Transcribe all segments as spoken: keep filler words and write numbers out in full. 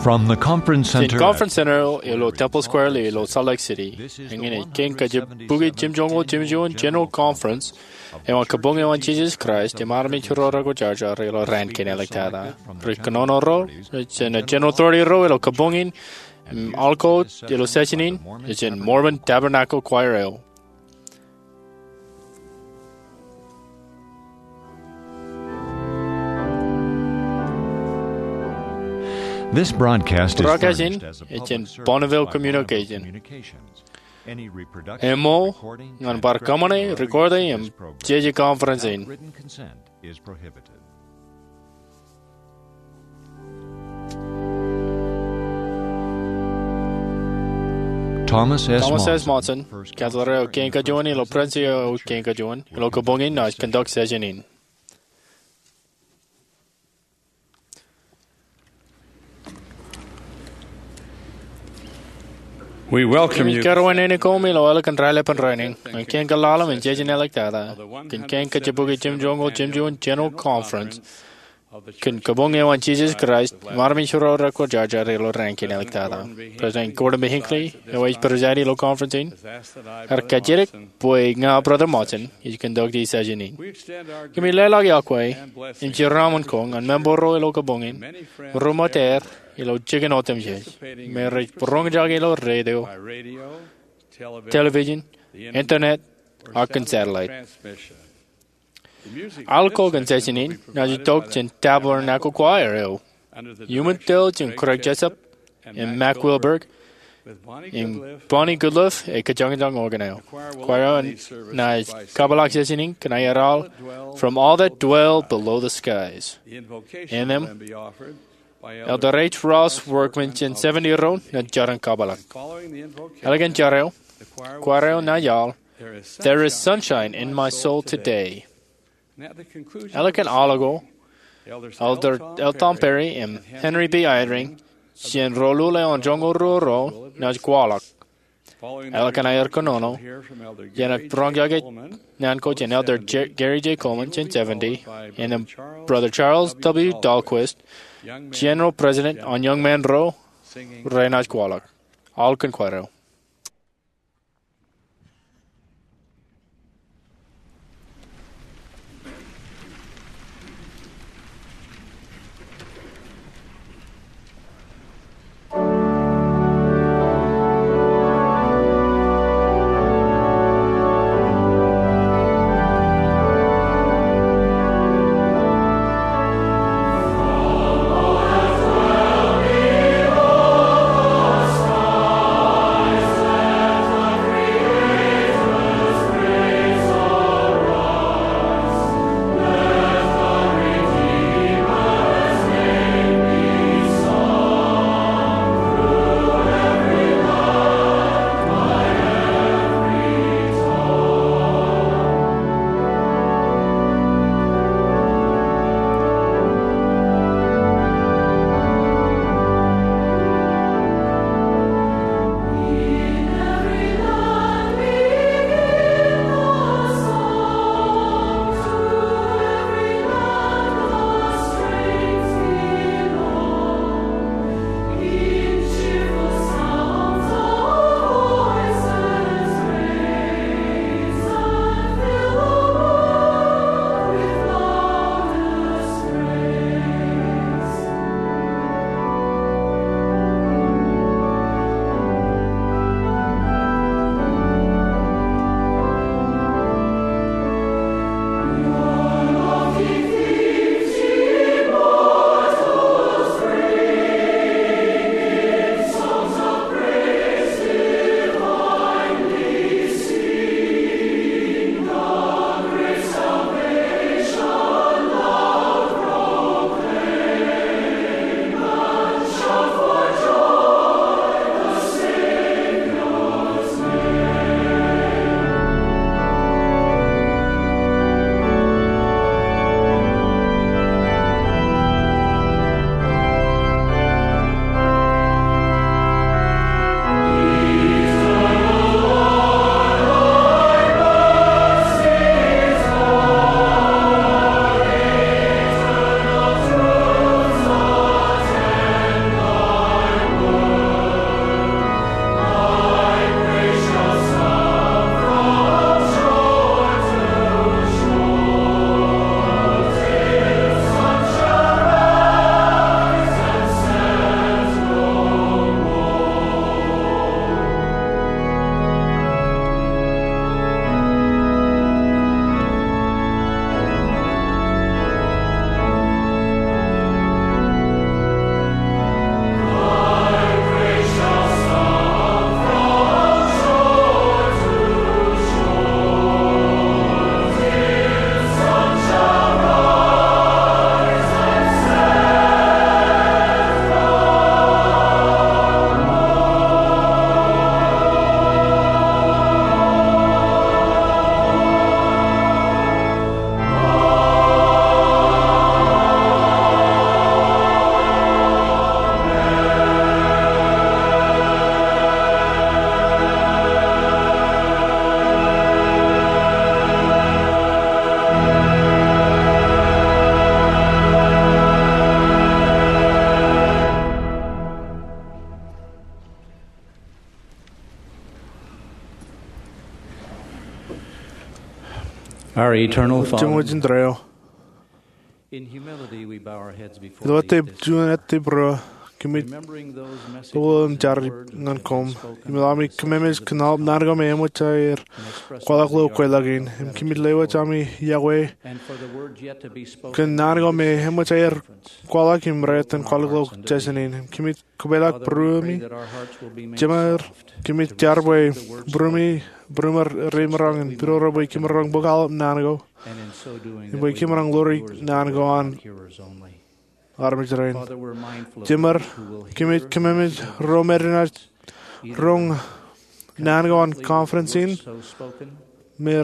From the Conference Center, Conference Center ilo Temple Square ilo Salt Lake City, eñin ej kein kajjibukwi jimjuonñoul jimjuon General Conference eo an Kabuñ eo an Jesus Christ im armej ro rekwōjarjar ilo raan kein āliktata. Ri kōnono ro jān General Authority ro ilo kabuñ in im aolko ilo session in ej jān Mormon Tabernacle Choir eo. This broadcast is Broadcast in furnished as a ej jān public service Bonneville by Bonneville Communication. Communications. Any reproduction, Emmōj ñan bar recording, kōṃṃane, recording, im transcription of this jeje conference in. Without written consent is prohibited. Thomas S. Thomas S. Monson, Monson, kōtḷọk eo kein kajuon ilo Presidensi eo kein kajuon ilo kabuñ in, ej conduct session in. We welcome you. Kōrā wōt naan in koṃ ilo ālikin raelepen rainin, ñan kein kōḷḷāḷḷaṃ in jeje āliktata, kōn kein kajjibukwi jimjuonñoul jimjuon General Conference kōn Kabuñ eo an Jesus Christ im armej ro rekwōjarjar ilo raan kein āliktata. President Gordon B. Hinckley, eo ej presiding ilo conference in, ear kajjitōk bwe ña, Brother Monson, ij conduct e session in. Kōmij leḷọk iọkwe im jeraṃōn ko ñan member ro ilo kabuñ in, ro ṃōttaer ilo jikin otemjej, me rej roñjake ilo radio, television, internet, ak kōn satellite. Aolko kōn session in naaj itok jān Tabernacle Choir eo, iuṃwin tōl jān Craig Jessop im Mac Wilberg, im Bonnie Goodliffe ej kōjañjañ organ eo. Choir eo naaj kapeḷḷọk session in kōn aer aolep From All That Dwell Below the Skies. Anthem, Elder H. Ross Workman jān seventy ro naaj jar in kapeḷḷọk. Ālikin jar eo, choir eo naaj aolep There Is Sunshine in My Soul Today. Ālikin aolep ko, Elder L. Tom Perry im Henry B. Eyring, jān roḷoḷe eo an joñoul ruo ro, naaj kwaḷọk. Ālikin aer kōnono, iien aō roñjake naan ko jān Elder J-, Gary J. Coleman jān seventy, im Brother Charles W. Dahlquist, General President an Young Men ro, renaaj kwaḷọk. Aolep kōn choir eo. Our eternal Father, Jemwōj indeeo. In humility we bow our heads before thee this morning, remembering those messages and words that have been spoken and expressed in this place. Ilo aō tep juon ettep ro, kōmij bōk im jar ñan koṃ im ilo ami kōmemej kōn aolep naan ko me eṃōj aer kwaḷọk ilo kweilọk in, im kōmij lewōj ami yokwe kōn naan ko me eṃōj aer kwaḷọk im rej itōn kwaḷọk ilo jejin in, im kōmij kōpeḷḷọk būruemi. Jemāer, kōmij jar bwe būruemi, būruem reimeroñ in pidodo bwe kōm maroñ bōk aolep naan ko, im bwe kōm maroñ ḷoor naan ko an armej rein. Jemāer, kōmij kōmemej ro me renaaj roñ naan ko an conference in, me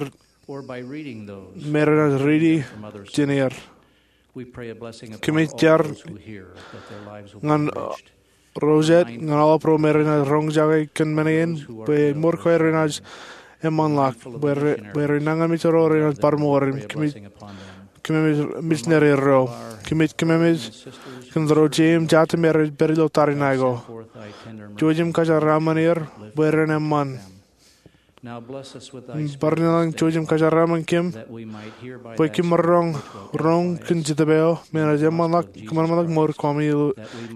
renaaj riiti jān er. Kōmij jar ñan ro jet, ñan aolep ro me renaaj roñjake kōn men in, bwe mour ko renaaj eṃṃanḷọk, bwe renaaj ñan mejān renaaj bar mour im kōmemej misineri ro. Kōmij kōmemej kōn ro jeim jatū me rej pād ilo tariṇae ko. Jouj im kōjeraaṃṃan er bwe ren eṃṃan. Bar naan jouj im kōjeraaṃṃan kōm bwe kōm maroñ roñ kōn Jetōb eo me enaaj eṃṃanḷọk, kōṃanṃanḷọk mour ko ami ilo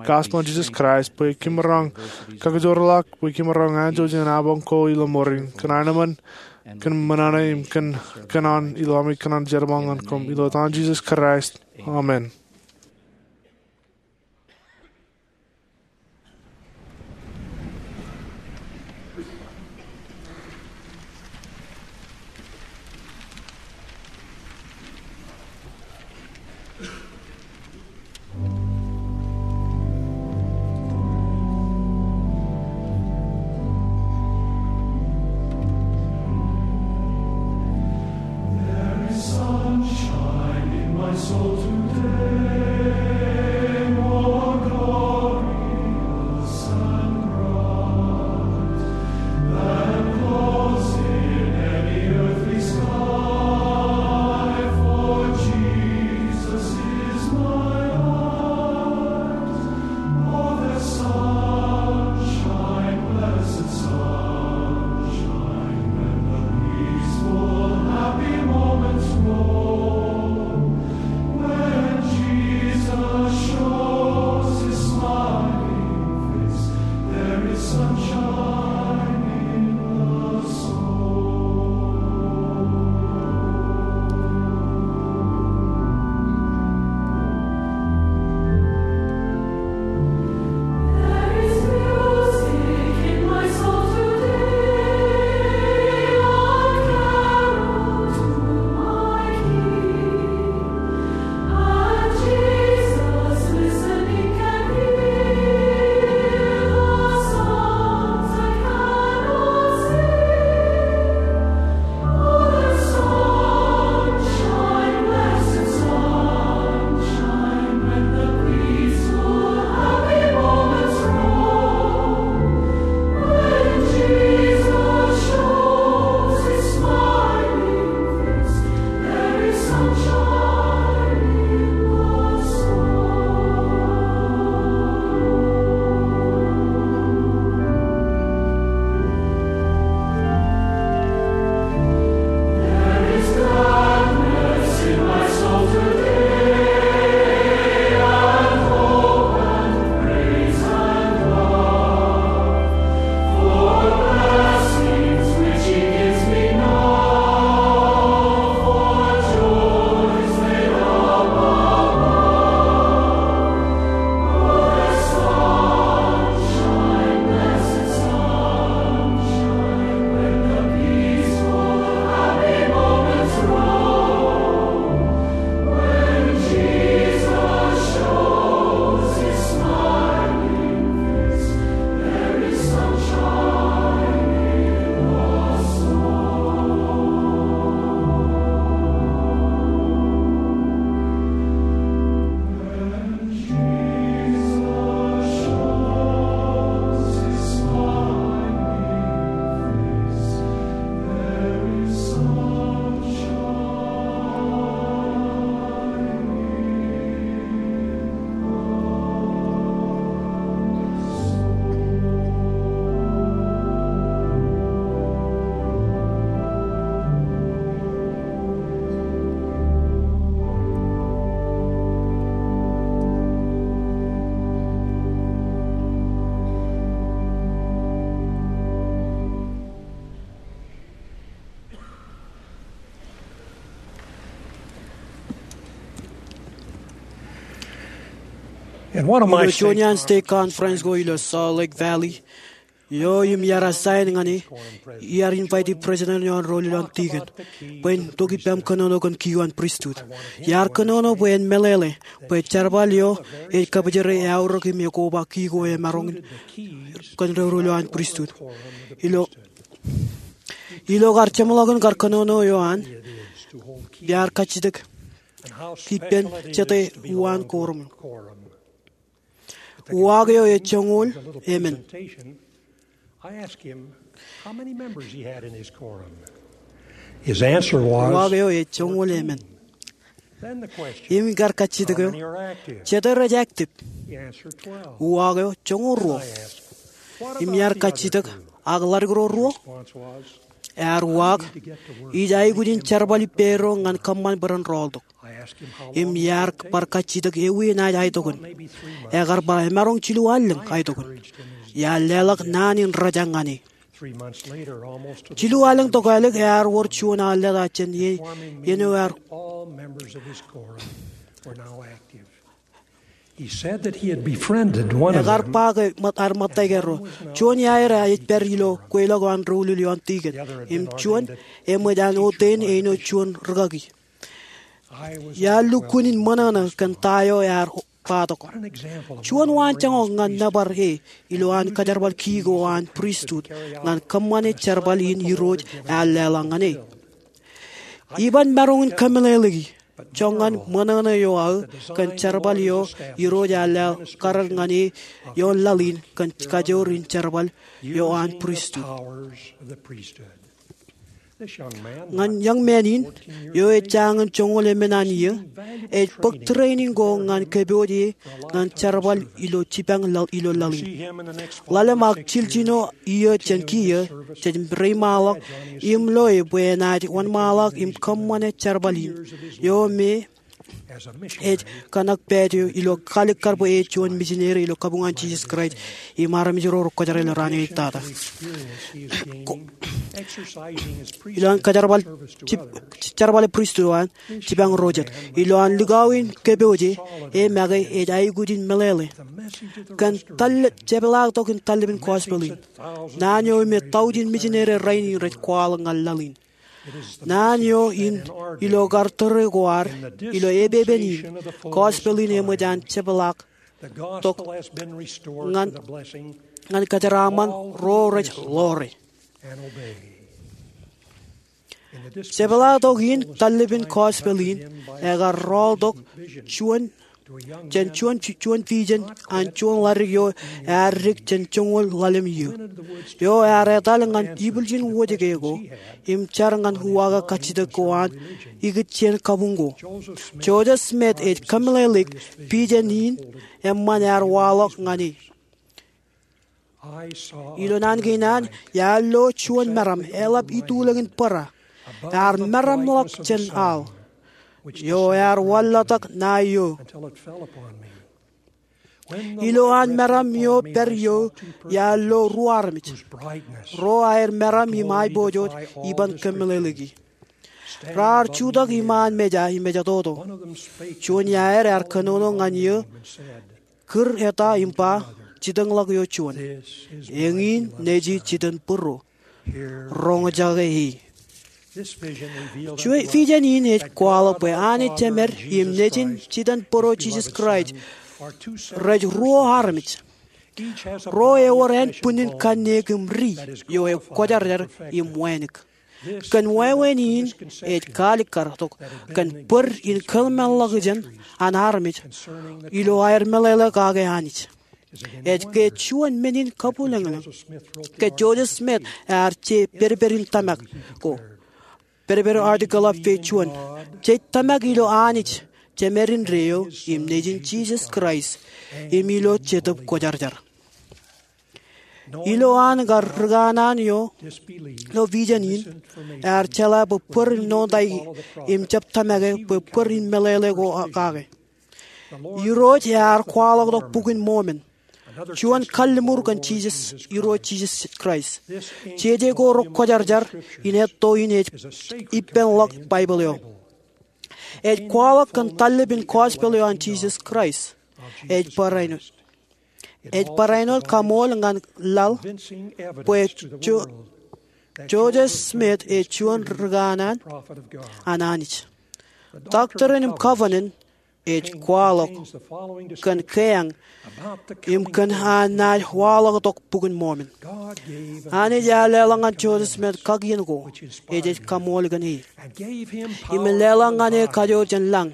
gospel in Jisōs Kraist, bwe kōm maroñ kakijoorḷọk, bwe kōm maroñ anjọ jān apañ ko ilo mour in, kōn aenōṃṃan, kōn ṃōṇōṇō im kōn kōnono ilo ami kōnono jerbal ñan koṃ, ilo etan Jisōs Kraist. Amen. There is sunshine in my soul today, more glorious and bright than clouds in any earthly sky, for Jesus is my light. Oh, the sunshine, blessed sunshine, when the peaceful, happy moments roll, when Ilo juon iaan stake conference ko ilo Salt Lake Valley, eo im iar assign ñan e, iar invite e president eo an ro ilo an tikōn bwe en tok ippaṃ kōnono kōn ki eo an pristut. Iar kōnono bwe en meḷeḷe bwe jerbal eo ej kabijere eaorōk im ekoba ki ko emaroñ kōn ro ilo an pristut. Ilo, ilo kar jeṃḷọkin kar kōnono eo an, iar kajjitōk ippān jete uwaan quorum. Uwaak eo ej joñoul emān. Uwaak eo ej joñoul emān. Im kar kajjitōk eo, jete rej active? Uwaak eo joñoul ruo. Im iar kajjitōk, ak ḷaddik ro ruo? Ear uwaak, ij aikuj in jerbal ippāerro ñan kōṃṃan bwe ren rọọltok. Im iar bar kajjitōk ewi enaaj aetokōn. Ekar ba emaroñ jilu allōñ aetokōn. Iar leḷọk naan in rōjañ ñan e. Jilu allōñ tokālik ear wōr juon aolep jān iien eo ear Ekar ba ke ṃōt-, ear ṃōttaik erro. Juon iaer ej pād ilo kweilọk eo an doulul eo an tikōn. Im juon eṃōj an ordain eino juon rūkaki. Iar lukkuun in ṃōṇōṇō kōn ta eo ear baatok. Juon waanjoñak ñan nōbar e ilo an kajerbal ki ko an pristut ñan kōṃṃane jerbal in Irooj ear leḷọk ñan e. Iban maroñ in kōmeḷeḷeiki, joñan ṃōṇōṇō eo aō kōn jerbal eo Irooj ear leḷọk karan ñan e ioon laḷ in kōn kajoor in jerbal eo an pristut. Ñan young man in, eo ej jañin joñoul emān an iiō, ej bōk training ko ñan kōpooj e ñan jerbal ilo jipañ laḷ, ilo laḷ in. Ḷalem ak jiljino iiō jān kiiō, jej reiṃaanḷọk im loe bwe enaaj wōnṃaanḷọk im kōṃṃane jerbal in. Eo me ej kōṇak pād eo ilo kalikkar bwe ej juon mijineri ilo kabuñ an Jisōs Kraist im armej ro rekwōjarjar ilo raan in tata. Ko-, ilo an kajerbal jip-, jerbale pristut eo an jipañ ro jet. Ilo an likao in kōpooj e, e make ej aikuj in meḷeḷe kōn tōl-, jepḷaaktok in tallibin gospel in. Naan eo me taujin mijineri rainin rej kwaḷọk ñan laḷ in. Naan eo in ilo kar tōre ko ad, ilo epepen in, gospel in eṃōj an jepḷaaktok ñan, ñan kōjeraaṃṃan ro rej ḷoore. Jepḷaaktok in tallibin gospel in ekar rọọltok juon jān juon, juon vision an juon ḷaddik eo ear dik jān joñoul ḷalem iiō. Eo ear etal ñan ibwiljin wōjke ko, im jar ñan uwaake kajjitōk ko an ikijjien kabuñ ko. Joseph Smith ej kōmeḷeḷeik vision in eṃṃan ear waḷọk ñan e. Ilo naan kein an, iar lo juon meram eḷap itulōñin bōra. Ear meramḷọk jān aḷ. Eo ear wanlatak ṇae eo. Ilo an meram eo pād eo, iar lo ruo armej. Ro aer meram im aiboojoj iban kōmeḷeḷeiki. Raar jutak iṃaan meja im ejatoto. Juon iaer ear kōnono ñan iiō, kūr eta im ba, jitōñḷọk eo juon. Eñin Nejū jitōnbōro. Roñjake e. Juon vision in ej kwaḷọk bwe Anij Jemed im Nejin Jitōnbōro Jisōs Kraist rej ruo armej. Ro ewōr ānbwinnin kanniōk im ri eo ekwōjarjar im wānōk. Kōn wāween in ej kaalikkar tok kōn bōd in kōḷmānḷọkjeṇ an armej ilo aer meḷeḷe kake Anij. Ej ke juon men in kabwilōñlōñ ke Joseph Smith ear je pedped in tōmak ko, pedped article of faith juon, jej tōmak ilo Anij, Jemed indeeo, im Nejin Jisōs Kraist, im ilo Jetōb Kwōjarjar. Ilo an kar rikanaan eo, ilo vision in, ear jeḷā bwe bōd in notaik im jab tōmake bwe bōd in meḷeḷe ko kake. Irooj ear kwaḷọktok Bok in Mormon, juon kalliṃur kōn Jisōs, Irooj Jisōs Kraist. Jeje ko rekwōjarjar in etto in ej ippānḷọk Baibōḷ eo. Ej kwaḷọk kōn tallib in gospel eo an Jisōs Kraist. Ej barāinwōt. Ej barāinwōt kaṃool ñan laḷ bwe Joseph Smith ej juon ri kanaan an Anij. Doctrine im Covenant ej kwaḷọk kōn keañ im kōn an naaj waḷọktok Bok in Mormon. Anij ear leḷọk ñan Joseph Smith kakien ko ej ej kaṃool kōn e, im leḷọk ñan e kajoor jān lañ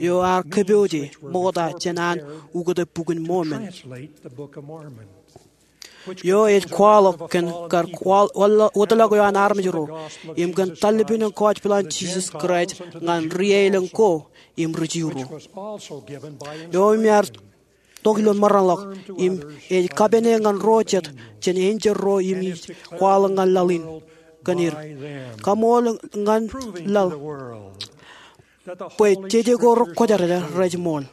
eo ear kōpooje ṃokta jān an ukōte Bok in Mormon, eo ej kwaḷọk kōn kar wōtlọk eo an armej ro, im kōn tallipin in gospel an Jisōs Kraist ñan ri-aelōñ ko im ri-Ju ro, eo im ear tok ilo meranḷọk, im ej kapene ñan ro jet jān enjeḷ ro im ij kwaḷọk ñan laḷ in kōn er. Kaṃool ñan laḷ bwe jeje ko rekwōjarjar rej ṃool,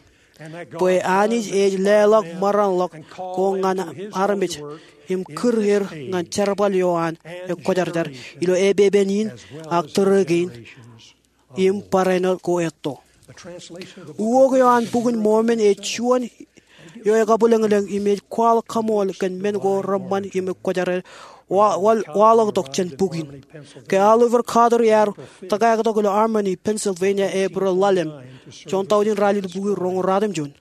bwe Anij ej leḷọk meranḷọk ko ñan armej im kūr er ñan jerbal eo an ekwōjarjar ilo epepen in ak tōre kein im barāinwōt ko etto. Ukok eo an Bok in Mormon ej juon eo ekabwilōñlōñ im ej kwaḷọk kaṃool kōn men ko reṃṃan im ekwōjarjar waḷọktok jān bok in. Ke Oliver Cowdery ear tōkaktok ilo Albany, Pennsylvania, Epril ḷalem, juon tọujin ralitōk bukwi roñoul ratimjuon,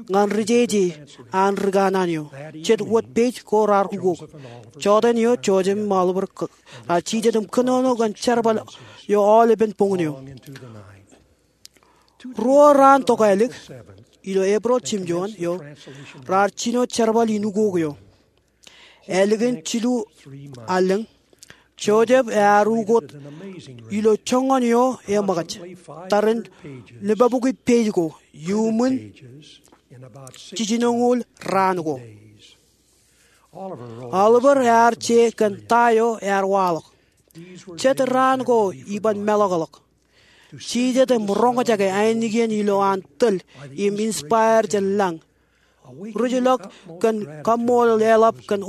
ñan ri jeje an ri kanaan eo, jet wōt page ko raar ukok. Jọteen eo Joseph im Oliver raar jijet im kōnono kōn jerbal eo aolepen boñōn eo. Ruo raan tokālik ilo Epril jimjuon eo raar jino jerbal in ukok eo. Ālikin jilu allōñ, Joseph ear ukot ilo joñan eo eṃōkaj, tarrin limabukwi page ko, iuṃwin jijinoñoul raan ko. Oliver ear je kōn ta eo ear waḷọk. Jet raan ko iban meḷọkḷọk. Jijet im roñjake ainikien ilo an tōl im inspire jān lañ. Rijḷọk kōn kaṃṃoolol eḷap kōn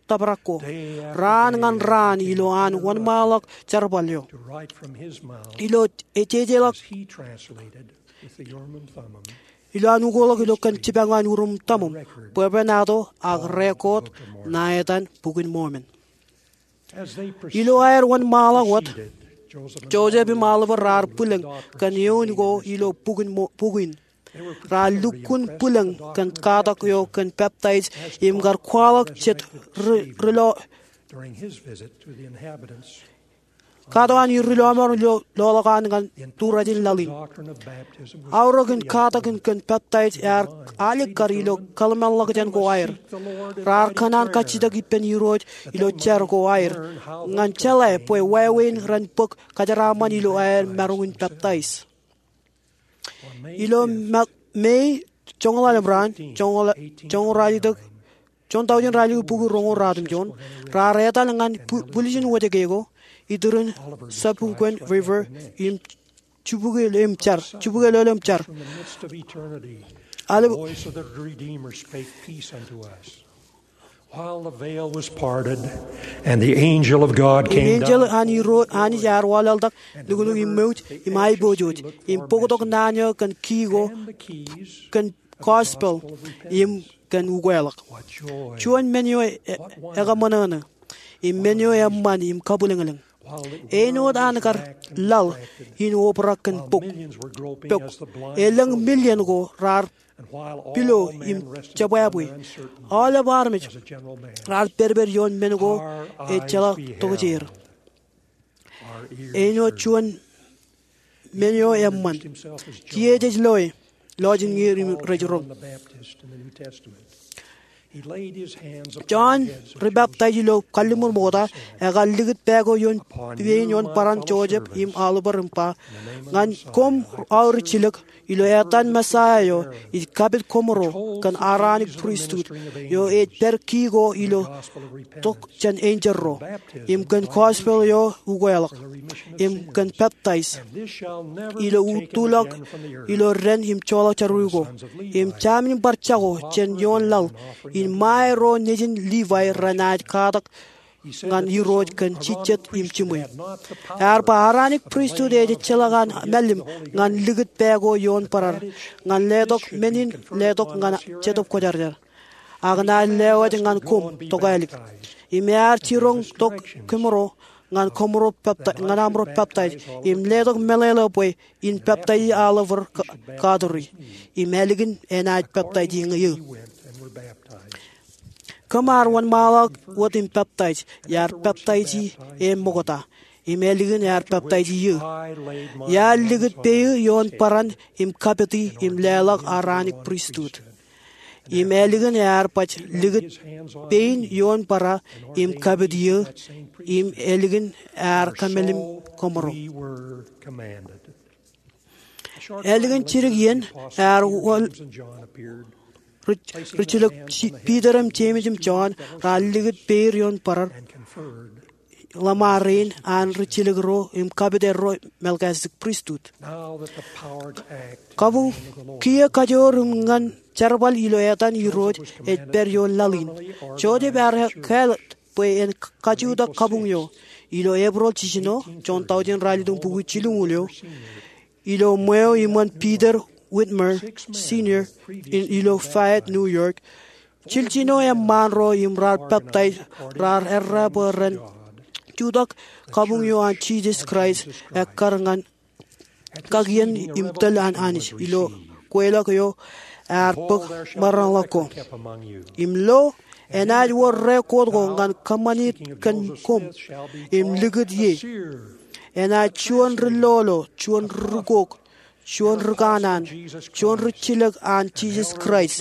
obrak ko. Raan ñan raan ilo an wōnṃaanḷọk jerbal eo. Ilo ejejeḷọk ilo an ukoḷọk ilo kōn jipañ eo an Urim im Tumim, bwebwenato ak record ṇa etan Bok in Mormon. Ilo aer wōnṃaanḷọk wōt, Joseph im Oliver raar bwilōñ kōn eoon ko ilo bok in. Raar lukkuun bwilōñ kōn katak eo kōn peptaij im kar kwaḷọk jet ri-lọmọọr, katak eo an ri-lọmọọr ilo loḷọk an ñan turaj in laḷ in. Aorōk in katak in kōn peptaij ear alikkar ilo kōḷmānḷọkjeṇ ko aer. Raar kōṇaan kajjitōk ippān Irooj ilo jar ko aer ñan jeḷā bwe wāween ren bōk kōjeraaṃṃan ilo aer maroñ in peptaij. Ilo Mei joñoul ḷalem raan, joñoul ralitōk, juon tọujin ralitōk bukwi roñoul ratimjuon, raar etal ñan bwiljin wōjke ko, iturin Sapukwen River im jibukwe ḷọk im jar. Im enjeḷ an Anij ear waḷọkḷọk nuknuk im mouj im aiboojoj im bōktok naan eo kōn kii ko kōn gospel im kōn ukweḷọk. Juon men eo ekaṃōṇōṇō im men eo eṃṃan im kabwilōñlōñ. Āinwōt an kar laḷ in obrak kōn pok, elōñ million ko raar pilo im jebwābwe. Aolep armej raar pedped ioon men ko ejjeḷọk tokjāer. Āinwōt juon men eo eṃṃan. Kiiō jej loe lọjilñier im rej roñ. Jon ri-peptaij ilo kalliṃur ṃokta ekar likūt pā ko ioon pein ioon baran Joseph im Oliver im ba, ñan koṃ aorōk jilōk ilo etan Mesaia eo ij kapit koṃro kōn Aaronic Priesthood eo ej pād kii ko ilo tok jān enjeḷ ro, im kōn gospel eo ukweḷọk, im kōn peptaij. Ilo utuḷọk ilo dān im joḷọk jerawiwi ko, im jamin bar jako jān ioon laḷ in ṃae ro nejin Livai renaaj katak ñan Irooj kōn jijjet im jiṃwe. Ear ba Aaronic Pristut ej ejjeḷọk an mālim ñan likūt pā ko ioon bōraar, ñan letok men in letok ñan Jetōb Kwōjarjar, ak enaaj lewōj ñan koṃ tokālik. Im ear jiroñ tok kōmro ñan kōmro pepta-, ñan amro peptaij, im letok meḷeḷe bwe in peptaiji aolep ro ka-, katoori. Im ālikin enaaj peptaiji eō. Kōm ar wōnṃaanḷọk wōt im peptaij, iar peptaiji e ṃokta. Im ālikin ear peptaiji eō. Iar likūt pein ioon bōran im kapiti im leḷọk Aaronic Pristut. Im ālikin ear baj likūt pein ioon bōraar im kapiti eō, im ālikin ear kōmālim kōmro. Ālikin jidik iien, ear wōl ri-, rijilōk J-, Piter im Jemes im Jon raar likūt pein ioon bōraar ḷōṃaro rein an rijilōk ro im kapit erro Melchizedek Pristut. Kabuñ, kiiō kajoor im ñan jerbal ilo etan Irooj ej pād ioon laḷ in. Joseph ear kāāl bwe en kajutak kabuñ eo. Ilo Epirel jiljino, juon tọujin ralitōñbukwi jilñuul eo, ilo ṃweo iṃōn Peter Whitmer Senior in ilo Fayette, New York, jiljino eṃṃaan ro im raar peptaij raar errā bwe ren jutak kabuñ eo an Jisōs Kraist ekkar ñan kakien im tōl an Anij ilo kweilọk eo ear bōk maroñḷọk ko. Im lo, enaaj wōr rekood ko ñan kōṃṃani kōn koṃ im likūt ie. Enaaj juon ri lolo, juon ri rūkok, juon ri kanaan, juon rijilōk an Jisōs Kraist,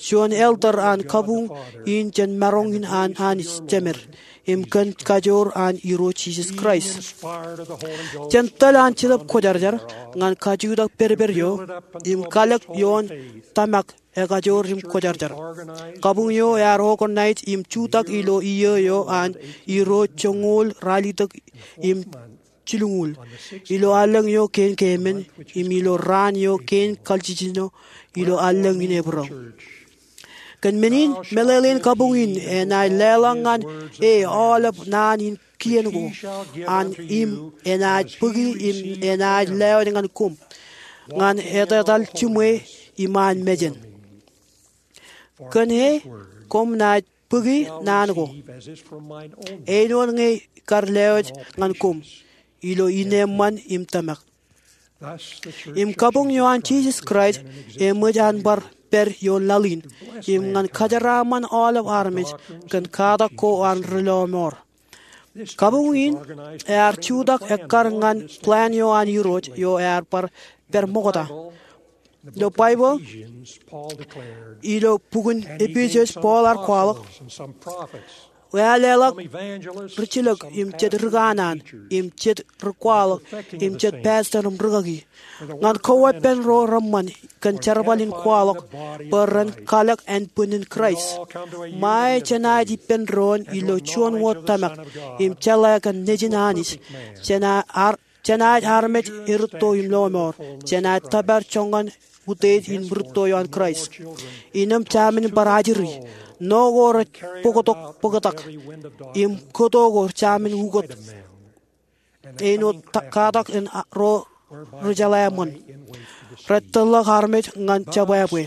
juon elder an kabuñ in jān maroñ in an Anij Jemed, im kōn kajoor an Irooj Jisōs Kraist. Jān tōl an Jetōb Kwōjarjar ñan kajutak pedped eo, im kalōk ioon tōmak ekajoor im kwōjarjar. Kabuñ eo ear organize im jutak ilo iiō eo an Irooj joñoul ralitōk im jilñuul, ilo allōñ eo kein keemān, im ilo raan eo kein kaljijino, ilo allōñ in Epirel. Kōn men in, meḷeḷein kabuñ in enaaj leḷọk ñan e aolep naan in kien ko an, im enaaj bōki im enaaj lewōj ñan koṃ, ñan etetal jiṃwe iṃaan mejān. Kōn e, koṃ naaj bōki naan ko, āinwōt ñe kar lewōj ñan koṃ, ilo ineeṃṃan im tōmak. Im kabuñ eo an Jisōs Kraist eṃōj an bar pād ioon laḷ in, im ñan kōjeraaṃṃan aolep armej kōn katak ko an ri lọmọọr. Kabuñ in ear jutak ekkar ñan plan eo an Irooj eo ear bar pād ṃokta. Ilo Baibōḷ, ilo bukun Epesōs, Paul ear kwaḷọk, ear leḷọk rijilōk im jet ri kanaan, im jet ri kwaḷọk, im jet pastor im rūkaki, ñan koweeppān ro reṃṃan kōn jerbal in kwaḷọk, bwe ren kalōk ānbwinnin Kraist. Ṃae jenaaj ippān doon ilo juon wōt tōmak, im jeḷā kōn Nejin Anij, jena ar-, jenaaj armej erūtto im lọmọọr, jenaaj tōpar joñan utiej in rūtto eo an Kraist. Innem jamin bar ajri, no ko rej bōktok bōktak, im kōto ko jamin ukōt. Āinwōt ta-, katak in a-, ro ri jeḷā ṃōn, rej tōllọk armej ñan jebwābwe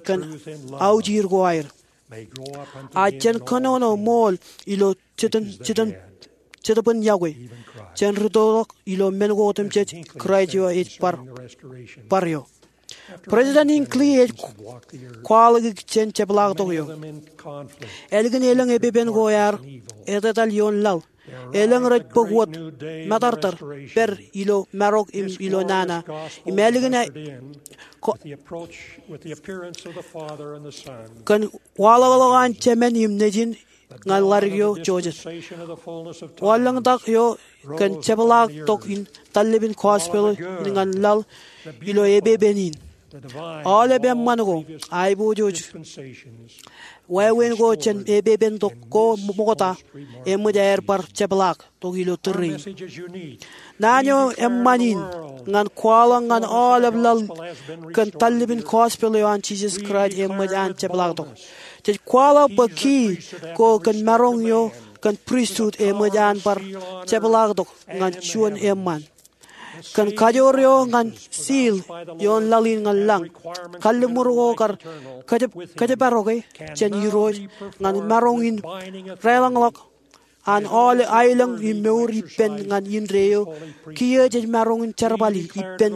kōn aujir ko aer. A jen kōnono ṃool ilo jitōn, jitōn, jetōbin yokwe, jen rūttoḷọk ilo men ko otemjej Kraist eo ej bar, bar eo. President Hinckley ej kwaḷọk ikijjien jepḷaaktok eo. Ālikin elōñ epepen ko ear etetal ioon laḷ, elōñ rej bōk wōt matartar pād ilo marok im ilo nana. Im ālikin a-, ko-, kōn waḷọkḷọk an Jemān im Nejin ñan ḷadik eo Joseph. Wanlōñtak eo kōn jepḷaaktok in tallepin gospel in ñan laḷ ilo epepen in. Aolep eṃṃan ko, aiboojoj, wāween ko jān epepen tok ko ṃokta, eṃōj aer bar jepḷaaktok ilo tōre in. Naan eo eṃṃan in ñan kwaḷọk ñan aolep laḷ kōn tallepin gospel eo an Jisōs Kraist eṃōj an jepḷaaktok. Jej kwaḷọk bwe kiiō ko kōn maroñ eo kōn pristut eṃōj an bar jepḷaaktok ñan juon eṃṃaan. Kōn kajoor eo ñan seal ioon laḷ in ñan lañ, kalliṃur ko kar kōjparoke jān Irooj ñan maroñ in deḷọñḷọk an aolep aelōñ im mour ippān ñan indeeo. Kiiō jej maroñ in jerbali ippān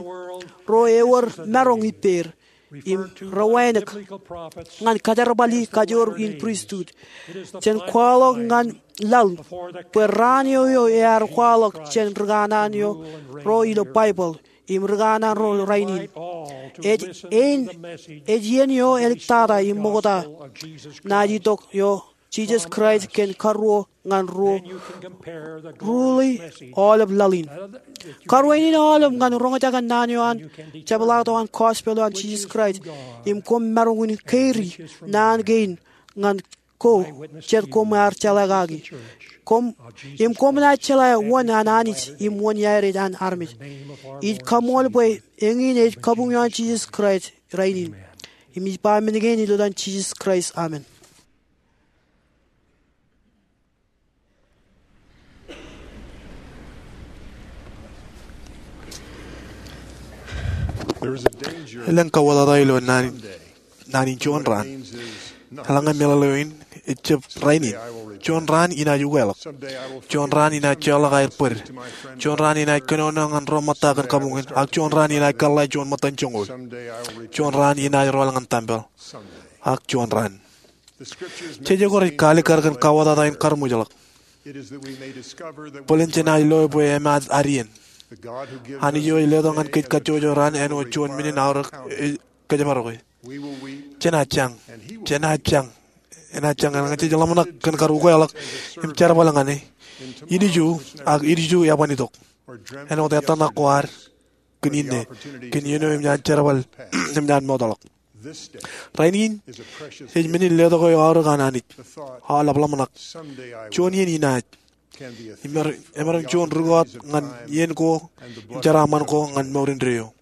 ro ewōr maroñ ippāer im rewānōk ñan kajerbali kajoor in pristut. Jen kwaḷọk ñan laḷ bwe raan eo eo ear kwaḷọk jān rikanaan ro ilo Baibōḷ im rikanaan ro rainin. Ej ein, ej iien eo āliktata im ṃokta naaj itok eo Jisōs Kraist kōn karuo ñan ruo ruḷi aolep laḷ in. Karuo in aolep ñan roñjake naan eo an jepḷaaktok an gospel eo an Jisōs Kraist im koṃ maroñ in keiri naan kein ñan ko jet koṃ ar jeḷā kaki. Koṃ, im koṃ naaj jeḷā wōn an Anij im wōn iaer ej an armej. Ij kaṃool bwe eñin ej kabuñ eo an Jisōs Kraist rainin. Im ij ba men kein ilo etan Jisōs Kraist, amen. Elōñ kauwōtata ilo naan in, naan in juon raan. Eḷaññe meḷeḷe eo in ejjab rainin, juon raan inaaj ukeḷọk. Juon raan inaaj jeorḷọk aer bōd. Juon raan inaaj kōnono ñan ro ṃōtta kōn kabuñ in, ak juon raan inaaj kōḷḷā juon ṃōttan joñoul. Juon raan inaaj rọọl ñan tempel. Ak juon raan. Jejako rej kaalikkar kōn kauwōtata in karuṃwijḷọk bōlen jenaaj loe bwe emaat ad iien. Anij eo ej letok ñan kōj kajjojo raan āinwōt juon men in aorōk ej kōjparoke. Jenaaj jañ. Jenaaj jañ. Enaaj jañ eḷaññe jej ḷōmṇak kōn kar ukeḷọk im jerbal ñan e. Ilju ak ilju eban itok āinwōt ettōṇak ko ad kōn inne, kōn iien eo emōj an jerbal, emōj an mootḷọk. Rainin ej men in letok eo aorōk an Anij. Aolep ḷōmṇak, juon iien inaaj. Im emaroñ, emaroñ juon rūkọọt ñan iien ko im jeraaṃṃan ko ñan mour indeeo.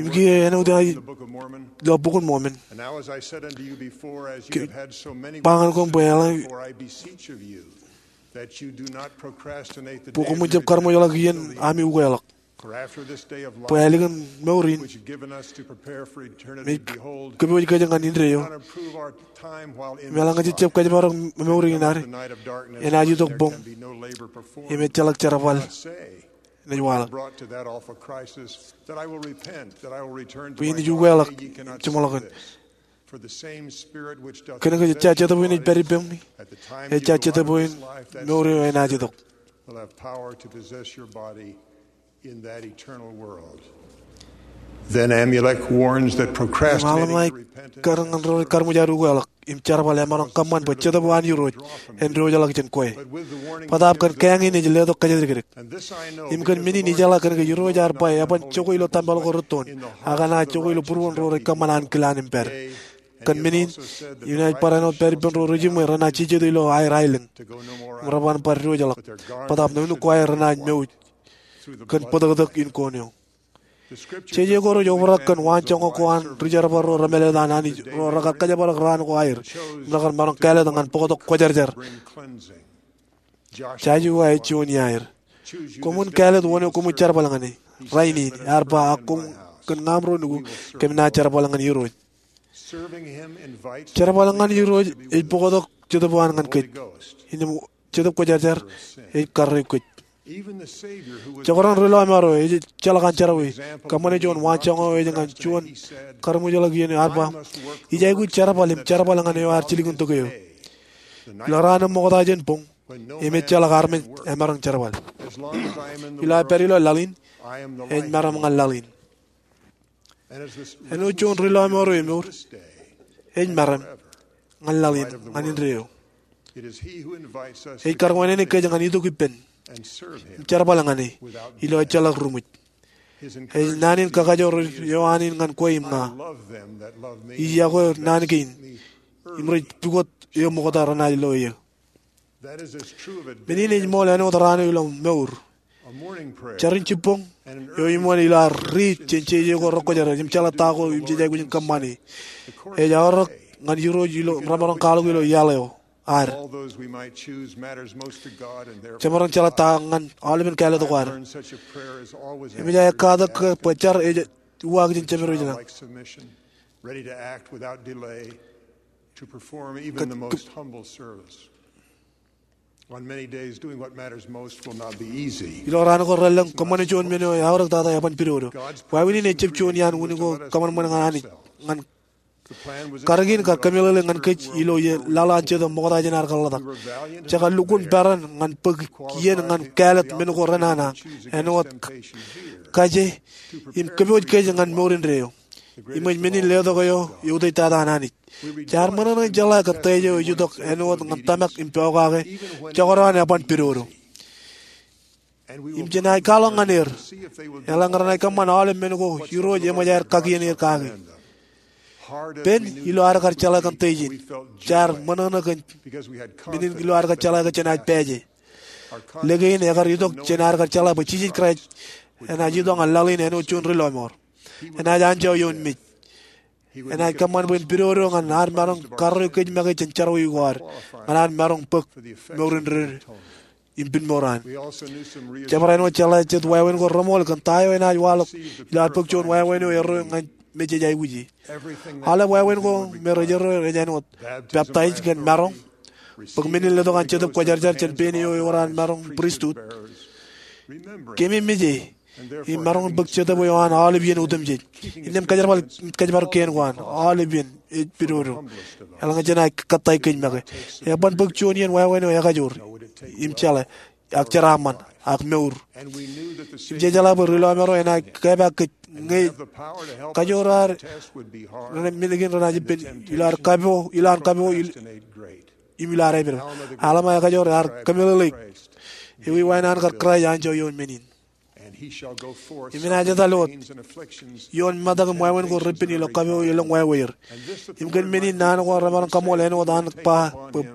Im kiiō āinwōt eo ilo Bok in Mormon. Ba ñan koṃ bwe eḷaññe bwe koṃwin jab karuṃwijḷọk iien ami ukeḷọk. Bwe ālikin mour in, im ej kōpooj kōj ñan indeeo. Im eḷaññe jej jab kōjparok mour in ad, enaaj itok boñ im ejjeḷọk jerbal enaaj waḷọk. Bwe inaaj ukeḷọk, jiṃḷọkin. Kōnke ejja Jetōb in ej pād ippemi, ejja Jetōb in mour eo enaaj itok. Then Amulek warns that procrastinating repentance. Im Amulek kar ñan ro rej karuṃwij aer ukeḷọk im jerbal emaroñ kōṃṃan bwe Jetōb eo an Irooj en diwōjḷọk jān kwe. Bōtaab kōn kāāñ in ej letok kōjatdikdik. Im kōn men in ijeḷā kōnke Irooj ear ba eban jokwe ilo tempel ko rūttoon, ak enaaj jokwe ilo būruon ro rej kōṃṃan ankilaan im pād. Kōn men in, inaaj bar āinwōt pād ippān ro rej jiṃwe renaaj jejjet ilo aer aelōñ im reban bar diwōjḷọk. Bōtaab nuknuk ko aer renaaj mouj kōn bōtōktōk in koon eo. Jeje ko rej obrak kōn waanjoñak ko an ri-jerbal ro remālōtlōt an Anij ro rekar kōjparok raan ko aer im rekar maroñ kāālōt ñan bōktok kwōjarjar. Joshua ej juon iaer. Koṃwin kāālōt wōn eo koṃwin jerbal ñan e. Rainin ear ba, ak koṃ kōn ñaam ro nukū kōm naaj jerbal ñan Irooj. Jerbal ñan Irooj ej bōktok Jetōb eo an ñan kōj. Innām Jetōb Kwōjarjar ej karreoik kōj. Jekdọọn ri lọmọọr eo ejjeḷọk an jerọwiwi, kōṃṃane juon waanjoñak eo ej ñan juon karuṃwijḷọk iien eo ear ba, ij aikuj jerbal im jerbal ñan eo ear jilkintok eō. Ilo raan eo ṃokta jān boñ, im ejjeḷọk armej emaroñ jerbal. Ilo aō pād ilo laḷ in, ej meram ñan laḷ in. Āinwōt juon ri lọmọọr eo emour, ej meram ñan laḷ in, ñan indeeo. Ej kar wānōk kōj ñan itok ippān im jerbal ñan e ilo ejjeḷọk ruṃwij. Ej naan in kakajoor eo an in ñan kwe im ña. Ij yokwe naan kein im rej pukot eō ṃokta renaaj lo eō. Men in ej ṃool āinwōt raan eo ilo mour. Jarin jibboñ eo iṃaan ilo ad riit jān jeje ko rekwōjarjar im jeḷā ta ko im jej aikuj in kōṃṃane. Ej aorōk ñan Irooj ilo remaroñ kwaḷọk ilo iaḷ eo. ad. Jemaroñ jeḷā ta ñan aolepen kāālōt ko ad. Eṃōj aō katak ke bwe jar ej uwaak jān Jemedwōj ṇe. Ilo raan ko relōñ, kōṃṃane juon men eo eaorōk tata eban pidodo. Wāween in ejjab juon iaan unin ko kōṃanṃan ñan Anij. Ñan karōk in kar kōmeḷeḷe ñan kōj ilo ie laḷ an Jetōb ṃokta jān ad kōḷḷātak. Jekar lukkuun peran ñan bōk iien ñan kāālōt men ko renana, āinwōt kaje im kōpooj kōj ñan mour indeeo. Eṃōj men in letok eo eutiej tata an Anij. Jaar ṃōṇōṇō in jeḷā kōn tōj eo ej itok āinwōt ñan tōmak im pokake jekdọọn eban pidodo. Im jen naaj kwaḷọk ñan er eḷaññe renaaj kōṃṃan aolep men ko Irooj eṃōj aer kakien er kake. Pen ilo ad kar jeḷā kōn tōj in, jaar ṃōṇōṇō kōn men in ilo ad kar jeḷā ke jenaaj pāāje. Lōke in ekar itok jān ad kar jeḷā bwe Jisōs Kraist enaaj itok ñan laḷ in āinwōt juon ri lọmọọr. Enaaj anjọ ioon mej. Enaaj kōṃṃan bwe en pidodo ñan ad maroñ karreo kōj make jān jerọwiwi ko ad, ñan ad maroñ bōk mour indeeo im pen mour an. Jemaroñ āinwōt jeḷā jet wāween ko reṃool kōn ta eo enaaj waḷọk ilo ad bōk juon wāween eo erreo ñan mej jej aikuji. Aolep wāween ko me rej erreo ej āinwōt peptaij kōn maroñ, bōk men in letok an Jetōb Kwōjarjar jān pein eo ewōr an maroñ pristut. Keememej e, im maroñ bōk Jetōb eo an aolep iien otemjej. Innām kōjparok, kōjparok kien ko an aolep iien ej pidodo. Eḷaññe jenaaj kōttāik kōj make, eban bōk juon iien wāween eo ekajoor im jeḷā ak jeraaṃṃan ak mour. Im jejeḷā bwe ri lọmọọr eo enaaj kōpeḷḷọk kōj ñe kajoor ad, men kein renaaj ippān ilo ad kapo, ilo an kapo, im ilo ad āpedped. Alma ekajoor ear kōmeḷeḷeik, ewi wāween an kar Kraist anjọ ioon men in. Im enaaj etal wōt ioon metak im wāween ko repen ilo kapo elōñ wāweier. Im kōn men in naan ko remaroñ kaṃool āinwōt an ba bwe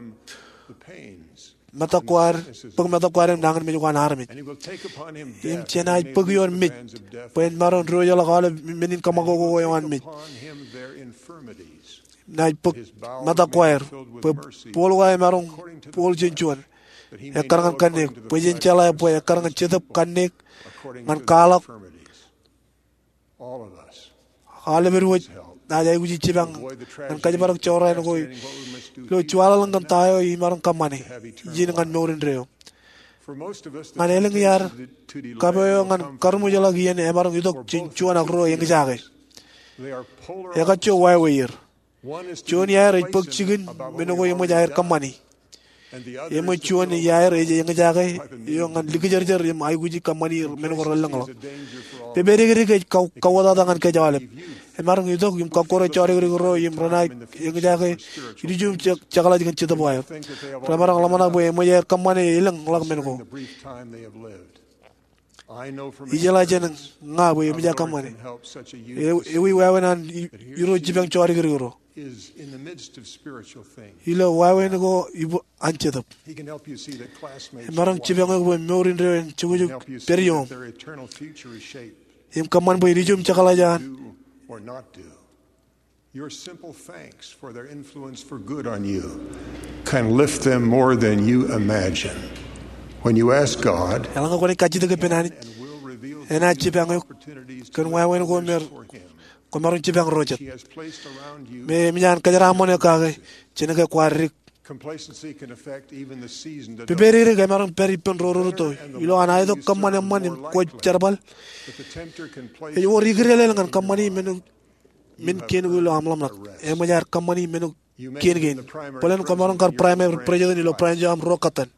metak ko ad, bōk metak ko ad im nañinmej ko an armej. Im jenaaj bōk ioon mej bwe en maroñ diwōjḷọk aolep men in kōṃakoko eo an mej. Naaj bōk metak ko aer bwe booḷ ko emaroñ booḷ jān juon ekkar ñan kanniōk, bwe jen jeḷā bwe ekkar ñan Jetōb kanniōk ñan kwaḷọk. Aolep eo naaj aikuji jipañ ñan kōjparok jorrāān ko ilo juwaḷōḷōñ kōn ta eo imaroñ kōṃṃane ijin ñan mour indeeo. Ñan elōñ iaad, kapo eo ñan karuṃwijḷọk iien emaroñ itok jān juon ak ruo eñjake. Ekajjo wāweier. Juon iaer ej bōk jikin men ko eṃōj aer kōṃṃani. Eṃōj juon iaer ej eñjake eo ñan likjōrjōr im aikuji kōṃṃani men ko relōñḷọk. Pepedikdik ej kau-, kauwōtata ñan kōj aolep. Emaroñ itok im kọkkure jodikdik ro im renaaj eñjake ilju im je-, jeḷā kōn Jetōb eo aer. Remaroñ ḷōmṇak bwe eṃōj aer kōṃṃane elōñḷọk men ko. Ijeḷā jān ña bwe eṃōj aō kōṃṃane. E-, ewi wāween an i-, Irooj jipañ jodikdik ro. Ilo wāween ko ibo an Jetōb, emaroñ jipañ eok bwe mour indeeo en jukjuk pād ioom im kōṃṃan bwe ilju im jeḷā jān Your simple thanks for their influence for good on you can lift them more than you imagine. When you ask God, eḷaññe kwōnaaj kajjitōk ippān Anij, enaaj jipañ eok kōn wāween ko me kwōmaroñ jipañ ro jet. He has placed around you, me eṃōj an kōjeraaṃṃan eok kake jān ke kwaar dik. Complacency can affect even the seasoned adult. Pepedikdik emaroñ pād ippān ro rūtto. Ilo an aetok kōṃṃan eṃṃan im kwōj jerbal, but the tempter can place ej wōr ikdeḷeḷ ñan kōṃṃani men men kien ko ilo aṃ ḷōmṇak. Eṃōj aer kōṃṃani men kien kein. Bōlen kwōmaroñ kar primary president ilo branch eo aṃ ruo kōttan.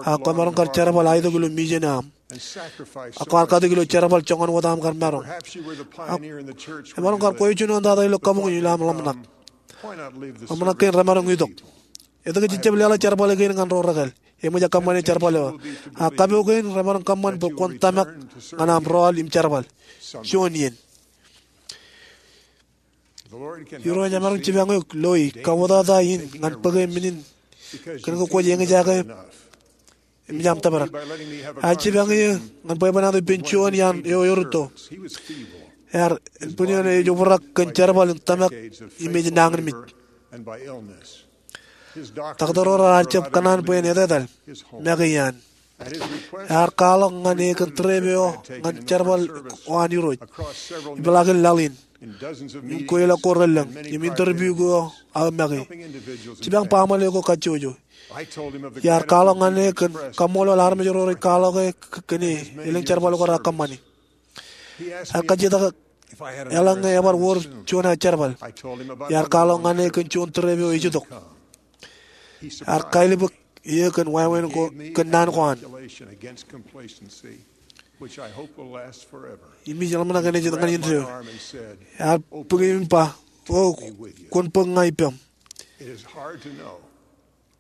Ak kwōmaroñ kar jerbal aetok ilo mission eo aṃ. Ak kwaar katakin ilo jerbal joñan wōt aṃ kar maroñ. Ak emaroñ kar kwōj juon eo an tata ilo kabuñ in ilo aṃ ḷōmṇak. Ḷōmṇak kein remaroñ itok. Etke jej jab leḷọk jerbal kein ñan ro rekāāl? Eṃōj aō kōṃṃane jerbal eo. Ak kapo kein remaroñ kōṃṃan bwe kwōn tōmak ñan aṃ rọọl im jerbal juon iien. Irooj emaroñ jipañ eok loi kauwōtata in ñan bōke men in kōn ke kwōj eñjake im ejjab tōprak. Ear jipañ eō ñan bwebwenato ippān juon iaan eo erūtto. Ear, ānbwin eoon ej obrak kōn jerbal im tōmak im ej nañinmej. Taktō ro raar jab kōṇaan bwe en etetal make iaan. Ear kwaḷọk ñan e kōn trip eo ñan jerbal eo an Irooj ipeḷaakin laḷ in im kweilọk ko relōñ im interview ko aō make. Jipañ baaṃle ko kajjojo. Iar kwaḷọk ñan e kōn kaṃṃoolol armej ro rej kwaḷọk e kōn e elōñ jerbal ko raar kōṃṃani. Ear kajjitōk eḷaññe ebar wōr juon aō jerbal. Iar kwaḷọk ñan e kōn juon trip eo ej itok. Ear kailbōk eō kōn wāween ko kōn naan ko an. Im ij ḷōmṇak enaaj itok ñan indeeo. Ear bōk eō im ba, O, kwōn bōk ña ippaṃ.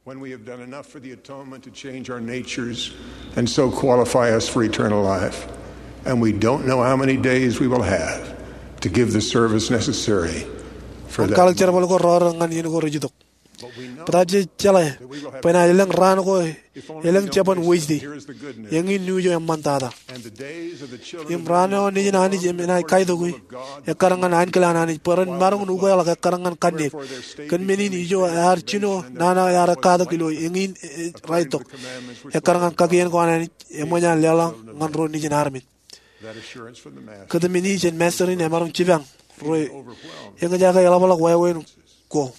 When we have done enough for the atonement to change our natures and so qualify us for eternal life, and we don't know how many days we will have to give the service necessary for that. Kwaḷọk jerbal ko rọọr ñan iien ko rej itok. Bōtaab jej jeḷā bwe enaaj elōñ raan ko elōñ jabōn Wednesday. Eñin news eo eṃṃantata. Im raan eo nejin Anij enaaj kaitokwe, ekkar ñan ankilaaṇ Anij, bwe ren maroñ in ukeḷọk ekkar ñan kanniōk. Kōn men in ijo ear jino nana ear katak ilo eñin ej raetok. Ekkar ñan kakien ko an Anij, eṃōj an leḷọk ñan ro nejin armej. Kōtmān in jān Master in emaroñ jipañ ro eñjake eḷapḷọk wāween ko.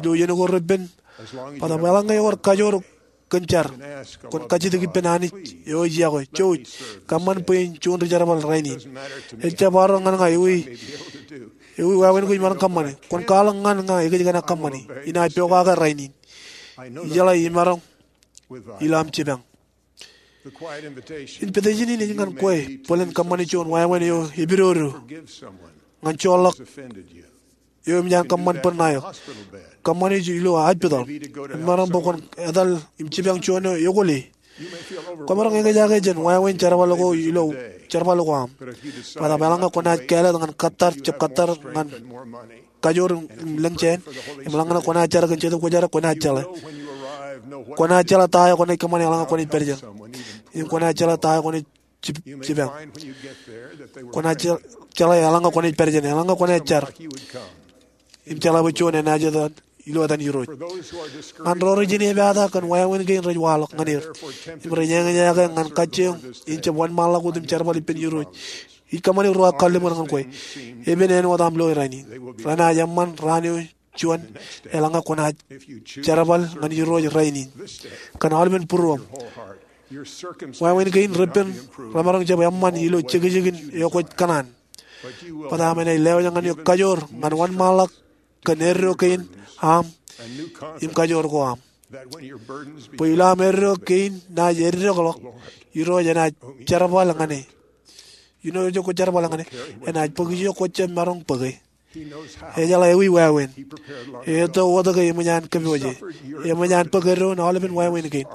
Ilo iien ko repen, bōtaab eḷaññe ewōr kajoor kōn jar, kwōn kajjitōk ippān Anij eo ej yokwe, Jouj, kōṃṃan bwe in juon ri-jerbal rainin. Ejjab arro ñan ña ewi, ewi wāween ko imaroñ kōṃṃane. Kwōn kwaḷọk ñan ña ekōjkan aō kōṃṃani. Inaaj pokake rainin. Ijeḷā imaroñ ilo aṃ jipañ. Invitation in ej ñan kwe bōlen kōṃṃani juon wāween eo epidodo ñan joorḷọk eo eṃōj an kōṃṃan bōd ṇae eo. Kōṃṃani ilo hospital. Emaroñ bwe kwōn etal im jipañ juon eo ekwōle. Kwōmaroñ eñjake jān wāween jerbal ko ilo jerbal ko aṃ. Bōtaab eḷaññe kwōnaaj kāālōt ñan kōttar, jab kōttar ñan kajoor im lōñ jāān, im eḷaññe kwōnaaj jar kōn Jetōb Kwōjarjar, kwōnaaj jeḷā. Kwōnaaj jeḷā ta eo kwōnaaj kōṃṃane eḷaññe kwōnaaj pād jān. Im kwōnaaj jeḷā ta eo kwōnaaj jip-, jipañ. Kwōnaaj je-, jeḷā eḷaññe kwōnaaj pād jān, eḷaññe kwōnaaj jar. Im jeḷā bwe juon enaaj etal ilo etan Irooj. Ñan ro rej inepata kōn wāween kein rej waḷọk ñan er im rej eñjake ñan kajjioñ in jab wōnṃaanḷọk wōt im jerbal ippān Irooj, ij kōṃṃani ruo kalliṃur ñan kwe. Epen āinwōt aṃ loe rainin. Renaaj eṃṃan raan eo juon eḷaññe kwōnaaj jerbal ñan Irooj rainin kōn aolepen būruōṃ. Wāween kein repen remaroñ jab eṃṃan ilo jekjekin eo kwōj kōṇaan. Bōtaab enaaj lewōj ñan eok kajoor ñan wōnṃaanḷọk kōn eddo kein aṃ im kajoor ko aṃ. Bwe ilo aṃ eddo kein naaj eddekḷọk, Irooj enaaj jerbal ñan e. Āinwōt kwōj jerbal ñan e, enaaj bōk ijo kwōj jab maroñ bōke. Ejeḷā ewi wāween. Etto wōt ke eṃōj an kōpooje. Eṃōj an bōk eddoin aolepen wāween kein.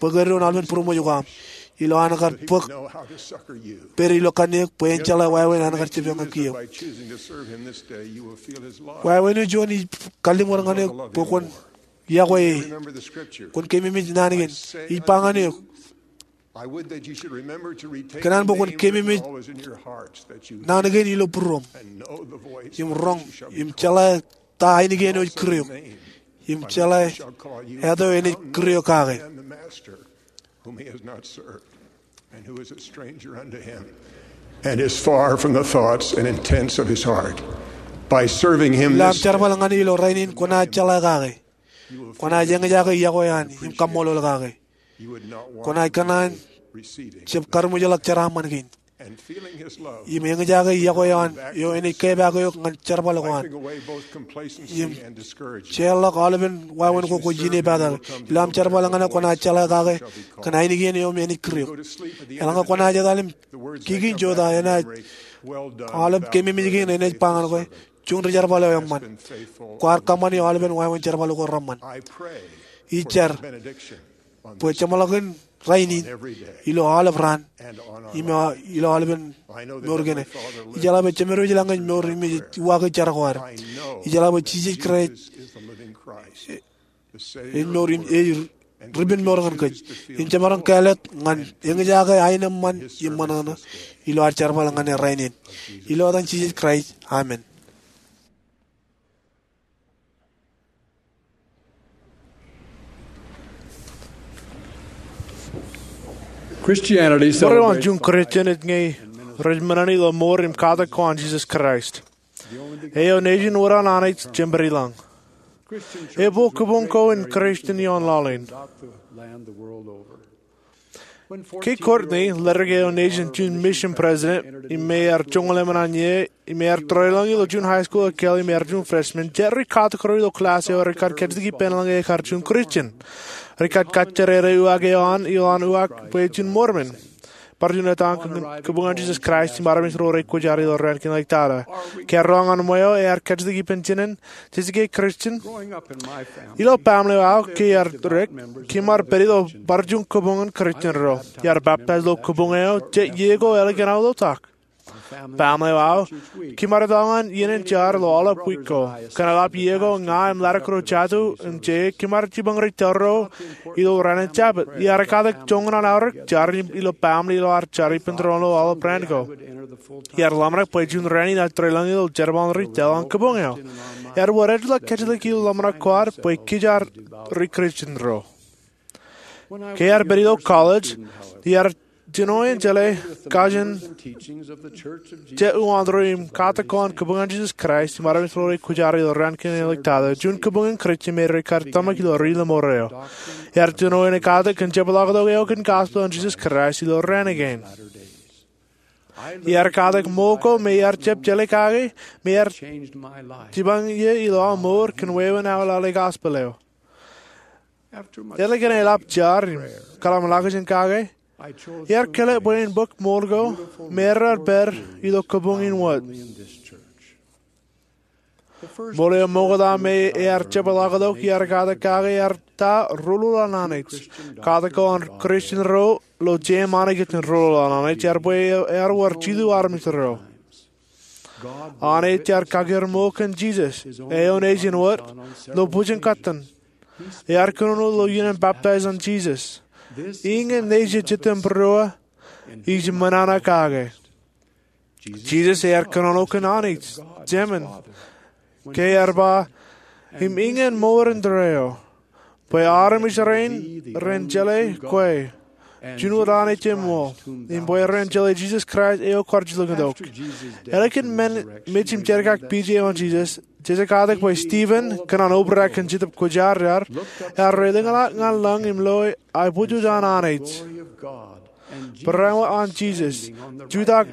Bōk eddoin aolepen būroṃōj ko aṃ. Ilo an kar bōk pād ilo kanniōk bwe en jeḷā wāween an kar jipañ kiiō. Wāween eo juon ij kalliṃur ñan eok bwe kwōn yokwe e. Kwōn keememej naan kein. Ij ba ñan eok, kōṇaan bwe kwōn keememej naan kein ilo būruōṃ. Im roñ, im jeḷā ta ainikien eo ej kūr eok. Im jeḷā etan eo enaaj kūr eok kake. And is far from the thoughts and intents of his heart. By serving him this day, ilo aṃ jerbal ñan e ilo rainin kwōnaaj jeḷā kake. Kwōnaaj eñjake yokwe eo an im kaṃṃoolol kake. Kwōnaaj kōṇaan jab karuṃwijḷọk jeraaṃṃan kein. Im eñjake yokwe eo an eo enaaj kepaak eok ñan jerbal ko an. Im jeorḷọk aolepen wāween ko kwōj inepata ke. Ilo aṃ jerbal ñan e kwōnaaj jeḷā kake kōn ainikien eo im enaaj kūr eok. Eḷaññe kwōnaaj etal im kiki in jota enaaj, aolep keememej kein enaaj ba ñan kwe, juon ri-jerbal eo eṃṃan. Kwaar kōṃṃane aolepen wāween jerbal ko reṃṃan. Ij jar bwe jeṃḷọkin rainin, ilo aolep raan, im ilo aolepen mour kein. Ijeḷā bwe Jemedwōj eḷaññe ej mour im ej uwaake jar ko ad. Ijeḷā bwe Jisōs Kraist ej mour im ej ripenmour ñan kōj. Im jemaroñ kāālōt ñan eñjake aenōṃṃan im ṃōṇōṇō ilo ad jerbal ñan e rainin. Ilo etan Jisōs Kraist, amen. Ṃōrā juon Kūrjin ej ñe rej men in ilo mour im katak ko an Jisōs Kraist, eo nejin wōt an Anij Jemedwōj. Epo kōpoñ ko in Kūrjin ioon laḷ in. Ke Kortni, ledik eo nejin juon mission president, im me ear joñoul emān an iiō, im ear tōreḷọñ ilo juon high school ekkā, im ear juon freshman, jet ri katak ro ilo class eo rekar kajjitōk ippān eḷaññe ekar juon Kūrjin. Rekar kajjitōk uwaak eo an, ilo an uwaak bwe juon Mormon, bar juon ettā kōn kōpoñ an Jisōs Kraist im armej ro rej kwōjarjar ilo raan kein ḷọk tata. Ke ear roñ an ṃweo, ear kajjitōk ippān jinen, jej ke Kūrjin? Ilo baaṃle eo aō, ke ear dik, kōm ar pād ilo bar juon kōpoñ in Kūrjin ro. Iar baptize ilo kōpoñ eo jet iiō ko ālikin aō ḷotak. Baaṃle eo aō, kōm ar etal ñan iien in jar ilo aolep wiik ko. Kōn eḷap iiō ko, ña im ḷadik ro jatū im je, kōm ar jipañ ri tōl ro ilo raan in Jabōt. Iar katak joñan an aorōk jar ilo baaṃle ilo ad jar ippān tōre ilo aolep raan ko. Iar ḷōmṇak bwe juon raan in ear tōreḷọñ ilo jerbal in ri tōl an kōpoñ eo. Ear wōr ej ḷọk kajjitōk ilo ḷōmṇak ko ad bwe kōj ar ri Kūrjin ro. Ke ear pād ilo college, iar jino in jeḷā kajin jet uwaak ro im katak ko an kōpoñ an Jisōs Kraist im armej ro rej kwōjarjar ilo raan kein ḷọk tata, juon kōpoñ in Kūrjin me rekar tōmak ilo ri lọmọọr eo. Ear jino in katak kōn jepḷaaktok eo kōn gospel an Jisōs Kraist ilo raan kein. Iar katak ṃool ko me iar jab jeḷā kake, im ear jipañ iiō ilo aō mour kōn wāween aō lale gospel eo. Ālikin eḷap jar im kōḷmānḷọkjeṇ kake, iar kile bwe in bōk ṃool ko me ear pād ilo kōpoñ in wōt. Ṃool eo ṃokta me ear jepḷaaktok iar katak kake ear ta rōlul an Anij. Katak ko an Kūrjin ro ilo jeṃḷọkin rōlul an Anij ear bwe ear wōr jilu armej ro. Anij ear kakeer ṃool kōn Jisōs, eo nejin wōt, ilo bwijin kōttan. Ear kōnono ilo iien in baptize an Jisōs. Iññā nejin Jitōnbōro ij ṃōṇōṇō kake. Jisōs ear kōnono kōn Anij Jemān, ke ear ba, im iññā mour in tōre eo, bwe armej rein ren jeḷā kwe, juon wōt Anij eṃṃool, im bwe ren jeḷā Jisōs Kraist eo kwaar jilkintok. Ālikin men mej im jerkakpeje eo an Jisōs, jeje katak bwe Stephen, kōn an obrak kōn Jetōb Kwōjarjar, ear lōñḷọk ñan lañ im loe aebwijoj an Anij, barāinwōt an Jisōs, jutak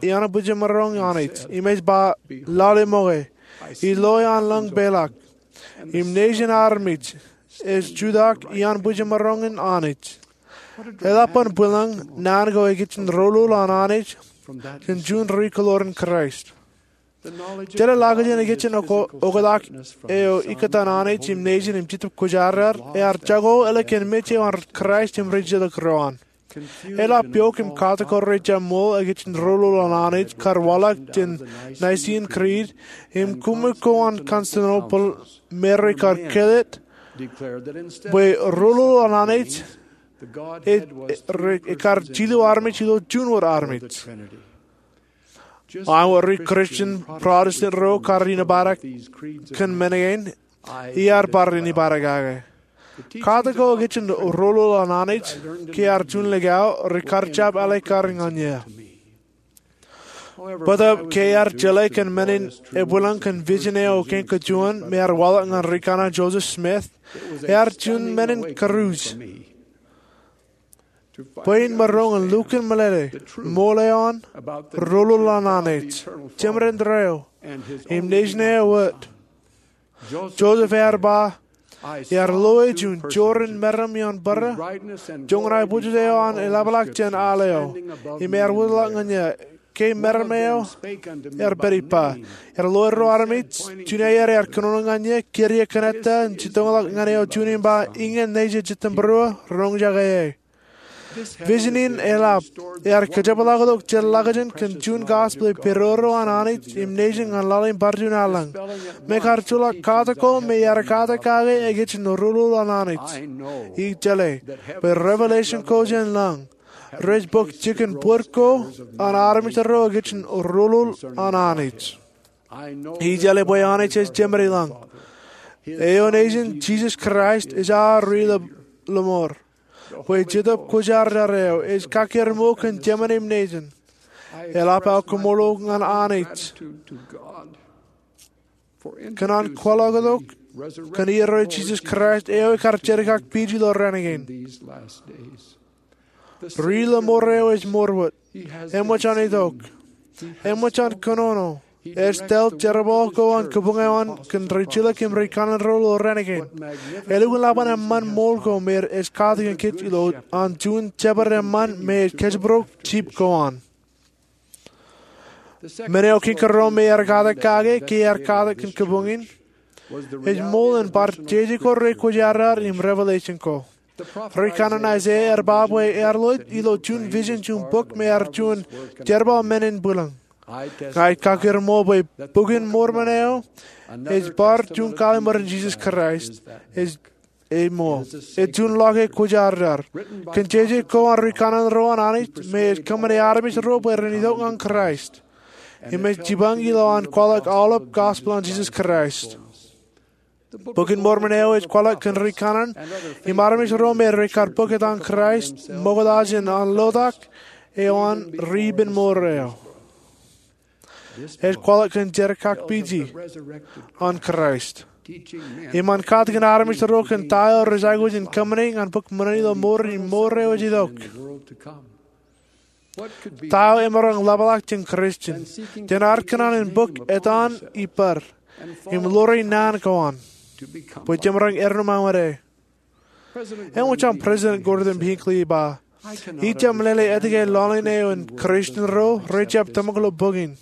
iaan bwijemaroñ an Anij, im ej ba, lale ṃoke, ij loe an lañ peḷọk, im nejin armej ej jutak iaan bwijemaroñ in Anij. Eḷap an bwilōñ naan ko ekijjeen rōlul an Anij kōn juon ri-kōḷoor in Kraist. Jeḷā ḷọkjeṇ ekijjeen oktak eo ikkōtaan Anij im nejin im Jetōb Kwōjarjar ear jako ālikin mej eo an Kraist im ri-jetōb ro an. Eḷap yook im katak ko rej jab ṃool ekijjeen rōlul an Anij kar waḷọk jān Nicene Creed im koṃṃool ko an Constantinople me rekar kōḷḷā bwe rōlul an Anij ej, ej, ekar jilu armej ilo juon wōt armej. Ak wōt ri-Kūrjin Protestant ro kar inepata kōn men kein, iar bar inepata kake. Katak ko ekijjeen rōlul an Anij, ke ear juon likao, rekar jab āliktata ñan eō. Bōtab ke ear jeḷā kōn men in ebwilōñ kōn vision eo kein kajuon me ear waḷọk ñan ri-kaṇe Joseph Smith, ear juon men in kūruj bwe in maroñ in lukkuun meḷeḷe ṃool eo an rōlul an Anij, Jemān in tōre eo, im nejin eo wōt. Joseph ear ba, ear loe juon jorrāān meram ioon bōrā, joñan aebwijoj eo an eḷapḷọk jān al eo, im ear wōtlọk ñan eō, ke meram eo ear pād ippa. Ear loe ruo armej, juon aer ear kōnono ñan eō, kūr eō kōn ettā, im jitōñḷọk ñan eō juon im ba, iññā nejin Jitōnbōro, roñjake eō. Vision in eḷap, ear kajepḷaaktok jet ḷọkjeṇ kōn juon gospel eo pedodo an Anij im nejin ñan laḷ in bar juon aelōñ. Me kar joḷọk katak ko me ear katak kake ekijjeen rōlul an Anij. Ij jeḷā bwe revelation ko jān lañ rej bōk jikin bōd ko an armej ro ekijjeen rōlul an Anij. Ij jeḷā bwe Anij ej Jemān ilañ. Eo nejin Jisōs Kraist ej aō ri lọmọọr. bwe Jetōb Kwōjarjar eo ej kakkere ṃool kōn jemān im nejin. Eḷap aō koṃṃool ñan Anij kōn an kwaḷọk tok kōn iiō eo Jisōs Kraist eo ekar jerkakpij ilo raan kein. Ri ilo mour eo ej mour wōt. Eṃōj an itok. Eṃōj an kōnono. Ej tōl jerbal ko an kabuñ eo an kōn rijilōk im rikaṇan ro ilo raan kein. Elukkuun ḷap an eṃṃan ṃool ko me ej katakin kōj ilo an juon jabdewōt eṃṃan me ej kōjparok jip ko an. Men eo kiiō ro me ear katak kake ke ear katak kōn kabuñ in ej ṃool in bar jeje ko rej kwōjarjar im revelation ko. Rikaṇan Aiseia ear ba bwe ear loe ilo juon vision juon bok me ear juon jerbal men in bwilōñ. Ña ij kakkere ṃool bwe Bok in Mormon eo ej bar juon kallim̧ur in Jisōs Kraist ej ṃool. Ej juon ḷọk e kwōjarjar kōn jeje ko an rikaṇan ro an Anij me ej kōṃṃane armej ro bwe ren itok ñan Kraist im ej jipañ ilo an kwaḷọk aolep gospel an Jisōs Kraist. Bok in Mormon eo ej kwaḷọk kōn rikaṇan im armej ro me rekar bōk etan Kraist ṃokta jān an lotak eo an ri ippān mour eo. Ej kwaḷọk kōn jerkakpije an Kraist im an katakin armej ro kōn ta eo rej aikuj in kōṃṃane ñan bōk ṃōṇōṇō ilo mour in im mour eo ej itok. Ta eo emaroñ ḷapḷọk jān Christian jān ad kōṇaan in bōk etan ippād im ḷoor naan ko an bwe jemaroñ eddo ṃōñā? Eṃōj an President Gordon B. Hinckley ej ba, ij jab meḷeḷe etke laḷ in eo an Christian ro rej jab tōmak ilo bok in.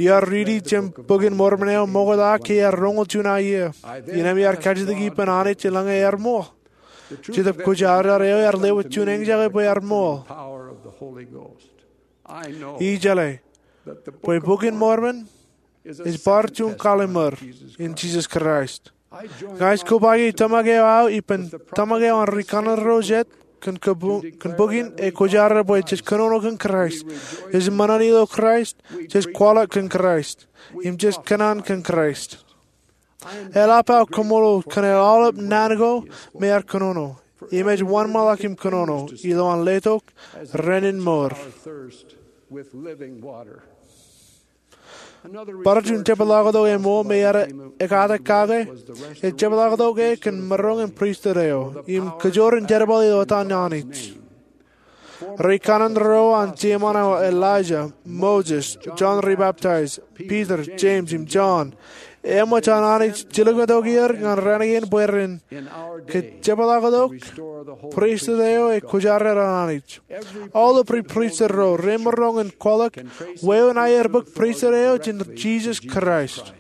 Iar riiti jān Bok in Mormon eo ṃokta ke ear roñoul juon aō iiō. Innem iar kajjitōk ippān Anij eḷaññe ear ṃool. Jetōb Kwōjarjar eo ear lewōj juon eñjake bwe ear ṃool. Ij jeḷā bwe Bok in Mormon ej bar juon kallim̧ur in Jisōs Kraist. Ña ij kobaiki tōmak eo aō ippān tōmak eo an rikaṇan ro jet kōn bok in e kwōjarjar bwe jej kōnono kōn Kraist, jej ṃōṇōṇō ilo Kraist, jej kwaḷọk kōn Kraist, im jej kōṇaan kōn Kraist. Eḷap aō koṃṃool kōn aolep naan ko me ear kōnono im ej wōnṃaanḷọk im kōnono ilo an letok renin mour. Bar juon jepḷaaktok eṃool me ear ekatak kake ej jepḷaaktok e kōn maroñ in pristut eo im kajoor in jerbal ilo etan Anij. Rikaṇan ro an jeṃaan eo Elijah, Moses, John ri Baptist, Peter, James im John, eṃōj an Anij jilkintok er ñan raan kein bwe ren kajepḷaaktok pristut eo e kwōjarjar an Anij. Aolep ri pristut ro remaroñ in kwaḷọk wāween aer bōk pristut eo jān Jisōs Kraist.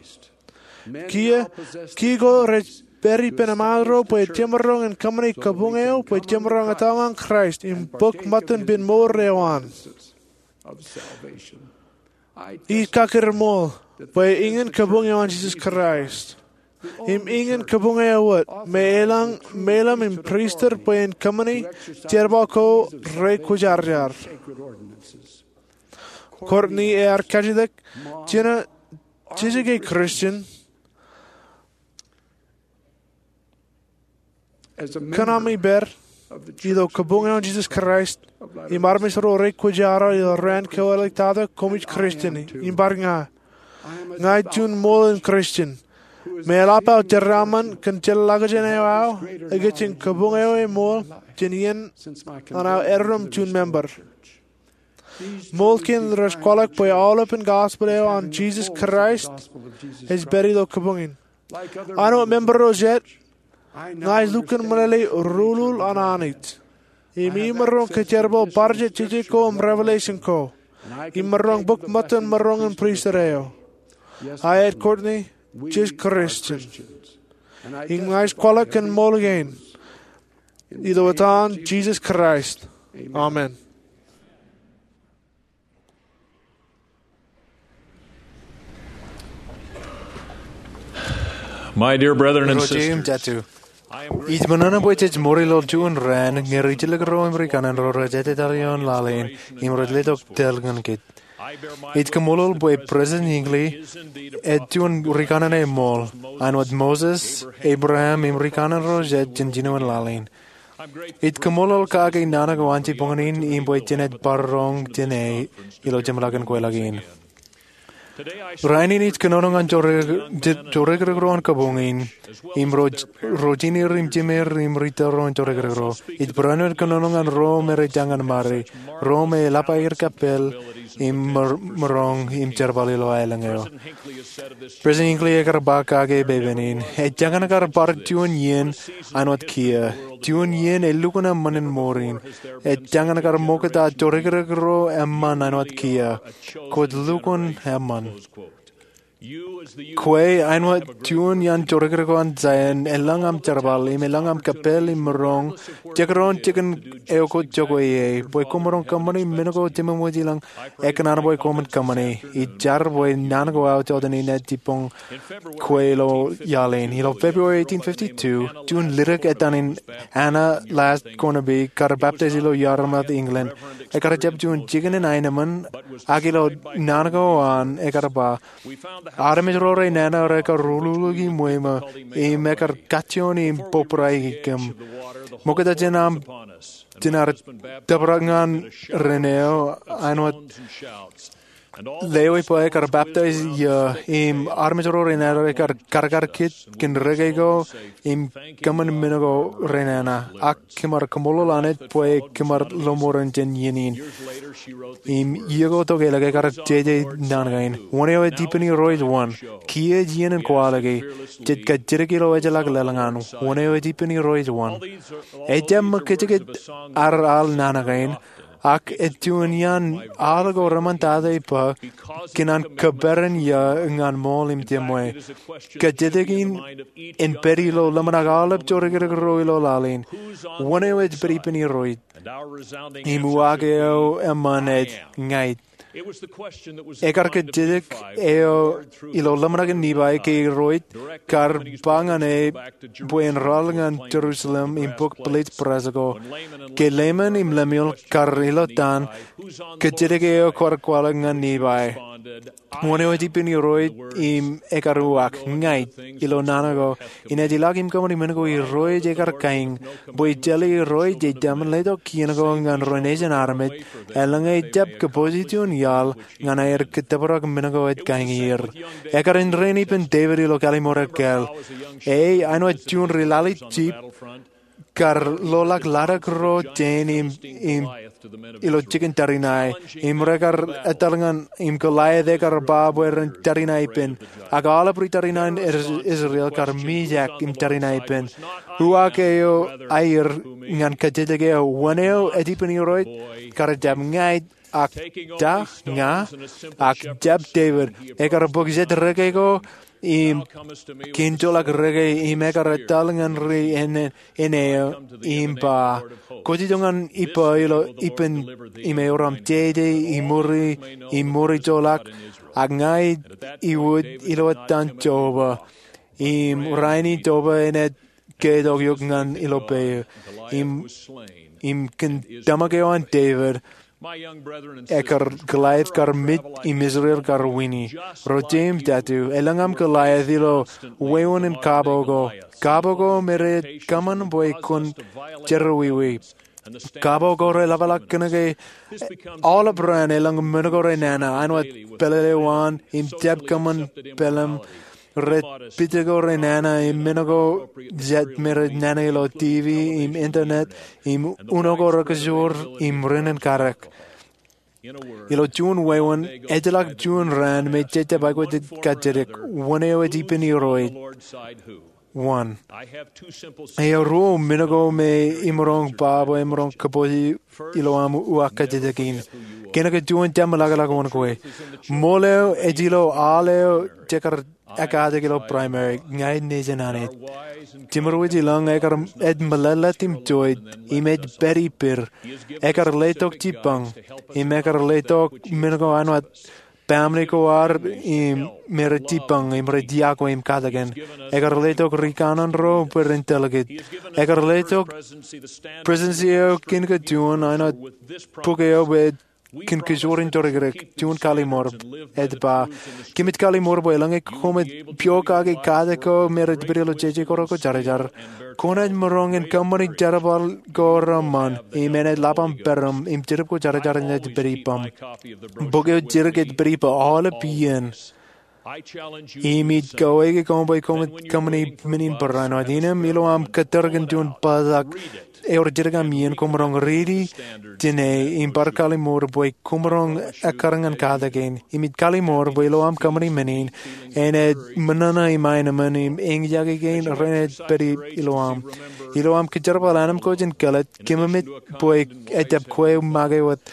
Kiiō, kiiō ko rej pād ippān eṃṃaan ro bwe jemaroñ in kōṃṃane kabuñ eo bwe jemaroñ etal ñan Kraist im bōk ṃōttan ippān mour eo an. Ij kakkure ṃool bwe iñin kabuñ eo an Jisōs Kraist im iñin kabuñ eo wōt me elōñ meilōm im pristut bwe en kōṃṃane jerbal ko re kwōjarjar. Courtney ear kajjitōk, Jina, jej ke Christian? Kōn ami pād ilo kabuñ eo an Jisōs Kraist im armej ro re kwōjarjar ilo raan kewaḷọk ta tok koṃij Christian im bar ña. Ña ij juon ṃool in Christian me eḷap aō jeraaṃṃan kōn jeḷāḷọkjeṇ eo aō ikijjien kabuñ eo eṃool jān iien an aō eddo im juon member. Ṃool kein rej kwaḷọk bwe aolepān gospel eo an Jisōs Kraist ej pād ilo kabuñ in. Āinwōt member ro jet, ña ij lukkuun meḷeḷe ruḷuḷ an Anij im imaroñ kajerbal bar jet jeje ko im revelation ko im maroñ bōk ṃōttan maroñ in pristut eo. Aet, Courtney, jej Christian im ña ij kwaḷọk kōn ṃool kein ilo etan Jisōs Kraist, amen. Ro jeiū im jatū, ij ṃōṇōṇō bwe jej ṃool ilo juon raan ñe ri jilkinro im ri kaṇanro rej etetal ioon laḷ in im rej letok tōl ñan kōj. Ij kaṃṃoolol bwe President Hinckley ej juon ri kaṇan eṃool āinwōt Moses, Abraham im ri kaṇanro jet jān jinoin laḷ in. Ij kaṃṃoolol kake naan ko an jibboñōn in im bwe jenaaj bar roñ jāne ilo jeṃḷọkin kweilọk in. Rainin ij kōnono ñan jorrāān, jorrāān ro an kabuñ in, im ro, ro jineer im jimeer im ri-tōl ro an jorrāān ro. Ij barāinwōt kōnono ñan ro me rej jañin ṃare, ro me eḷap aer kōppān im maroñ im jerbal ilo aelōñ eo. President Hinckley ekar ba kake pepen in, ejjañin kar bar juon iien āinwōt kiiō, juon iien elukkuun eṃṃan in mour in. Ejjañin kar ṃokta jorrāān ro eṃṃan āinwōt kiiō, kwōj lukkuun eṃṃan. Kwe āinwōt juon iaan jorrāān ko an Zion, elōñ aṃ jerbal im elōñ aṃ kōppān im maroñ, jekdọọn jikin eo kwōj jokwe ie, bwe koṃ maroñ kōṃṃani men ko jeṃṃan wōjilōñ ekōṇaan bwe koṃwin kōṃṃani. Ij jar bwe naan ko aō jọteen in ej jibboñ kwe ilo iaḷ in. Ilo February eighteen fifty-two, juon ledik etan in Anna Last Cornaby kar baptize ilo Yarmouth, England. Ekar jab juon jikin in aenōṃṃan, ak ilo naan ko an ekar ba, armej ro renana rekar ululukwi ṃweo im ekar kajjioñ im bōbrae kōm. Ṃokta jān aṃ, jān ad tōprak ñan ren eo, āinwōt lewōj bwe ekar baptize eō, im armej ro renana ekar karkar kōj kōn rōke ko im kōṃṃan men ko renana. Ak kōm ar kaṃṃoolol Anna bwe kōm ar lọmọọren jān iien in. Im iiō ko tokālik ekar jeje naan kein. Wōn eo ej ippān Irooj? Wōn? Kiiō ej iien in kwaḷọke. Jej kajjitōk ilo ejjeḷọk lōḷñiṇ. Wōn eo ej ippān Irooj? Wōn? Ejjab ṃōk kōjekōj ad al naan kein, ak ej juon iaan al ko reṃṃantata ippa kōn an kōperan eō ñan ṃool im jeṃṃe. Kajjitōk in en pād ilo ḷōmṇak aolep jorrāān ro ilo laḷ in. Wōn eo ej pād ippān Irooj? Im uwaak eo eṃṃan ej, ña ij. Ekar kajjitōk eo ilo ḷōmṇakin Nifai ke Irooj kar ba ñan e bwe en rọọl ñan Jerusalem im bōk pilej brass ko, ke Laman im Lemuel kar ilo town kajjitōk eo kwaḷọk ñan Nifai. Wōn eo ej ippān Irooj? Im ekar uwaak, ña ij. Ilo naan ko, inaaj ilọk im kōṃṃani men ko Irooj ekar kain, bwe ejjeḷọk Irooj ej jab letok kien ko ñan ro nejin armej, eḷaññe ejjab kōpooje juon iaḷ ñan aer kōttōprak men ko ej kain er. Ekar enrein ippān Devid ilo Kallimur Ekkāāl. E āinwōt juon ri-lale jip kar loḷọk laddik ro jān im, im ilo jikin tariṇae, im rekar etal ñan, im Goliath ekar ba bwe ren tariṇae ippān. Ak aolep ri-tariṇae in Is-, Israel kar mijak im tariṇae ippān. Uwaak eo aer ñan kajjitōk eo, wōn eo ej ippān Irooj? Kar jab ña ij, ak ta, ña, ak jab Devid, ekar bōk jet rōke ko im kiinjoḷọk rōke, im ekar etal ñan ri-āne eo im ba, kwōj itok ñan ippa ilo ippān im eor aṃ jeje im uri im uri joḷọk, ak ña ij iwōj ilo ettan Jeova. Im rainin Jeova enaaj ketok eok ñan ilo peiū. Im, im kōn tōmak eo an Devid, ekar Goliath kar mej im Israel kar wini. Ro jeiū im jatū, elōñ aṃ Goliath ilo wāween in kabo ko. Kabo ko me rej kōṃṃan bwe kwōn jerọwiwi. Kabo ko reḷapḷọk kōnke aolep raan elōñ men ko renana, āinwōt pelele waan im jab kōṃṃan pelem, rej pija ko renana im men ko jet me rej nana ilo TV im internet im uno ko rekajoor im rin in karōk. Ilo juon wāween, ejjeḷọk juon raan me jej jab aikuj kajjitōk, wōn eo ej ippān Irooj? Wōn? Eo ruo men ko me imaroñ ba bwe imaroñ kōpooje ilo aṃ uwaak kajjitōk in. Kōnke juon jab meḷọkḷọk wōn kwe. Ṃool eo ej ilo al eo jekar ekkatak ilo primary, ña ij nejin Anij. Jiṃor wōjilōñ ekar, ej meḷeḷe im joij, im ej pād ippād. Ekar letok jibbañ, im ekar letok men ko āinwōt baaṃle ko ad, im me rej jibbañ, im rej yokwe im katakin. Ekar letok ri kanaan ro bwe ren tōl kōj. Ekar letok presidency eo kōn kōj juon, āinwōt bok eo bwe kōn kōjwōr in torōkrōk juon kallimur. Ej ba, kōmij kallimur bwe eḷaññe koṃij pokake katak ko me rej pād ilo jeje kōrā ko jarjar, kwōnaaj maroñ in kōṃṃani jerbal ko reṃṃan im enaaj ḷap aṃ pedim im jedep ko jarjar enaaj pād ippaṃ. Bok eo jidik ej pād ippa aolep iien. Im ij kawōke koṃ bwe koṃij kōṃṃani men in barāinwōt. Innām ilo aṃ kōttar kōn juon bōktok ewōr jidik aṃ iien, koṃ maroñ riiti jāne im bar kallimur bwe koṃ maroñ ekkar ñan katak kein. Im ij kallimur bwe ilo aṃ kōṃṃani men in, enaaj ṃōṇōṇō iṃaan emān im eñjake kein renaaj pād ilo aṃ. Ilo aṃ kōjerbal anemkwōj in kāālōt, kōmij bwe ejjab kwe make wōt.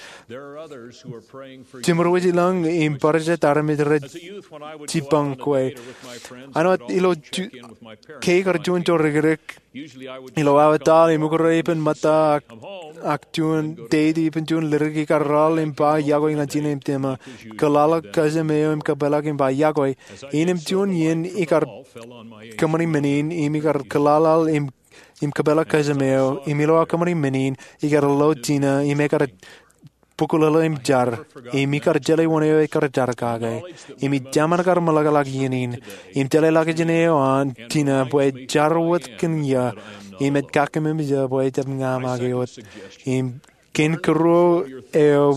Jimor wōj ilañ im bar jet armej rej jipañ kwe. Āinwōt ilo ke ikar juon torōkrōk ilo aō etal im ukōt ippān ṃōtta ak juon date ippān juon lidik, ikar raḷ im ba iọkwe ñan jine im tōma, kōḷaḷḷọk kōjām eo im kōpeḷḷọk im ba iọkwe. Innām juon iien ikar kōṃṃani men in im ikar kōḷaḷḷọk im im kōpeḷḷọk kōjām eo, im ilo aō kōṃṃani men in, ikar lo jine, im ekar bukwilōḷ im jar, im ikar jeḷā wōn eo ekar jar kake. Im ij jemān kar meḷọkḷọk iien in, im jeḷā ḷọkjeṇ eo an jine bwe ej jar wōt kōn ia, im ej kakememej ia bwe ejjab ña make wōt. Im kōn kōruo eo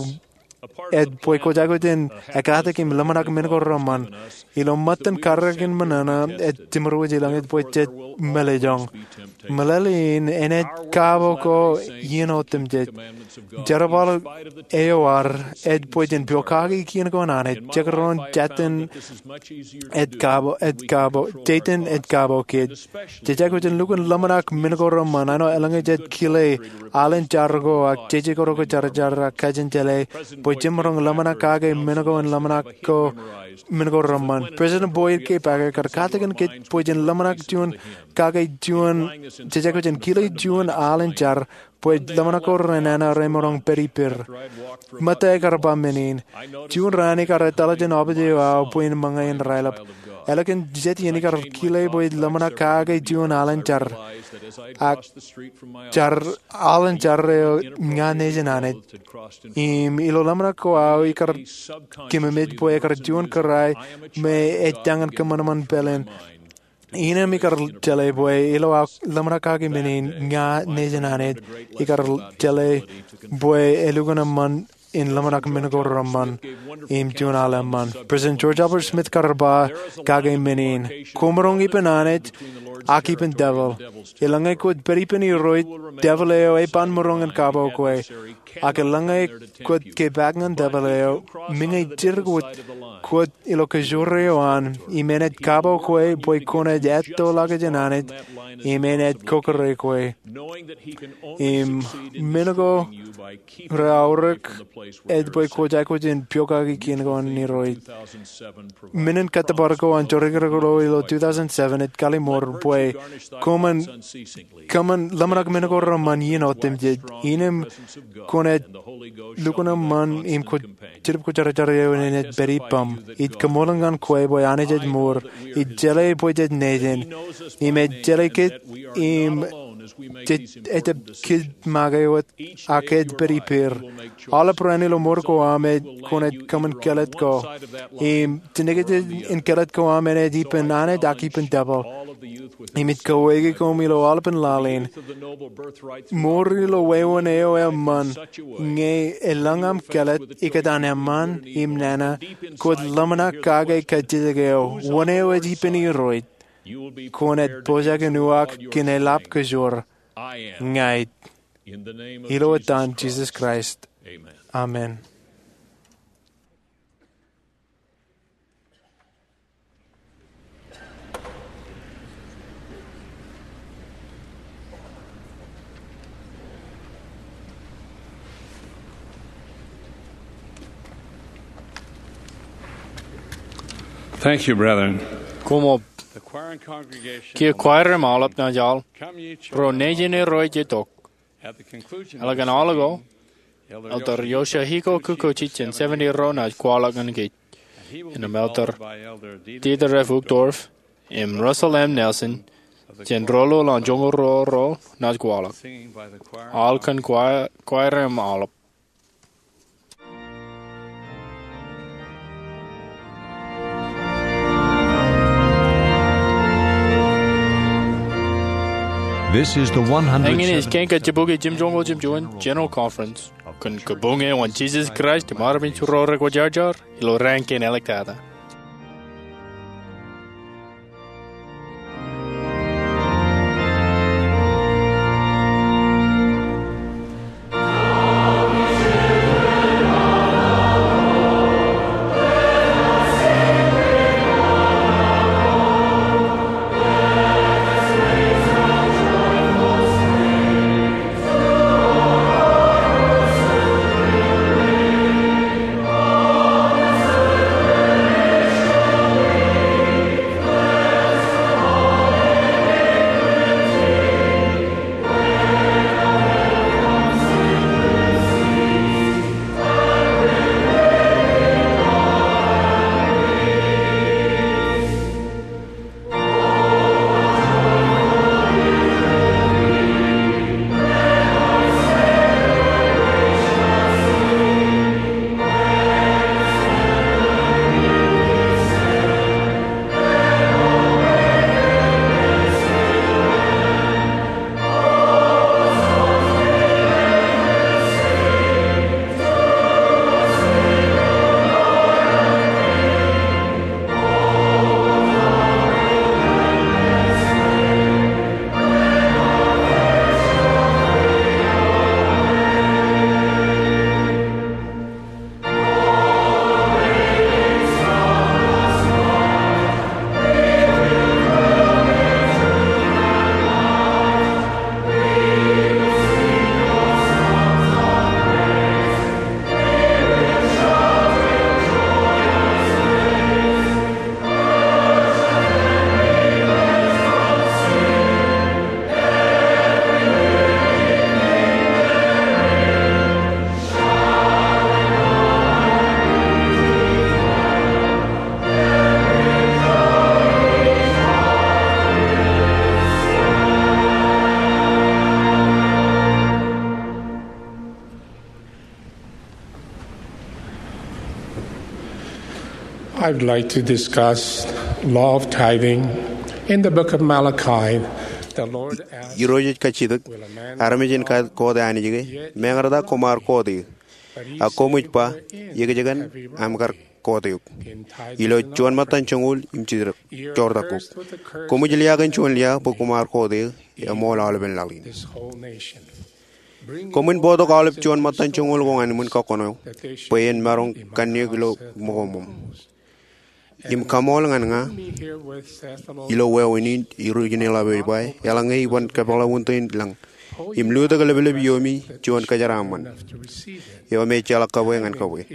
ej bwe kwōj aikuj in ekkatak im ḷōmṇak men ko reṃṃan. Ilo ṃōttan karreoik in ṃōṇōṇō ej jimor wōj ilañ ej bwe jej meḷeḷejoñ. Meḷeḷe in enaaj kabo ko iien otemjej. Jerbal eo ad ej bwe jen pokake kien ko an Anij, jekdọọn jejān ej kabo, ej kabo, jejān ej kabo kōj. Jej aikuj in lukkuun ḷōmṇak men ko reṃṃan, āinwōt eḷaññe jej kile aḷ in jar ko ak jeje kōrā ko jarjar ak kajin jeḷā bwe jemaroñ ḷōmṇak kake men ko in ḷōmṇak ko men ko reṃṃan. President Boyd K. Packer ekar katakin kōj bwe jen ḷōmṇak juon kake juon, jej aikuj in kile juon aḷ in jar bwe ḷōmṇak ko renana remaroñ pād ippād. Ṃōtta ekar ba men in, juon raan ikar etal jān office eo aō bwe in ṃōñā in raelep. Ālikin jet iien ikar kile bwe ij ḷōmṇak kake juon aḷ in jar. Ak jar, aḷ in jar eo ña nejin Anij. Im ilo ḷōmṇak ko aō ikar kōmemej bwe ekar juon kōrā me ej tañin kōṃanṃan pāleen. Innām ikar jeḷā bwe ilo aō ḷōmṇak kake men in ña nejin Anij, ikar jeḷā bwe elukkuun eṃṃan in ḷōmṇak men ko reṃṃan im juon aḷ eṃṃan. President George Albert Smith kar ba kake men in, kwōmaroñ ippān Anij ak ippān devil. Eḷaññe kwōj pād ippān Irooj, devil eo ej ban maroñ in kabo kwe. Ak eḷaññe kwōj kepaak ñan devil eo, meñe jidik wōt kwōj ilo kōjwōr eo an, im enaaj kabo kwe bwe kwōnaaj etto ḷọkjeṇ Anij, im enaaj kōkōrā kwe. Im men ko reaorōk ej bwe kwōj aikuj in pokake kien ko an Irooj. Men in kōttōpar ko an torōkrōk ro ilo two thousand seven ej kallimur bwe koṃwin, koṃwin ḷōmṇak men ko reṃṃan iien otemjej. Innām kwōnaaj lukkuun eṃṃan im kwōj jedep kwōjarjar eo enaaj pād ippaṃ. Ij kaṃṃoolol ñan kwe bwe Anij ej ṃool. Ij jeḷā bwe jej nejin. Im ej jeḷā kōj im jej, ejjab kōj make wōt ak ej pād ippād. Aolep raan ilo mour ko aṃ ej kwōnaaj kōṃṃan kāālōt ko. Im jinōkjeṇ in kāālōt ko aṃ enaaj ippān Anij ak ippān devil. Im ij kawōke koṃ ilo aolepen laḷ in. Mour ilo wāween eo eṃṃan, ñe elōñ aṃ kāālōt ikōtaan eṃṃan im nana, kwōj ḷōmṇak kake kajjitōk eo, wōn eo ej ippān Irooj, kwōnaaj pojak in uwaak kōn eḷap kōjwōr. Ña ij. Ilo etan Jisōs Kraist. Amen. Thank you, brethren. Koṃṃool. The choir and congregation, kiiō kwair im aolep naaj al, ro nejin Irooj itok. Ālikin aolepen aolep, Elder Yoshihiko Kikuchi jān seventy ro naaj kwaḷọk ñan kōj. Innām Elder Dieter F. Uchtdorf im Russell M. Nelson jān roḷoḷ an joñoul ruo ro naaj kwaḷọk. Al kōn kwair, kwair im aolep. This is the one hundred seventy-seventh Eñin ej kein kajjibukwi jimjuonñoul jimjuon General Conference kōn kabuñ eo an Jesus Christ im armej ro rekwōjarjar ilo raan kein āliktata. I'd like to discuss law of tithing. In the book of Malachi, the Lord asks, Irooj ej kajjitōk, "Armej en koot Anij ke? Meñe rej ta koṃ ar koot eō? Ak koṃij ba, ‘Ikōjkan aṃ kar koot eok.'" Ilo juon ṃōttan joñoul im joortak, joortak kōm. Koṃij liā kōn juon liā bwe koṃ ar koot eō, eṃool aolepen laḷ in. Koṃwin bōktok aolep juon ṃōttan joñoul ko ñan ṃwiin kọkkọṇo, bwe en maroñ kanniōk ilo ṃōko ṃōṃ. Im kaṃool ñan ña ilo wāween in, Irooj in eḷap ej ba, eḷaññe iban kōpeḷḷọk wūntō in lañ, im lutōk leplepiōmi juon kōjeraaṃṃan eo im ejjeḷọk kabwe ñan kabwe.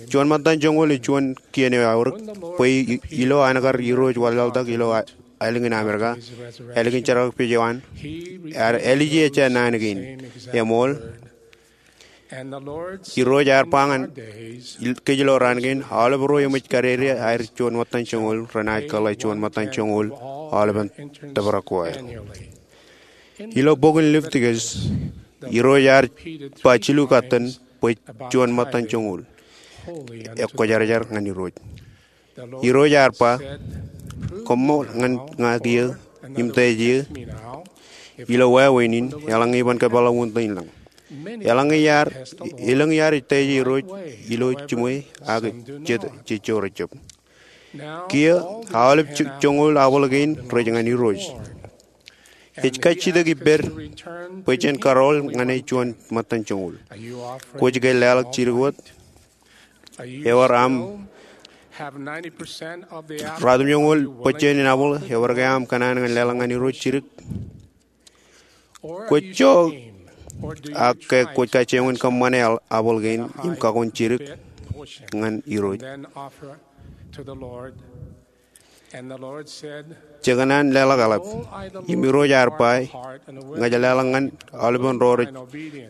Juon ṃōttan joñoul ej juon kien eo eaorōk, bwe i-, ilo an kar Irooj wanlaḷtak ilo a-, ālikin Amerika, ālikin jerkakpej eo an, ear ālije ejja naan kein. Eṃool, Irooj ear ba ñan kōj ilo raan kein, aolep ro eṃōj kadede aer juon ṃōttan joñoul renaaj kōḷḷā juon ṃōttan joñoul aolepen tōprak ko aer. Ilo bok in Levitikus, Irooj ear ba jilu katten bwe juon ṃōttan joñoul ekwōjarjar ñan Irooj. Irooj ear ba, "Koṃṃool ñan ña kiiō im teej eō ilo wāween in, eḷaññe iban kōpeḷḷọk wūntō in lañ." Eḷaññe iar, elōñ iaar ej teej Irooj ilo jiṃwe ak jet, jej jorrāān jab. Kiiō, aolep jo-, joñoul abwal kein rej ñan Irooj. Ej kajjitōk ippād bwe jen karool ñan e juon ṃōttan joñoul. Kwōj ke leḷọk jidik wōt? Ewōr aṃ ratimjuonñoul bōjjāān in abwal, ewōr ke aṃ kōṇaan ñan leḷọk ñan Irooj jidik? Kwōj jo, ak ke kwōj kajjioñ in kōṃṃane abwal kein im kakoṇ jidik ñan Irooj? Jekōṇaan leḷọk eḷap. Im Irooj ear ba, "Ña ij leḷọk ñan aolepen ro rej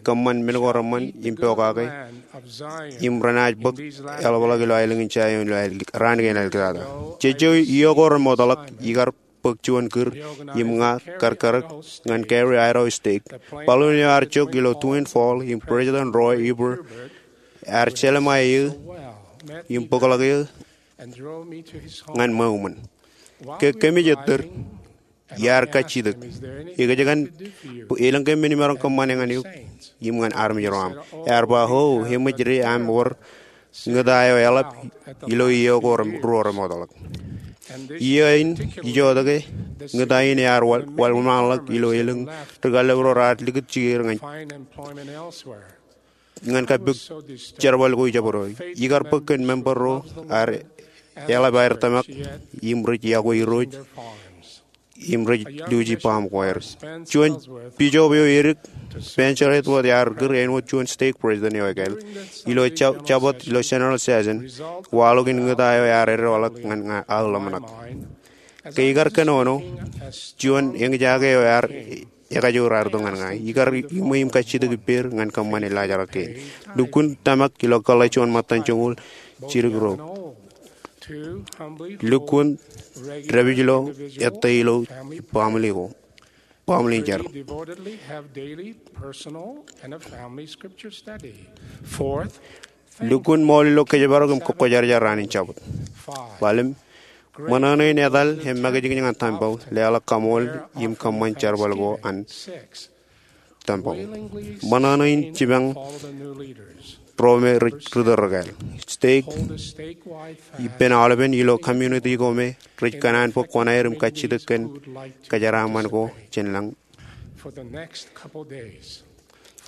kōṃṃan men ko reṃṃan im pokake, im renaaj bōk eḷapḷọk ilo aelōñ in Zaion ilo ael-, raan kein āliktata." Jejjo iiō ko remootḷọk, ikar bōk juon kūr, im ña kar karōk ñan Gary Idaho State. Baḷuun eo ear jok ilo Twin Falls, im President Roy Hibert ear jelṃae eō im bōkḷọk eō ñan ṃweo ṃōn. Ke kōmij ettōr, Iar kajjitōk. Ekōjkan bwe elōñ ke men imaroñ kōṃṃane ñan eok im ñan armej ro aṃ. Ear ba, O, eṃōj de aṃ wōr ñūta eo eḷap ilo iiō ko ruo remootḷọk. Iiō in ijotōke, ñūta in ear wōnṃaanḷọk ilo elōñ ri-kallib ro raar likūt jikier ñan ñan kappok jerbal ko ijabdewōt. Ikar bōk kōn member ro ear eḷap aer tōmak im rej iọkwe Irooj im rej luuji baṃ ko aer. Juon bijob eo edik, Spencer Ellsworth, ear kūr āinwōt juon stake president eo ekāāl ilo jabōt ilo general session. Waḷọk in ñūta eo ear edeḷọk ñan aō ḷōmṇak. Ke ikar kōnono, juon eñjake eo ear ekajoor aer itok ñan ña. Ikar iṃwe im kajjitōk ippāer ñan kōṃṃane laajrak kein. Lukkuun tōmak ilo kōḷḷā juon ṃōttan joñoul jidik ro. Lukkuun dāpij ilo ettā ilo baaṃle ko, baaṃle in jar. Lukkuun ṃool ilo kōjparok im kōkkojarjar an in jabōt. Ḷalem, ṃōṇōṇō in etal im makijkij ñan tempeḷ, leḷọk kaṃool im kōṃṃan jerbal ko an tempeḷ. Ṃōṇōṇō in jipañ ro me ri tōl rekāāl. Stake ippān aolepen ilo community ko me rej kōṇaan bōk kuṇaer im kajjitōk kōn kōjeraaṃṃan ko jān lañ.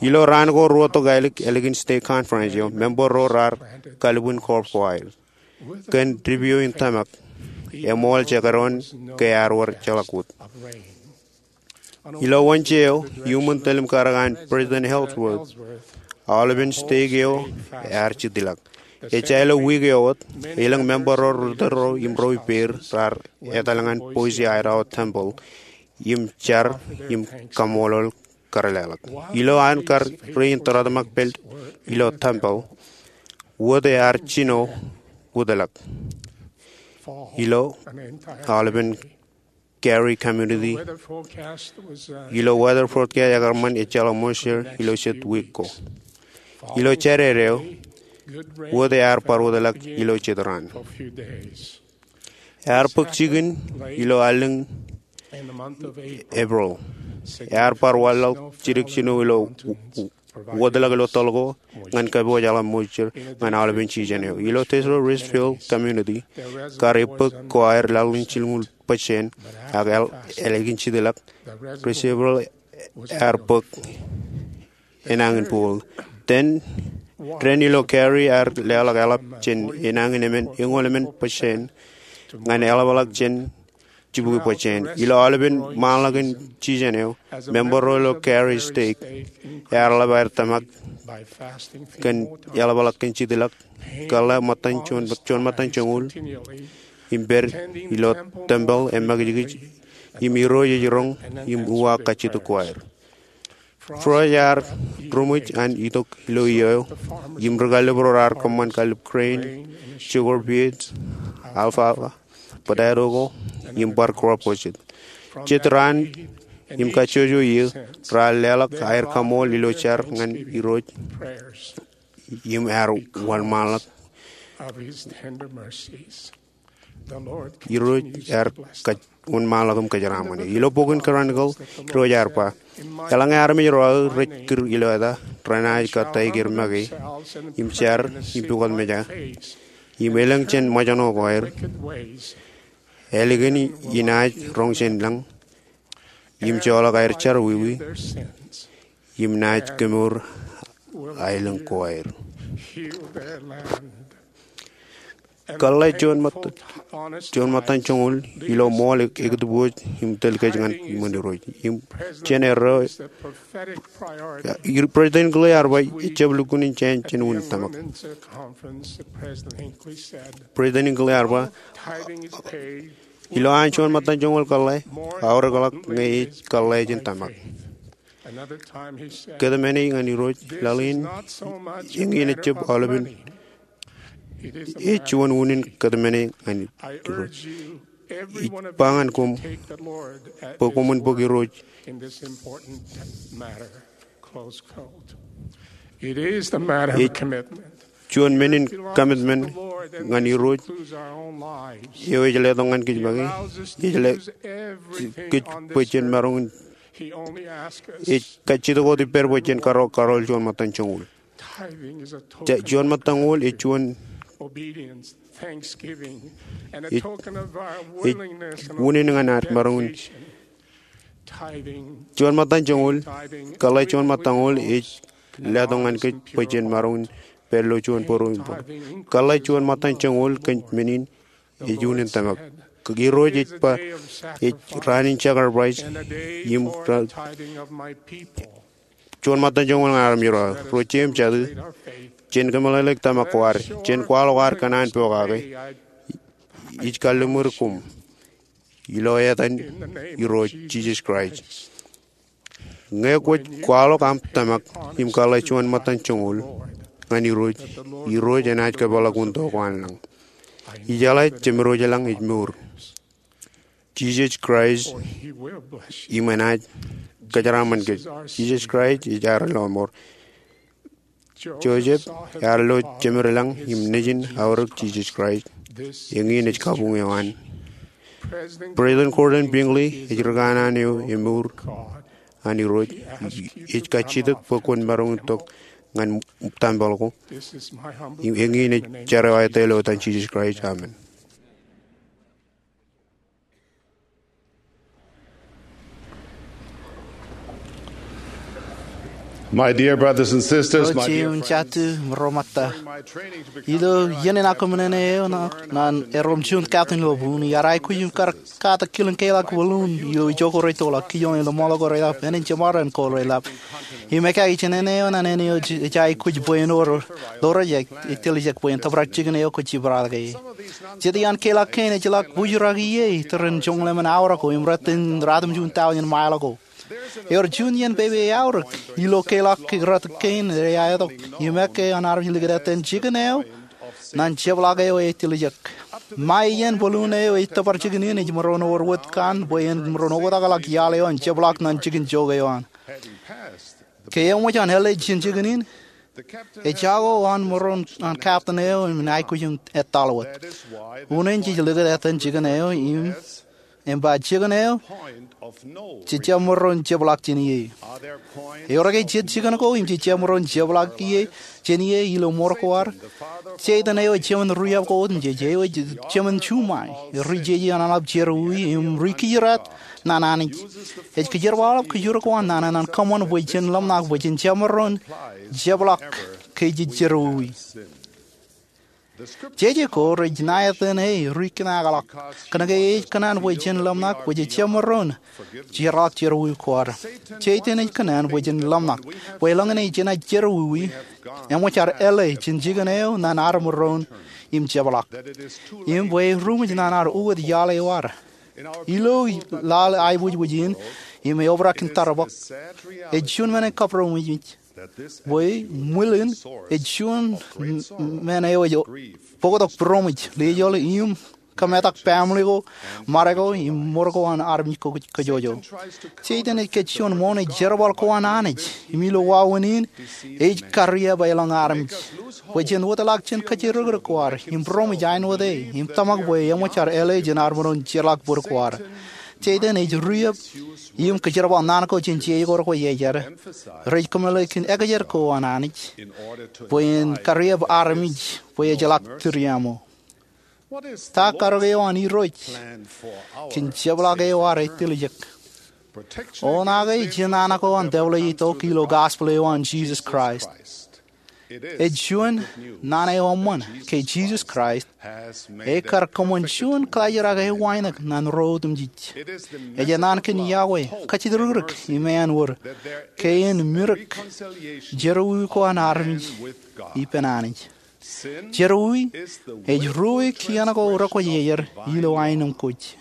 Ilo raan ko ruo tokālik ālikin stake conference eo, member ro raar kalbwin korb ko aer kōn dipio in tōmak. Eṃool jekdọọn ke ear wōr jeḷak wōt. Ilo Wōnje eo, iuṃwin tōl im karōk an President Ellsworth, aolepen stake eo ear jitlak. Ejja ilo wiik eo wōt, elōñ member ro ri tōl ro im ro ippāer raar etal ñan Boise, Idaho tempeḷ im jar im kaṃṃoolol kar leḷọk. Ilo an kar rein tōrtōmak pād ilo tempeḷ, wōt ear jino wūtlọk ilo aolepen Gary community. Ilo weather forecast ekar ṃan ejjeḷọk moisture ilo jet wiik ko. Ilo Jādede eo, wōt ear bar wūtlọk ilo jet raan. Ear bōk jikin ilo allōñ April. Ear bar wanlaḷ jidik jino ilo wūtlọk ilo tōl ko ñan kōpooj eḷap moisture ñan aolepen season eo. Ilo Tesoro Richfield community, kar ebbōk ko aer laḷ in jilñuul percent, ak ālikin jitlak, reservoir ear bōk enañin pool. Dān, dān ilo Gary ear leḷọk eḷap jān enañin emān eñoul emān percent ñan eḷapḷọk jān jibukwi percent. Ilo aolepen ṃaanḷọk in season eo, member ro ilo Gary stake ear ḷap aer tōmak kōn eḷapḷọk kōn jitlak, kōḷḷā ṃōttan juon, juon ṃōttan joñoul im pād ilo tempeḷ im makijkij im Irooj ej roñ im uwaak kajjitōk ko aer. Frost ear ruṃwij an itok ilo iiō eo im ri-kallib ro raar kōṃṃan kallib grain, sugar beets, alfalfa, potato ko, im bar crop ko jet. Jet raan im kajjojo iiō, raar leḷọk aer kaṃool ilo jar ñan Irooj im ear wōnṃaanḷọk. Irooj ear wōnṃaanḷọk im kōjeraaṃṃan. Ilo bokin Chronicle, Irooj ear ba, eḷaññe armej ro aō rej kūr ilo eta, renaaj kōttāik er make im jar im pukot mejā im elōñ jān ṃōjṇọ ko aer, ālikin inaaj roñ jān lañ im joḷọk aer jerọwiwi im naaj kemour aelōñ ko aer. Kōḷḷā juon ṃōttan, juon ṃōttan joñoul ilo ṃool ekitibooj im tōl kōj ñan iṃōn Irooj. Im jān erreo, President Hinckley ear ba, ejjab lukkuun in jān, jān unin tōmak. President Hinckley ear ba, ilo an juon ṃōttan joñoul kōḷḷā, aorōkḷọk ñe ej kōḷḷā jān tōmak. Kōtmāne ñan Irooj laḷ in, eñin ejjab aolepen, ej juon unin kōtmāne ñan Irooj. Ij ba ñan koṃ bwe koṃwin bōk Irooj. Ej Juon men in commitment ñan Irooj eo ej letok ñan kōj make, ej letok kōj bwe jen maroñ in, ej kajjitōk wōt ippād bwe jen karool, karool juon ṃōttan joñoul. Juon ṃōttan joñoul ej juon, ej, ej unin ñan ad maroñ in. Juon ṃōttan joñoul, kōḷḷā juon ṃōttan joñoul ej letok ñan kōj bwe jen maroñ in pād ilo juon būruō im būruō. Kōḷḷā juon ṃōttan joñoul kōn men in ej unin tōmak. Irooj ej ba, ej raan in sacrifice im juon ṃōttan joñoul ñan armej ro, ro jeiū im jatū, jen kōmeḷeḷeik tōmak ko ad, jen kwaḷọk ad kōṇaan pokake. Ij kalliṃur koṃ ilo etan Irooj Jisōs Kraist. Ñe kwōj kwaḷọk aṃ tōmak im kōḷḷā juon ṃōttan joñoul ñan Irooj, Irooj enaaj kōpeḷḷọk unin to ko an lañ. Ijeḷā jemdooj lañ ej mour. Jisōs Kraist im enaaj kōjeraaṃṃan kōj. Jisōs Kraist ej ad lọmọọr. Joseph ear lo jemedlañ im nejin aorōk Jisōs Kraist. Eñin ej kabuñ eo an. President Gordon B. Hinckley ej ri kanaan eo emour an Irooj. Ej kajjitōk bwe kwōn maroñ in tok ñan tempel ko. Eñin ej jar eo aō ilo etan Jisōs Kraist, amen. My dear brothers and sisters, my dear friends, during my training to become a fire chief, I was once told by a Marine, ilo iien in aō kōṃṃane eo ñan erom juon captain ilo buun, iar aikuj im kar katak kilin keḷọk balloon ilo ijo ko reitolọk, kijoñ ilo ṃoḷ ko reilap, ānin jeṃaar ko reilap. Im ekāāl jān āne eo ñan āne eo ej aikuj bwe en wōr ḷoor ejjab etiljek bwe en tōprak jikin eo kwōj jibadeke. Jet iaan keḷọk kein ejjeḷọk bōjrak ie itōrin joñan lemon aorōk ko im ratimjuon taujin mail ko. Ewōr juon iien pepe aorōk ilo keḷọk ratik kein ej aetok im ekkā an armej likūt etan jikin eo ñan jepḷaak eo etiljek. Ṃae iien balloon eo ej tōpar jikin in ej maroñ wōr wōt kaṇ bwe en maroñ oktakḷọk iaḷ eo an jepḷaak ñan jikin jook eo an. Ke eṃōj an ālej jān jikin in, ejako an maroñ an captain eo im aikuj in etal wōt. Unin jej likūt etan jikin eo im, im ba jikin eo jejjab maroñ jepḷaak jān ie. Ewōr ke jet jikin ko im jejjab maroñ jepḷaak ie jān ie ilo mour ko ad? Seitan eo ej jemān riab ko otemjej, eo ej jemān juṃae, ri jeje an eḷap jerọwiwi im ri kijirāt ñan Anij. Ej kōjerbal aolep kōjro ko an nana ñan kōṃṃan bwe jen ḷōmṇak bwe jen jab maroñ jepḷaak ke jej jerọwiwi. Jeje ko rej ṇa etan e ri kōṇaakḷọk, kōnke e ej kōṇaan bwe jen ḷōmṇak bwe jej jab maroñ jeorḷọk jerọwiwi ko ad. Seitan ej kōṇaan bwe jen ḷōmṇak bwe elōñ in jenaaj jerọwiwi, eṃōj ad āle jān jikin eo ñan ad maroñ im jepḷaak, im bwe eruṃwij ñan ad uwōt iaḷ eo ad. Ilo laḷ aiboojoj in im eobrak in tarbōk, ej juon men in kaproṃōj bwe ṃwilin ej juon men eo ej bōktok būroṃōj, lejoḷ im kōmetak baaṃle ko, ṃade ko im mour ko an armej kōjwōjwōj. Seitan ej kōj juon ṃoṇe jerbal ko an Anij, im ilo wāween in ej kariab elōñ armej bwe jen wōtlọk jān kōjerōkrōk ko ad im būroṃōj āinwōt e im tōmak bwe eṃōj ad āle jān ad maroñ jeorḷọk bōd ko ad. Seitan ej riab im kōjerbal naan ko jān jeikor ko iejjad rej kōmeḷeḷeik in ekjed ko an Anij bwe en kariab armej bwe ejjeḷọk tūriaṃo. Ta karōk eo an Irooj kōn jepḷaak eo ad etiljek? Oṇaake jān naan ko an dāpḷe itok ilo gospel eo an Jisōs Kraist. Ej juon naan eo eṃṃan ke Jisōs Kraist ekar kōṃṃan juon kalijjirake wānōk ñan ro otemjej. Ej enaan kōn iọkwe, kajjitōkrōk im āinwōt ke en mirōk jerọwiwi ko an armej ippān Anij. Jerọwiwi ej ruo kien ko rekwōj iejjad ilo aenōṃ kōj.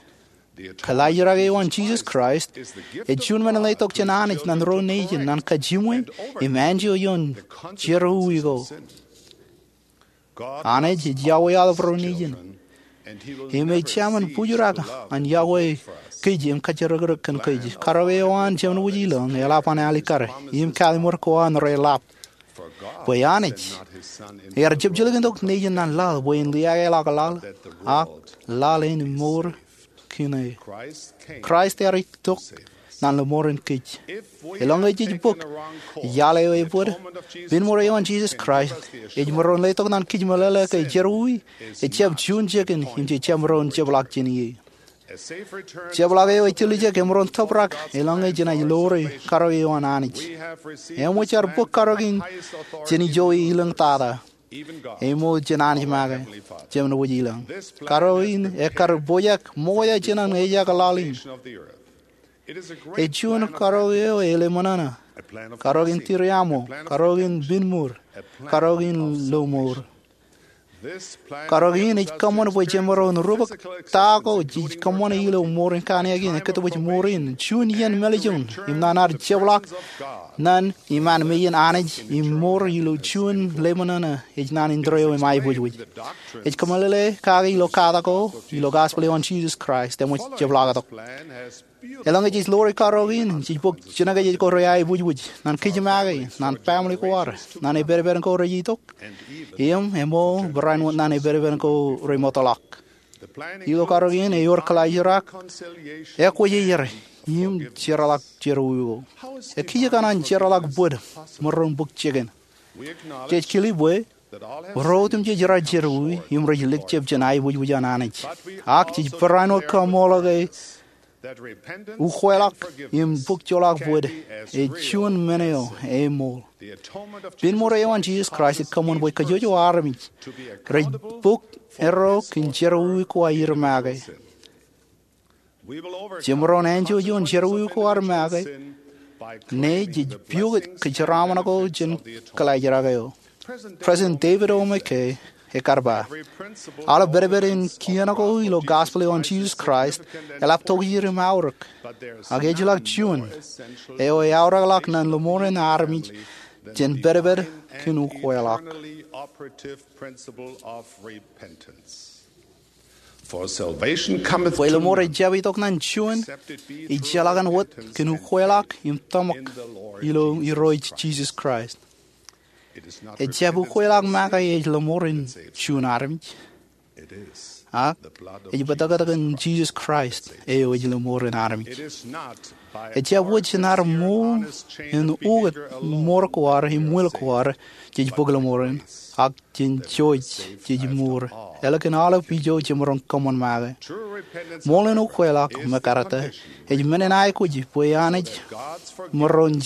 Kalijjirake eo an Jisōs Kraist ej juon men in letok jān Anij ñan ro nejin ñan kajiṃwe im anjọ ioon jerọwiwi ko. Anij ej iọkwe aolep ro nejin im ej jemān bōjrak an iọkwe kōj im kajjitōkrōk kōn kōj. Karōk eo an Jemān Wōj Ilōñ eḷap an alikkar im kalliṃur ko an reḷap. bwe Anij ear jepjilkintok Nejin ñan laḷ bwe en liaakḷọk laḷ, ak laḷ en mour kōn e. Kraist ear itok ñan lōṃoor in kōj. Eḷaññe jej bōk iaḷ eo ebōd, binmour eo an Jisōs Kraist ej maroñ letok ñan kōj meḷeḷe ke jerọwiwi ejjab juon jikin im jej jab maroñ jepḷaak jān ie. Jepḷaak eo ej tiljek emaroñ tōprak eḷaññe jenaaj ḷoore karọk eo an Anij. Eṃōj ad bōk karọk in jān ijo e ilōñ tata, ṃool jān Anij make, Jemem wōj ilañ. Karọk in ekkar pojak ṃokta jān an ejak laḷ in. Ej juon karọk eo e ḷōmṇōṇō, karọk in tūriaṃo, karọk in binmour, karọk in lọmọọr. Karọk in ej kōṃṃan bwe jemaroñ rubak ta ko jej kōṃṃane ilo mour in kaṇiakin ekkā wōj mour in, juon iien mālejjoñ im ñan ad jepḷaak ñan iṃaan meiien Anij im mour ilo juon ḷōmṇōṇō ej naan in tōre eo im aiboojoj. Ej kōmeḷeḷe kake ilo katak ko ilo gospel eo an Jisōs Kraist eṃōj jepḷaaktok. Eḷaññe jej ḷoore karọk in, jej bōk jinōkjeje ko reaiboojoj ñan kōj make, ñan family ko ad, ñan epedped ko rej itok, im eṃōj barāinwōt ñan epedped ko rej ṃōtḷọk. Ilo karọk in ewōr kōḷaajrak, ekwōjarjar, im jerọwiwi ko. Ekijjeen an jerọwiwi bōd maroñ bōk jikin? Jej kile bwe ro otemjej rej jerọwiwi im rej likjab jān aiboojoj an Anij. Ak jej barāinwōt kaṃṃoolol ke ukweḷọk im bōk joḷọk bōd ej juon men eo eṃool. Binmour eo an Jisōs Kraist ej kōṃṃan bwe kajjojo armej rej bōk erro kōn jerọwiwi ko aer make. Jemaroñ enjoy juon jerọwiwi ko ad make ñe jej piukūt kōjeraaṃṃan ko jān kōḷaajrak eo. President David O. McKay ekkar ba, aolep pedped in kien ko ilo gospel eo an Jisōs Kraist eḷap tokjān im aorōk. Ak ejjeḷọk juon eo eaorōkḷọk ñan lọmọọren armej jān pedped kōn ukweḷọk. Bwe lọmọọr ejjab itok ñan juon ejjeḷọk an wōt kōn ukweḷọk im tōmak ilo Irooj Jisōs Kraist. Ejjab ukweḷọk make ej lọmọọren juon armej, ak ej bōtōktōkin Jisōs Kraist eo ej lọmọọren armej. Ejjab wōj jān ad ṃool in ukōt mour ko ad im will ko ad jej bōk lọmọọren, ak jān jouj jej mour, ālikin aolep ijo jemaroñ kōṃṃan make. Ṃool in ukweḷọk me karōte ej men in aikuj bwe Anij maroñ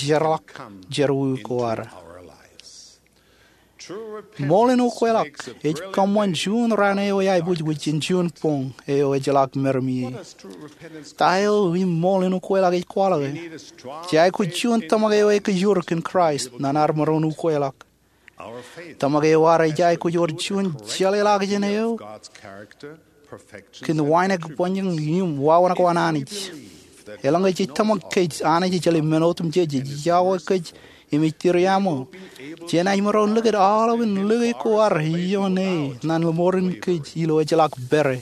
jerọwiwi ko ad. Ṃool in ukweḷọk ej kōṃṃan juon raan eo eaiboojoj jān juon boñ eo ejjeḷọk meram ie. Ta eo im ṃool in ukweḷọk ej kwaḷọke? Jej aikuj juon tōmak eo ekōjor kōn Kraist ñan ad maroñ ukweḷọk. Tōmak eo ad ej aikuj wōr juon jeḷāḷọkjeṇ eo kōn wānōk bōnyoñ im wāween ko an Anij. Eḷaññe jej tōmak ke Anij ejjeḷọk men otemjej, ej iọkwe kōj im ej tūriaṃo, jenaaj maroñ likūt aolepān lōke ko ad ioon e ñan lọmọọren kōj ilo ejjeḷọk pere.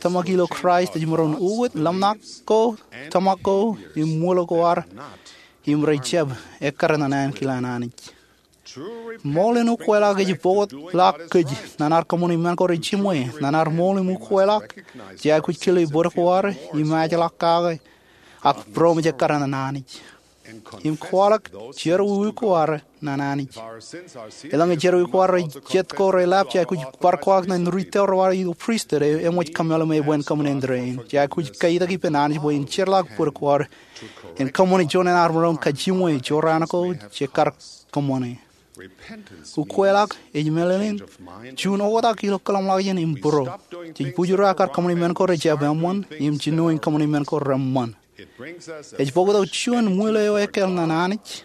Tōmak ilo Kraist ej maroñ ukōt ḷōmṇak ko, tōmak ko, im will ko ad, im rej jab ekkar ñan ankilaan Anij. Ṃool in ukweḷọk ej bōkḷọk kōj ñan ad kōṃṃani men ko rejiṃwe. Ñan ad ṃool im ukweḷọk, jej aikuj kile bōd ko ad im ajeḷọk kake, ak būroṃōj ekkar ñan Anij im kwaḷọk jerọwiwi ko ad ñan Anij. Eḷaññe jerọwiwi ko ad rej jet ko reḷap, jej aikuj bar kwaḷọk ñan ri tōre ko ad ilo pristut eo eṃōj kōmeḷeḷe im bar kōṃṃane in tōre in. Jej aikuj katak ippān Anij bwe en jeorḷọk bōd ko ad im kōṃṃane juon in ad maroñ kajiṃwe jorrāān ko jej kar kōṃṃane. Ukweḷọk ej meḷeḷein juon oktak ilo kōḷmānḷọkjeṇ im būro. Jej bujur aō kar kōṃṃani men ko rejjab eṃṃan im jino in kōṃṃani men ko reṃṃan. Ej bōktok juon ṃwiin eo ekāāl ñan Anij,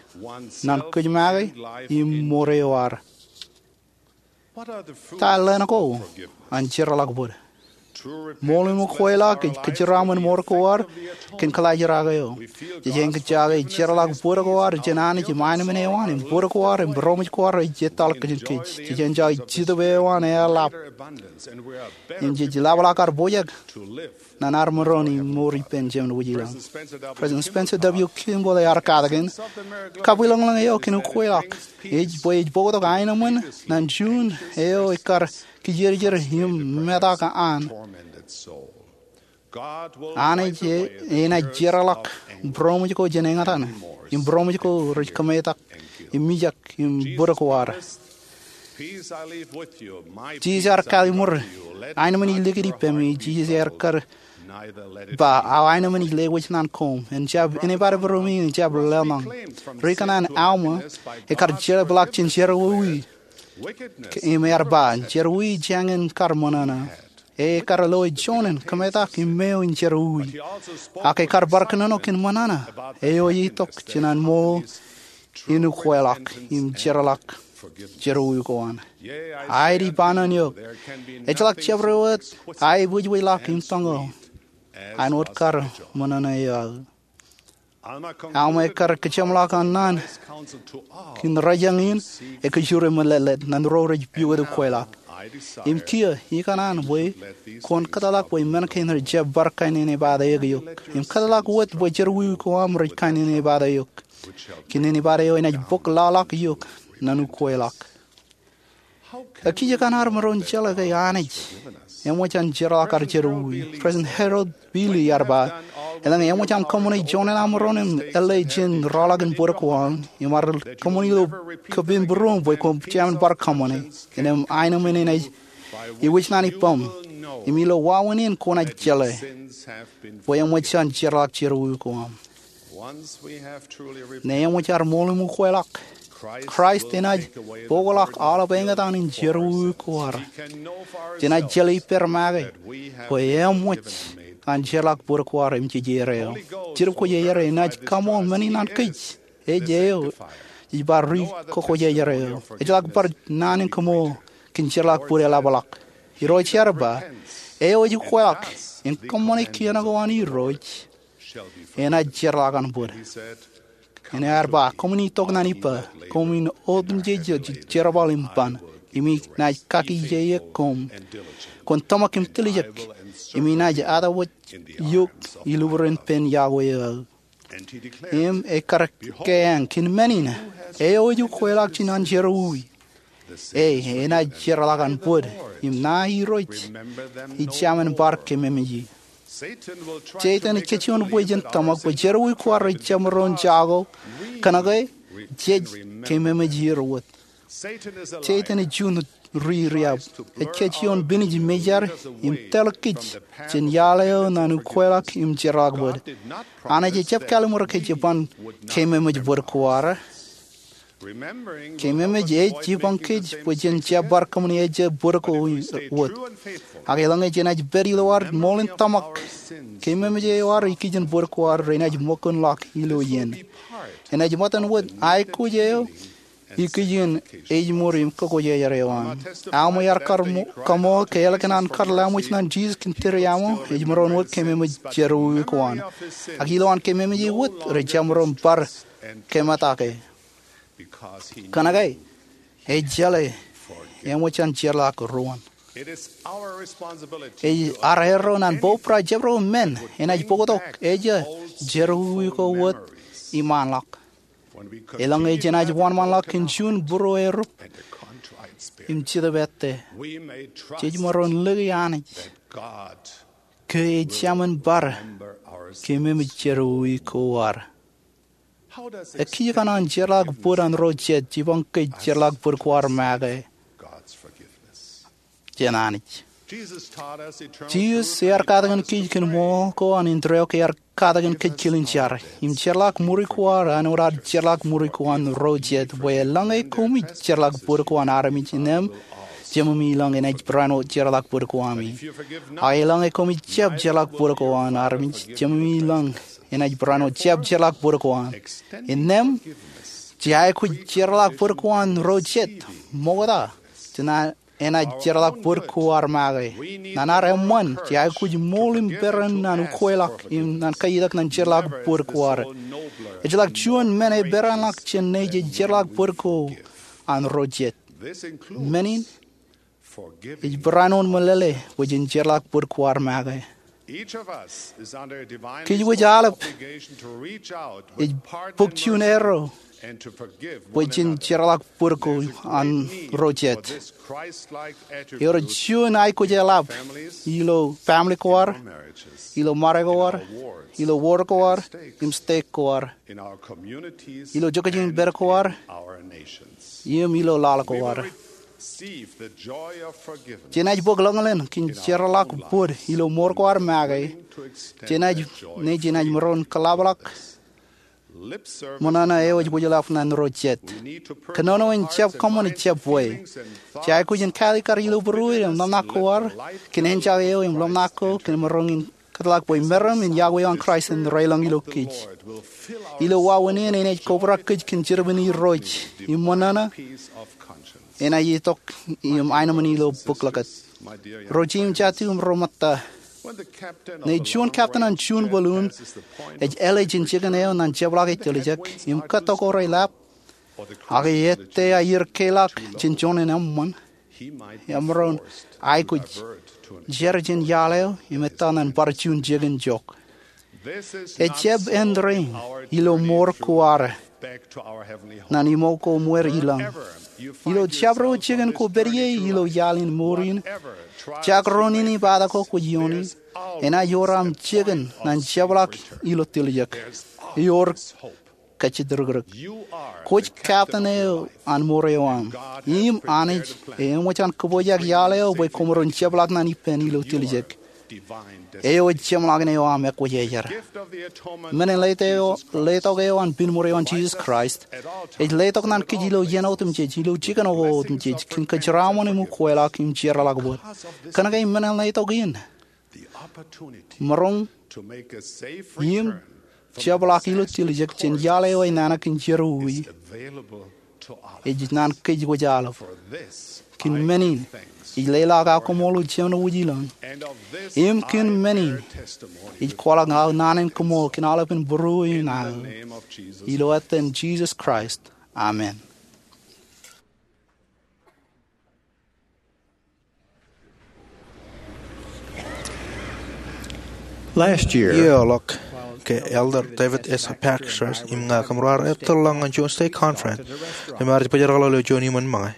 ñan kōj make, im mour eo ad. Ta ḷeṇ ko an jeorḷọk bōd? Ṃool in ukweḷọk ej kōjeraaṃṃan mour ko ad kōn kōḷaajrak eo. Jej jañin kōjjake jeorḷọk bōd ko ad jān Anij im aenōṃṃan eo an im bōd ko ad im būroṃōj ko ad rej ettoḷọk kōn kōj. Jej enjoy Jetōb eo an eḷap im jej lap ḷọk ad pojak ñan ad maroñ in mour ippān Jemān Wūjilōñ. President Spencer W. Kimball ear katakin, kabwilōñlōñ eo kōn ukweḷọk ej bwe ej bōktok aenōṃṃan ñan juon eo ekkar kijerjer im metak an. Anij enaaj jeorḷọk būroṃōj ko jān eñtaan im būroṃōj ko rej kōmetak im mijak im bōd ko ad. Jisōs ear katakin, aenōṃṃan ij likūt ippemi. Jisōs ear kar ba, aō aenōṃṃan ij lewōj ñan koṃ. En jab eñbadbūroṃōj, en jab lōḷñọñ. Ri-kōṇaan Alma ekkar jeḷā ḷọk jān jerọwiwi im ear ba, jerọwiwi jañin kar ṃōṇōṇō. E ekkar lo juon in kōmetak im meo in jerọwiwi. Ak ekkar bar kōnono kōn ṃōṇōṇō eo ej itok jān an ṃool in ukweḷọk im jeorḷọk jerọwiwi ko an. Aet, ij ba ñan eok, ejjeḷọk jabdewōt aebwijbwijḷọk im tōñal an wōt kar ṃōṇōṇō eo aō. Alma ekkar kōjeṃḷọk an naan kōn rōjañ in ekwe jure meletlet ñan ro rej piwōj ukweḷọk. Im kiiō ikōṇaan bwe kwōn kōtḷọk bwe men kein rej jab bar kainene bate eok im kōtḷọk wōt bwe jerọwiwi ko aṃ rej kainene bate eok kōn nene bate eo enaaj bōk lọḷọk eok ñan ukweḷọk. Ekijjeen ad maroñ jeḷā ke Anij eṃōj an jeorḷọk ad jerọwiwi. President Harold B. Lee ear ba, eḷaññe eṃōj aṃ kōṃṃane juon aṃ rōṇ im ālle jān rọọlḷọk in bōd ko aṃ, im ear kōṃṃani ilo kōpeen būruōṃ bwe kwō jamin bar kōṃṃane, innem aenōṃṃan enaaj iwōj ñan ippaṃ im ilo wāween in kwōnaaj jeḷā bwe eṃōj an jeorḷọk jerọwiwi ko aṃ. Ñe eṃōj ad ṃool im ukweḷọk, Kraist enaaj bōkḷọk aolep eñtaan in jerọwiwi ko ad. Jenaaj jeḷā ippād make bwe eṃōj an jeorḷọk bōd ko ad im jejeir eo. Jetōb Kwōjarjar enaaj kaṃool men in an kōj. Ej eo ej bar ri-Kwōjarjar eo. Ejjeḷọk bar naan in kaṃool kōn jeorḷọk bōd eḷapḷọk. Irooj ear ba, eo ej ukweḷọk im kōṃṃane kien ko an Irooj enaaj jeorḷọk an bōd. Im ear ba, koṃwin itok ñan ippa, koṃwin otemjej jerbal im ban, im inaaj kakijjeen koṃ. Kwōn tōmak im tiljek, im inaaj atawōj eok ilubren pen yokwe eo aō. Im ekkar keeañ kōn men in, eo ej ukweḷọk jān an jerọwiwi, e enaaj jeorḷọk an bōd, im ṇae Irooj ij jamin bar keememej e. Setan ej kōjwōj bwe jen tōmak bwe jerọwiwi ko ad rej jab maroñ jako, kōnke jej keememej er wōt. Setan ej juon ri-riab. Ej kōjwōj pinej mejar im tōl kōj jān iaḷ eo ñan ukweḷọk im jeorḷọk bōd. Anij ejjab kālmur kōj ban keememej bōd ko ad. Keememej ej jipañ kōj bwe jen jab bar kōṃṃane ejja bōd ko wōt. Ak eḷaññe jenaaj pād ilo ad ṃool in tōmak, keememej eo ad ikijjien bōd ko ad renaaj ṃōkūnḷọk ilo iien. Enaaj ṃōttan wōt aikuj eo ikijjien ejmour im kwōjarjar eo an. Alma ear kar mo-, kaṃool ke ālikin an kar laṃōj ñan Jisōs kōn tūriaṃo, ej maroñ wōt keememej jerọwiwi ko an. Ak ilowaan keememej eo wōt, rej jab maroñ bar kemetake. Kōnke ej jeḷā eṃōj an jeorḷọk ruōn. Ej ad erro ñan bōbrae jabdewōt men enaaj bōktok ejja jerọwiwi ko wōt iṃaanḷọk. Eḷaññe jenaaj wōnṃaanḷọk kōn juon būruō erup im jetōb ettā, jej maroñ lōke Anij ke ej jamin bar keememej jerọwiwi ko ad. Ekijjeen an jeorḷọk bōd an ro jet jipañ kōj jeorḷọk bōd ko ad make jān Anij? Jisōs ear katakin kōj kōn ṃool ko an indeeo ke ear katakin kōj kilin jar im jeorḷọk ṃuri ko ad āinwōt ad jeorḷọk ṃuri ko an ro jet, bwe eḷaññe koṃij jeorḷọk bōd ko an armej, innem Jememi ilañ enaaj barāinwōt jeorḷọk bōd ko ami. Ak eḷaññe koṃij jab jeorḷọk bōd ko an armej, Jememi ilañ enaaj barāinwōt jab jeorḷọk bōd ko an. Innem, jej aikuj jeorḷọk bōd ko an ro jet ṃokta jān ad enaaj jeorḷọk bōd ko ad make. Naan ad eṃṃan, jej aikuj ṃool im peran naan ukeḷọk im naan kaiitak ñan jeorḷọk bōd ko ad. Ejjeḷọk juon men eperanḷọk jān Nejiej jeorḷọk bōd ko an ro jet. Men in ej barāinwōt meḷeḷe bwe jen jeorḷọk bōd ko ad make. Kōj wōj aolep ej bōk juon erro bwe jen jeorḷọk bōd ko an ro jet. Ewōr juon aikuj eḷap ilo family ko ad, ilo ṃare ko ad, ilo ward ko ad, im state ko ad, ilo jokjokipād ko ad, im ilo laḷ ko ad. Jenaaj bōk ḷōñḷōn kōn jeorḷọk bōd ilo mour ko ad make. Jenaaj, Nejiej enaaj maroñ kōḷapḷọk ṃōṇōṇō eo ej wōjḷọk naan ro jet. Kōnono in jab kōṃṃan jab wōj. Jej aikuj in kāālōt kar ilo būruod im ḷōmṇak ko ad kōn enjake eo im ḷōmṇak ko kōn maroñ in kōtḷọk bwe meram in Yahweh an Kraist en reilōñ ilo kōj. Ilo wāween in enaaj kobrak kōj kōn jerbal in Irooj im ṃōṇōṇō enaaj itok im aenōṃṃan ilo bōklōkōt. Ro jet im jatū im ro ṃōtta, ñe juon captain an juon balloon ej ālij jān jikin eo ñan jepḷaak ej tiljek im kōttok ro ḷap, ak ettā aer keḷọk jān juon eṃṃan, emaroñ aikuj jar jān iaḷ eo im ettā ñan bar juon jikin jook. Ejjab āindein ilo mour ko ad ñan iṃō ko ṃweer ilōñ. Ilo jabdewōt jikin kwōj pād ie ilo iaḷ in mour in, jekdọọn in ippān ko kwōj iooni, enaaj ewōr aṃ jikin ñan jepḷaak ilo tiljek. Ewōr kajjitōk. Kwōj captain eo an mour eo aṃ. Im Anij eṃōj an kōpojak iaḷ eo bwe koṃ maroñ jepḷaak ñan ippān ilo tiljek. Eo ej jeṃḷọkin eo aṃ ekwōjarjar. Men in letok eo an pinṃour eo an Jisōs Kraist ej letok ñan kōj ilo iien otemjej, ilo jikin otemjej, kōn kōjeraaṃṃan im ukeḷọk im jeorḷọk bōd. Kōnke men in letok in maroñ im jepḷaak ilo tiljek jān iaḷ eo enana kōn jerọwiwi ej ñan kōj wōj aolep. Kōn men in ij leḷọk aō koṃṃool ilo jemān wōj ilōñ. Im kōn men in ij kwaḷọk aō naan in koṃṃool kōn aolepen būruō in aō. Ilo etan Jisōs Kraist, amen. Last year, Iiō ḷọk, ke Elder David S. Baxter im ña kōmro ar ettōrḷọk ñan juon stake conference, kōm ar bōjrak ḷọk ilo juon iṃōn ṃōñā.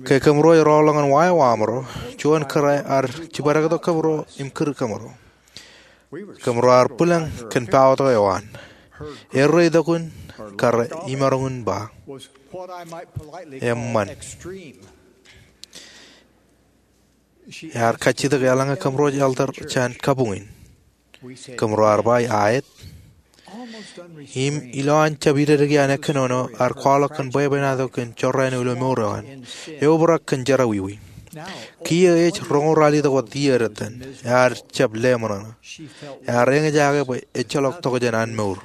Ke kōmro eroḷọk ñan wāween eo aṃro, juon kōrā ear jibadektok kōmro im kūr kōmro. Kōmro ar bwilōñ kōn power eo an. Erro itok in kar imaroñ in ba, eṃṃan. Ear kajjitōk eḷaññe kōmro elder jān kabuñ in. Kōmro ar ba, aet. Im ilowaan jab idedeki an ekkōnono, ear kwaḷọk kōn bwebwenato kōn jorrāān eo ilo mour eo an. Eobrak kōn jerọwiwi. Kiiō ej roñoul ralitōk wōt iiō editōn. Ear jab leṃōṇōṇō. Ear eñjake bwe ejjeḷọk tokjān an mour.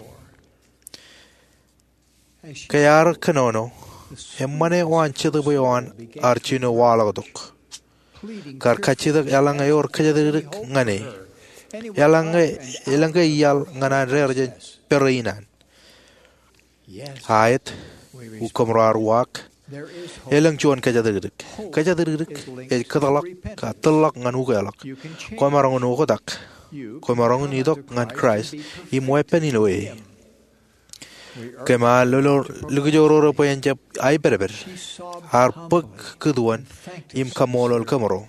Ke ear kōnono, eṃṃan eo an Jetōb eo an ear jino waḷọktok. Kar kajjitōk eḷaññe ewōr kōjatdikdik ñan e. Eḷaññe, elōñ ke iaḷ ñan an deḷọñ jān pere in an. Aet, kōmro ar uwaak. Elōñ juon kōjatdikdik. Kōjatdikdik ej kōtḷọk, kōtḷọk ñan ukeḷọk. Kwōmaroñ in oktak. Kwōmaroñ in itok ñan Kraist im weeppān ilo e. Kōm ar lolo likjororo bwe en jab aipedped. Ear bōk kūtuon im kaṃṃoolol kōmro.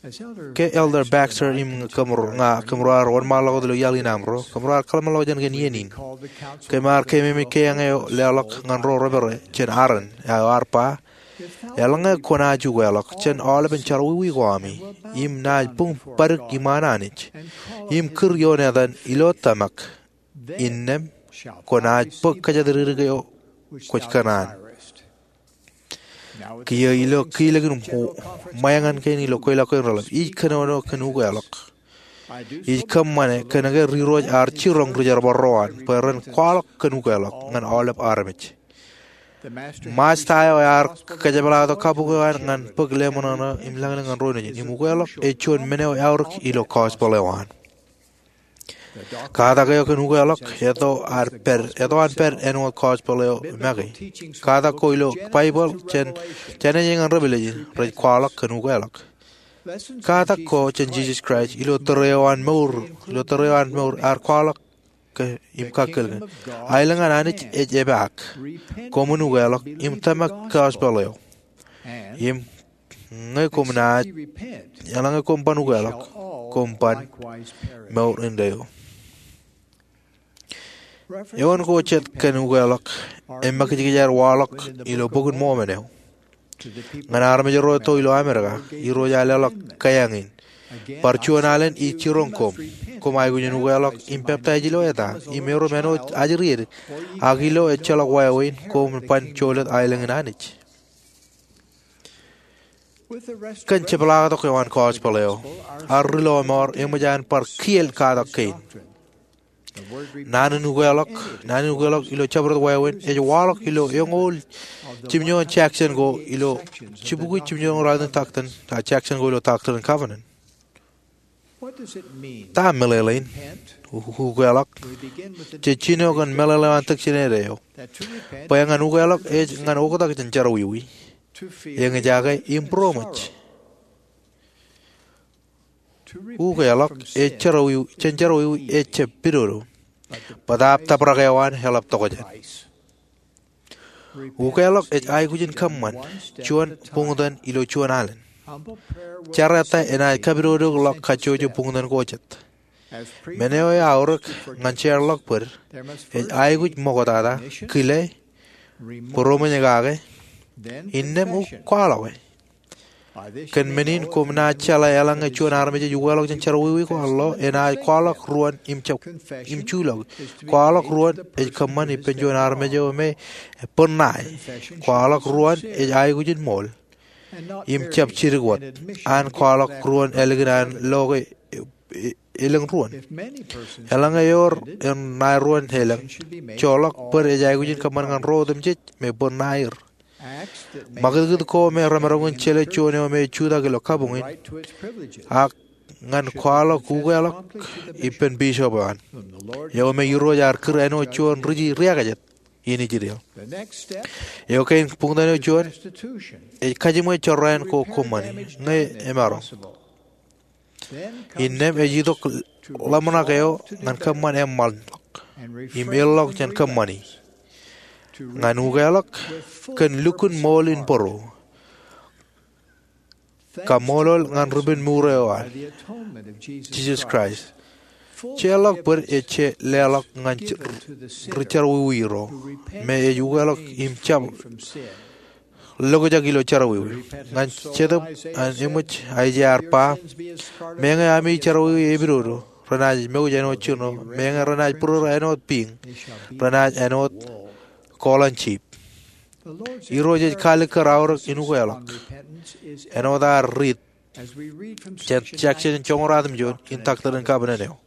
Ke Elder Baxter im kōmro, ña kōmro ar wōnṃaanḷọk wōt ilo iaḷ in aṃro, kōmro ar kōḷmānḷọkjeṇ kōn iien in. Kōm ar keememej kōjeañ eo leḷọk ñan ro rej pere jān Aaron, eo ear ba, eḷaññe kwōnaaj ukeḷọk jān aolepen jerọwiwi ko ami, im naaj buñ paddik iṃaan Anij, im kūr ioon etan ilo tōmak, innām kwōnaaj bōk kōjatdikdik eo kwōj kōṇaan. Kiiō ilo kilōk in ṃōñā kein ilo kweilọk kein reḷap, ij kōnono kōn ukeḷọk. Ij kōṃṃane kōnke ri-Irooj ear jiroñ ri-jerbal ro an bwe ren kwaḷọk kōn ukeḷọk ñan aolep armej. Masta eo ear kōjepḷaaktok kabuñ eo an ñan bōk leṃōṇōṇō im lañlōñ ñan ro nejin. Im ukeḷọk ej juon men eo eaorōk ilo gospel eo an. Katak eo kōn ukeḷọk eto an pād, eto an pād āinwōt gospel eo make. Katak ko ilo Baibōḷ jān, jān ej ñan revelation rej kwaḷọk kōn ukeḷọk. Katak ko jān Jisōs Kraist ilo tōre eo an mour, ilo tōre eo an mour ear kwaḷọk ke im kakkōl ke, aelōñ an Anij ej epaak. Koṃwin ukeḷọk im tōmak gospel eo. Im ñe koṃ naaj, eḷaññe koṃ ban ukeḷọk, koṃ ban mour indeeo. Eoon ko jet kōn ukeḷọk emakijkij aer waḷọk ilo Bok in Mormon eo. Ñan armej ro etto ilo Amerika, Irooj ear leḷọk kaiañ in. Bar juon alen ij jiroñ koṃ. Koṃ aikuj in ukeḷọk im peptaij ilo eta, im erom āinwōt ajri edik, ak ilo ejjeḷọk wāween koṃ ban jolōt aelōñ in Anij. Kōn jepḷaaktok eo an gospel eo, ad ri lọmọọr eṃōj an bar kiel katak kein. Naan in ukeḷọk, naan in ukeḷọk ilo jabdewōt wāween ej waḷọk ilo eñoul jimjuon section ko ilo, jibukwi jimjuon rainin doctrine, a, section ko ilo Doctrine and Covenant. Ta meḷeḷein ukeḷọk? Jej jino kōn meḷeḷe eo an tōk jined eo, bwe ñan ukeḷọk ej ñan oktak jān jerọwiwi, eñjake im būroṃōj. Ukeḷọk ej jerọwiwi, jān jerọwiwi ej jab pidodo, bōtaab dabrak eo an eḷap tokjān. Ukeḷọk ej aikuj in kōṃṃan juon buñtōn ilo juon alen. Jar ettā enaaj kapidodokḷọk kajjojo buñtōn ko jet. Men eo eaorōk ñan jeorḷọk bōd, ej aikuj ṃoktata, kile, būroṃōj kake, innām kwaḷọke. Kōn men in koṃ naaj jeḷā eḷaññe juon armej ej ukeḷọk jān jerọwiwi ko an lo, enaaj kwaḷọk ruon im jab, im juḷọk. Kwaḷọk ruon ej kōṃṃan ippān juon armej eo me bōd ṇae. Kwaḷọk ruon ej aikuj in ṃool im jab jidik wōt. An kwaḷọk ruon ālikin an lo ke elōñ ruon. Eḷaññe ewōr ṇae ruon elōñ, joḷọk bōd ej aikuj in kōṃṃan ñan ro otemjej me bōd ṇae er. Ṃakūtkūt ko me remaroñ in jelōt juon eo me jutak ilo kabuñ in, ak ñan kwaḷọk ukeḷọk ippān bishop eo an, eo me Irooj ear kūr āinwōt juon ri-, riakajet in Israel. Eo kein buñtōn eo juon, ej kajiṃwe jorrāān ko kōṃṃani ñe emaroñ. Innām ej itok ḷōmṇak eo ñan kōṃṃan eṃṃanḷọk im erḷọk jān kōṃṃani. Ñan ukeḷọk kōn lukkuun ṃool in bōro. Kaṃṃoolol ñan ripenmuur eo an, Jisōs Kraist. Jeorḷọk bōd ej je leḷọk ñan ri jerọwiwi ro, me ej ukeḷọk im jab lokjak ilo jerọwiwi. Ñan Jetōb an eṃōj Aiseia ear ba, meñe ami jerọwiwi epidodo, renaaj mouj āinwōt jino, meñe renaaj būrōrō āinwōt piiñ, renaaj āinwōt koḷan jip. Irooj ej kalikkar aorōk in ukeḷọk. Āinwōt ad riit jān section joñoul ratimjuon in Doctrine and Covenant eo.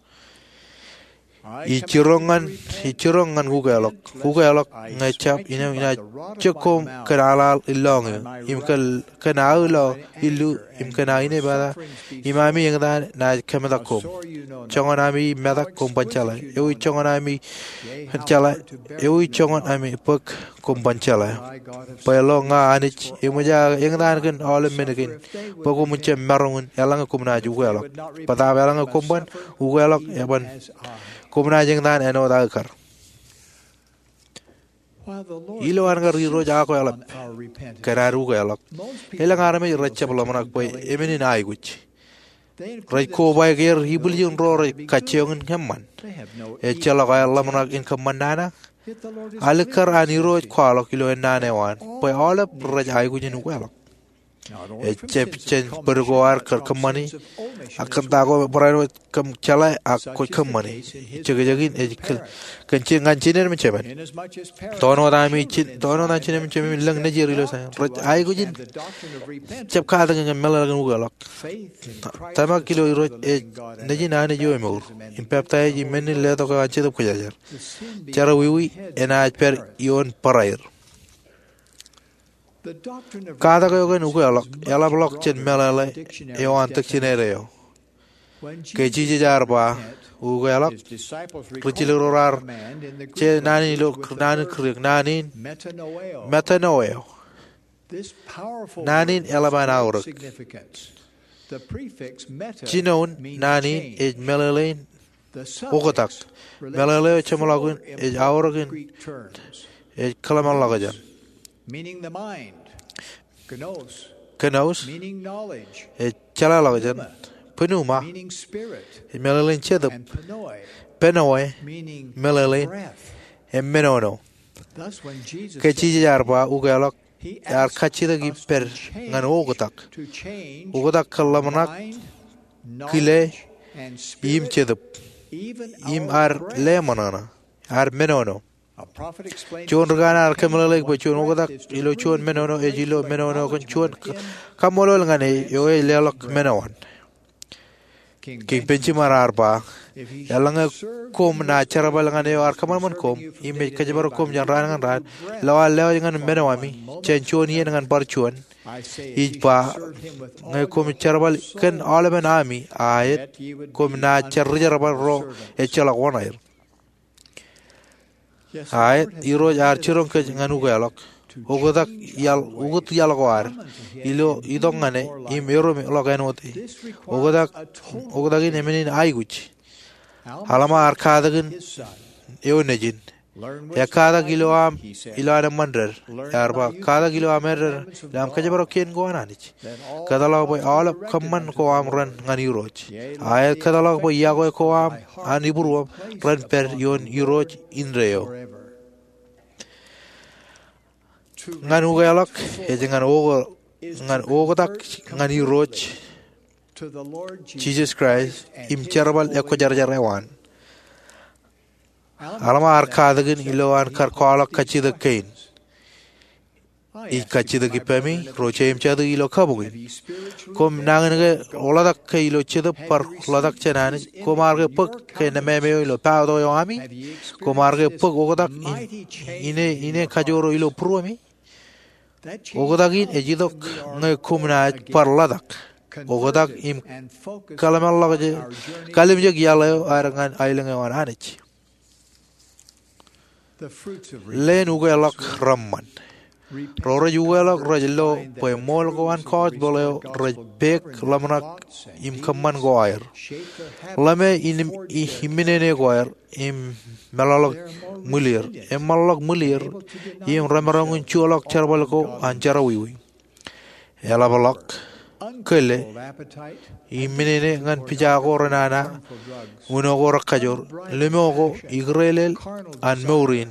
Ij jiroñ ñan, ij jiroñ ñan ukeḷọk. Ukeḷọk ñe jab, innām inaaj jok koṃ kōn aḷaḷ in lọñiō, im kōn, kōn aō lo illu, im kōn aō inepata, im ami eñtaan naaj kōmetak koṃ. Joñan ami metak koṃ ban jeḷā. Ewi joñan ami jeḷā, ewi joñan ami bōk koṃ ban jeḷā. Bwe lo ña Anij eṃōj aō eñtaan kōn aolep men kein, bwe koṃwin jab maroñ in eḷaññe koṃ naaj ukeḷọk. Bōtaab eḷaññe koṃ ban ukeḷọk eban, koṃ naaj eñtaan āinwōt aō kar. Ilo an kar Irooj akweḷap kōn ad ukeḷọk, elōñ armej rej jab ḷōmṇak bwe emān in aikuj. Rej kobaik er ibwiljin ro rej kajjioñ in eṃṃan. Ejjeḷọk aer ḷōmṇak in kōṃṃan nana. Alikkar an Irooj kwaḷọk ilo ennaan eo an bwe aolep rej aikuj in ukeḷọk. Ejjab jān bōd ko aer kōṃṃani, ak kōn ta ko barāinwōt kōm jeḷā ak kwōj kōṃṃani. Jekjekin ej kōn, kōn je ñan jined im jemān. Tōn wōt ami jin, tōn wōt an jined im jemān im lōñ nejier ilo Saion. Rej aikuj in jab katakin ñan meḷeḷe kōn ukeḷọk. Tōmak ilo Irooj ej nejin Anij eo emour, im peptaij im men in letok eo an Jetōb Kwōjarjar. Jerọwiwi enaaj pād ioon barāinwōt. Katak eo kōn ukeḷọk eḷapḷọk jān meḷeḷe eo an dictionary eo. Ke Jisōs ear ba ukeḷọk, ri jilkinḷọk ro ear je naan in ilo naan in Greek, naan in metanoeo. Naan in eḷap an aorōk. Jinoin naan in ej meḷeḷein oktak. Meḷeḷe eo jeṃḷọkin ej aorōkin, ej kōḷmānḷọkjeṇ. Kenosis ej jeḷāḷọkjeṇ. Pneuma ej meḷeḷein jetōb. Pneue meḷeḷein emenono. Ke Jisōs ear ba ukeḷọk, ear kajjitōk ippād ñan oktak. Oktak kōn ḷōmṇak, kile, im jetōb, im ad leṃōṇōṇō, ad menono. Juon ri kanaan ear kōmeḷeḷeik bwe juon oktak ilo juon menono ej ilo menono kōn juon kaṃṃoolol ñan e eo ej leḷọk menoan. Kiiñ Benjamin ear ba, eḷaññe koṃ naaj jerbal ñan e eo ear kōṃanṃan koṃ im ej kōjparok koṃ jān raan ñan raan, ilo aō lewōj ñan menoami jān juon iien ñan bar juon, ij ba, ñe koṃ jerbal kōn aolepen ami, aet, koṃ naaj jar rijerbal ro ejjeḷọk wōṇāer. Aet, Irooj ear jiroñ kōj ñan ukeḷọk. Oktak iaḷ, ukōt iaḷ ko ad ilo itok ñan e im erom ḷọk āinwōt e. Oktak, oktak in emenin aikuj. Alma ear katakin eo nejin. Ekatak ilo aṃ, ilo an eṃṃan dād. Ear ba, katak ilo aṃ dād, ilo aṃ kōjparok kien ko an Anij. Kōtḷọk bwe aolep kōṃṃan ko aṃ ren ñan Irooj. Aet, kōtḷọk bwe iakwe ko aṃ an ibūruōṃ ren pād ioon Irooj indeeo. Ñan ukeḷọk ej ñan o, ñan oktak ñan Irooj Jisōs Kraist im jerbal ekwōjarjar eo an. Alma ear katakin ilo an kar kwaḷọk kajjitōk kein. Ij kajjitōk ippaṃi, ro jeiū im jatū ilo kabuñ in. Koṃ nañinmej ḷotak ke ilo jetōb bar ḷotak jān Anij. Koṃ ar ke bōk ke nemāmeio ilo pād tok eo ami. Koṃ ar ke bōk oktak in, ine, ine kajoor eo ilo būruemi. Oktak in ej itok ñe koṃ naaj bar ḷotak. Oktak im kōḷmānḷọkjeṇ, kalimjek iaḷ eo ad ñan aelōñ eo an Anij. Leen ukeḷọk reṃṃan. Ro rej ukeḷọk rej lo bwe ṃool ko an gospel eo rej peek ḷōmṇak im kōṃṃan ko aer. Ḷōme in, i, iminene ko aer im meḷọkḷọk ṃwilir. Eṃṃanḷọk ṃwilir im remaroñ in juwaḷọk jerbal ko an jerọwiwi. Eḷapḷọk, kile, iminene ñan pija ko renana, uno ko rekajoor, limo ko ikdeḷeḷ an mour in,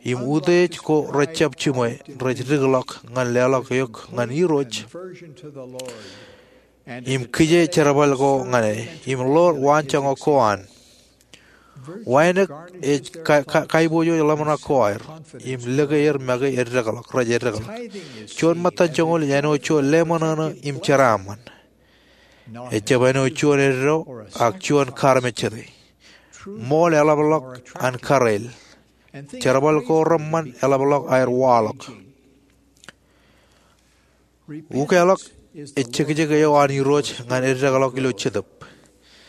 im utiej ko rejjab jiṃwe rej dikḷọk ñan leḷọk eok ñan Irooj im kije jerbal ko ñan e im ḷoor waanjoñak ko an. Wānōk ej ka, ka, kaiboojoj ḷōmṇak ko aer im lōke er make eddekḷọk, rej eddekḷọk. Juon ṃōttan joñoul ej āinwōt juon leṃōṇōṇō im jeraaṃṃan. Ejjab āinwōt juon eddo ak juon karmejjete. Ṃool eḷapḷọk an kareel. Jerbal ko reṃṃan eḷapḷọk aer waḷọk. Ukeḷọk ej jekjek eo an Irooj ñan eddekḷọk ilo jetōb.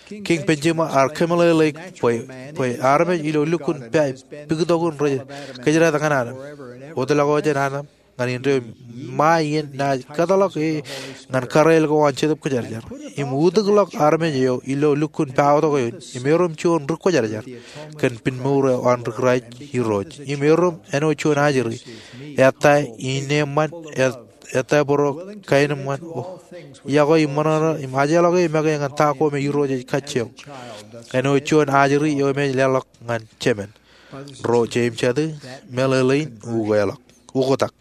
Kiiñ Benjamin ear kōmeḷeḷeik bwe, bwe armej ilo lukkuun pā, pikitok in rej kōjdate ñan Adam. Wōtlọk eo jān Adam ñan indeeo im ṃae iien naaj kōtḷọk e ñan kareel ko an Jetōb Kwōjarjar. Im utiklọk armej eo ilo lukkuun pāwōtok eo in im erom juon ri kwōjarjar kōn pinmour eo an ri Kraist Irooj. Im erom āinwōt juon ajri. Ettā ineeṃṃan, et, ettā bōro kaenōṃṃan, o, iọkwe im ṃōṇōṇō im ajeḷọk e make ñan ta ko me Irooj ej kajjioñ. Āinwōt juon ajri eo im ej leḷọk ñan jemān. Ro jeiū im jatū, meḷeḷein ukeḷọk, oktak.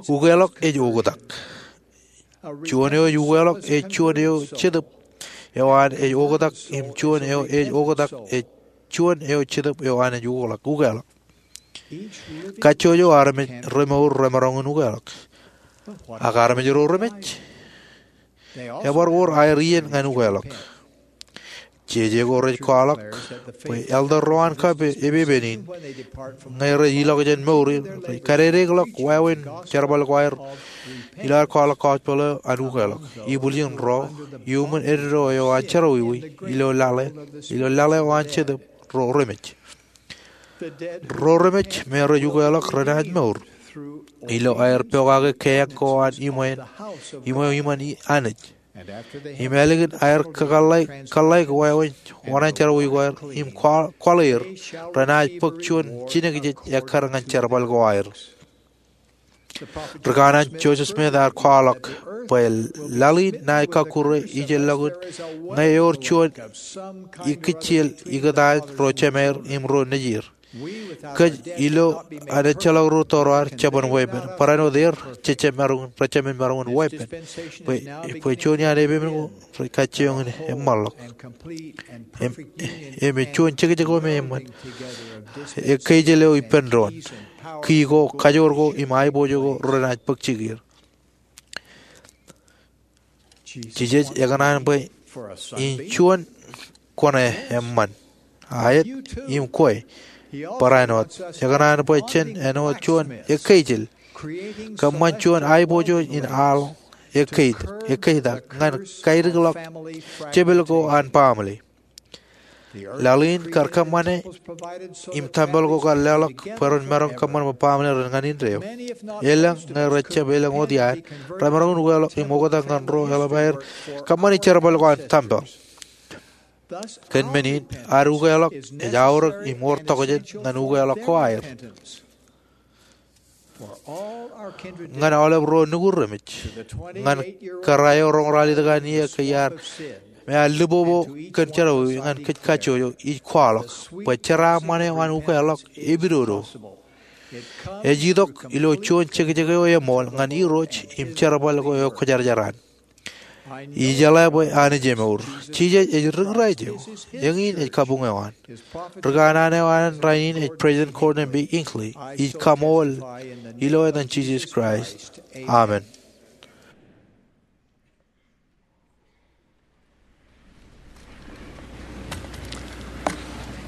Ukeḷọk ej oktak. Juon eo ej ukeḷọk ej juon eo jetōb eo an ej oktak, im juon eo ej oktak ej juon eo jetōb eo an ej ukeḷọk, ukeḷọk. Kajjojo armej remour remaroñ in ukeḷọk. Ak armej ro remej? Ebar wōr aer iien ñan ukeḷọk. Jeje ko rej kwaḷọk bwe elder ro an kab epepen in, ñe rej ilọk jān mour in, rej kadedeḷọk wāween jerbal ko aer ilo aer kwaḷọk gospel eo an ukeḷọk. Ibwiljin ro iuṃwin eddo eo an jerọwiwi ilo laḷ eo, ilo laḷ eo an Jetōb, ro remej. Ro remej me rej ukeḷọk renaaj mour ilo aer pokake keeañ ko an iṃweo, iṃweo iṃōn Anij. Im ālikin aer kōḷḷāik wāween oṇāān jerọwiwi ko aer im kwaḷ-, kwaḷ er, renaaj bōk juon jinōkjeej ekkar ñan jerbal ko aer. Ri kanaan Joseph Smith ear kwaḷọk bwe laḷ in ṇae kọkkure ijellọkun ñe ewōr juon ikijjel ikōtaan ro jemāer im ro nejier. Kōj ilo an ejjeḷọk ro tōre ar jeban weeppān. Barāinwōt er jejjab maroñ in, rejjab maroñ in weeppān. Bwe, bwe juon iaan epepen ko rej kajjioñ in eṃṃanḷọk. Im, im juon jekjek eo me eṃṃan. Ekkeijel eo ippān doon. Ki ko, kajoor ko, im aiboojoj ko renaaj bōk jikier. Jisōs ekōṇaan bwe in juon kwōn eṃṃan. Aet, im kwe. Barāinwōt, ekōṇaan bwe jen āinwōt juon ekkeijel. Kōṃṃan juon aiboojoj in aḷ ekkeitak, ekkeitak ñan kaidikḷọk jepel ko an baaṃle. Laḷ in kar kōṃṃane im tempel ko kar leḷọk bwe ren maroñ kōṃṃan bwe baaṃle ren ñan indeeo. Elōñ ñe rejjab elōñ wōt iaan, remaroñ in ukeḷọk im oktak ñan ro eḷap aer kōṃṃani jerbal ko an tempel. Kōn men in, ad ukeḷọk ej aorōk im wōr tokjān ñan ukeḷọk ko aer. Ñan aolep ro nukud remej, ñan kōrā eo roñoul ralitōk an iiō ke iar, me ear lipopo kōn jerọwiwi ñan kōj kajjojo, ij kwaḷọk bwe jeraaṃṃan eo an ukeḷọk epidodo. Ej itok ilo juon jekjek eo eṃool ñan Irooj im jerbal ko eo kwōjarjar an. Ijeḷā bwe Anij emour. Jisōs ej ri Kraist eo. Eñin ej kabuñ eo an. Ri kanaan eo an rainin ej President Gordon B. Hinckley. Ij kaṃool ilo etan Jisōs Kraist. Amen.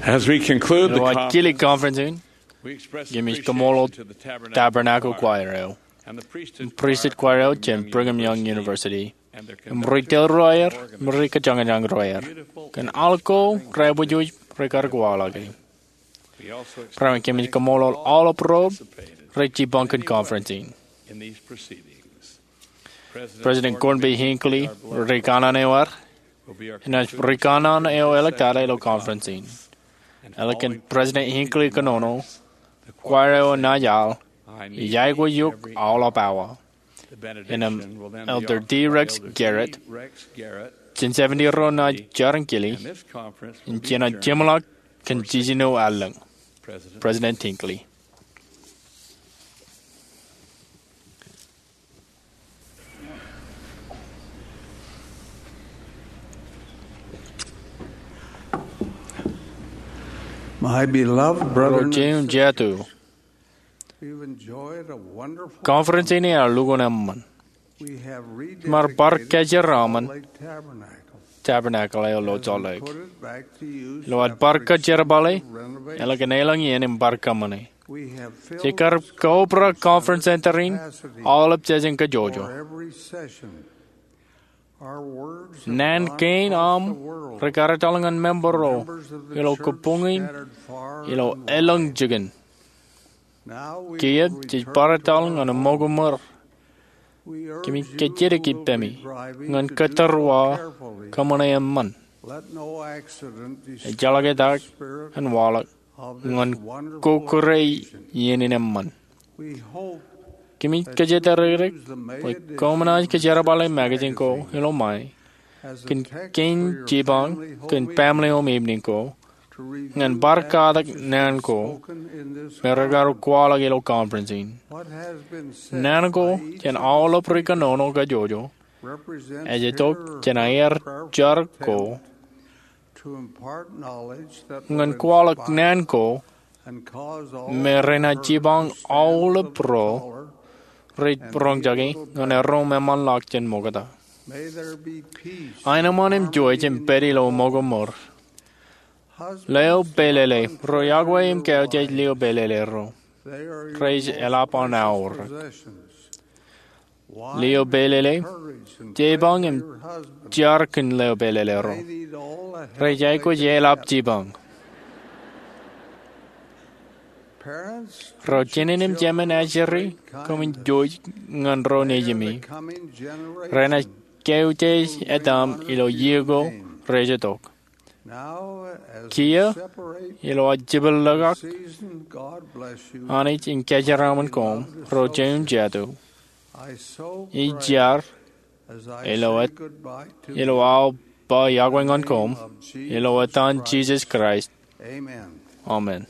As we conclude the Ilo ad conference, kilik conference in, we express kōmij appreciation kōṃṃool to the Tabernacle Tabernacle Choir. Choir eo, im priesthood choir eo jān Brigham Young University, im ri tōl ro aer, im ri kōjañjañ ro aer, kōn aḷ ko reabujuuj rekar kwaḷọke. Ro kōmij kōṃṃool aolep ro rej jipañ kōn conference in. President Gordon B. Hinckley, ri kanaan eo ad, enaaj ri kanaan eo eḷak tata ilo conference in. Eḷak kōn President Hinckley kōnono, choir eo enaaj aḷ, Ij aikuj eok aolep awa. Innām Elder D. Rex Garrett, jān seventy ro naaj jar in kile, im jenaaj jeṃḷọk kōn jiljino allōñ. President Hinckley. My beloved brethren, Ro jeiū jatū, we've enjoyed a wonderful conference in ear lukkuun eṃṃan. Im ad bar kōjeraaṃṃan Tabernacle eo ilo Salt Lake. Ilo ad bar kōjerbale, eḷak kōn elōñ iien im bar kōṃṃane. Jej kar kaubra Conference Center in aolep session kajjojo. Naan kein aṃ rekar etal ñan member ro ilo kabuñ in ilo elōñ jikin. Kiiō jej bar etal ñan ṃōko ṃōr. Kōmij kōjjitōk ippemi ñan kōttar uwaak kōṃṃane eṃṃan. Ejjeḷọk etak en waḷọk ñan kokkure iien in eṃṃan. Kōmij kōjatdikdik bwe koṃ naaj kōjerbale magazine ko ilo ṃae kōn kein jipañ kōn family home evening ko ñan bar katak naan ko me rekar kwaḷọk ilo conference in. Naan ko jān aolep ri kōnono kajjojo ej itok jān aer jar ko ñan kwaḷọk naan ko me renaaj jipañ aolep ro rej roñjake ñan erom eṃṃanḷọk jān ṃokta. Aenōṃṃan im juon jeiū im pād ilo ṃōko ṃōr Leo pelele, ro iọkwe im kautiej lio pelele ro. Rej eḷap an aorōk. Lio pelele, jebañ im jar kōn leo pelele ro. Rej aikuj eḷap jipañ. Ro jined im jemān ajri, koṃwin jouj ñan ro nejimi. Renaaj kautiej etaṃ ilo iiō ko rej itok. Kiiō, ilo aō jepel ḷọk ak, Anij en kōjeraaṃṃan koṃ, ro jeiū im jatū. Ij jar, ilo et, ilo aō ba iọkwe ñan koṃ, ilo etan Jisōs Kraist. Amen.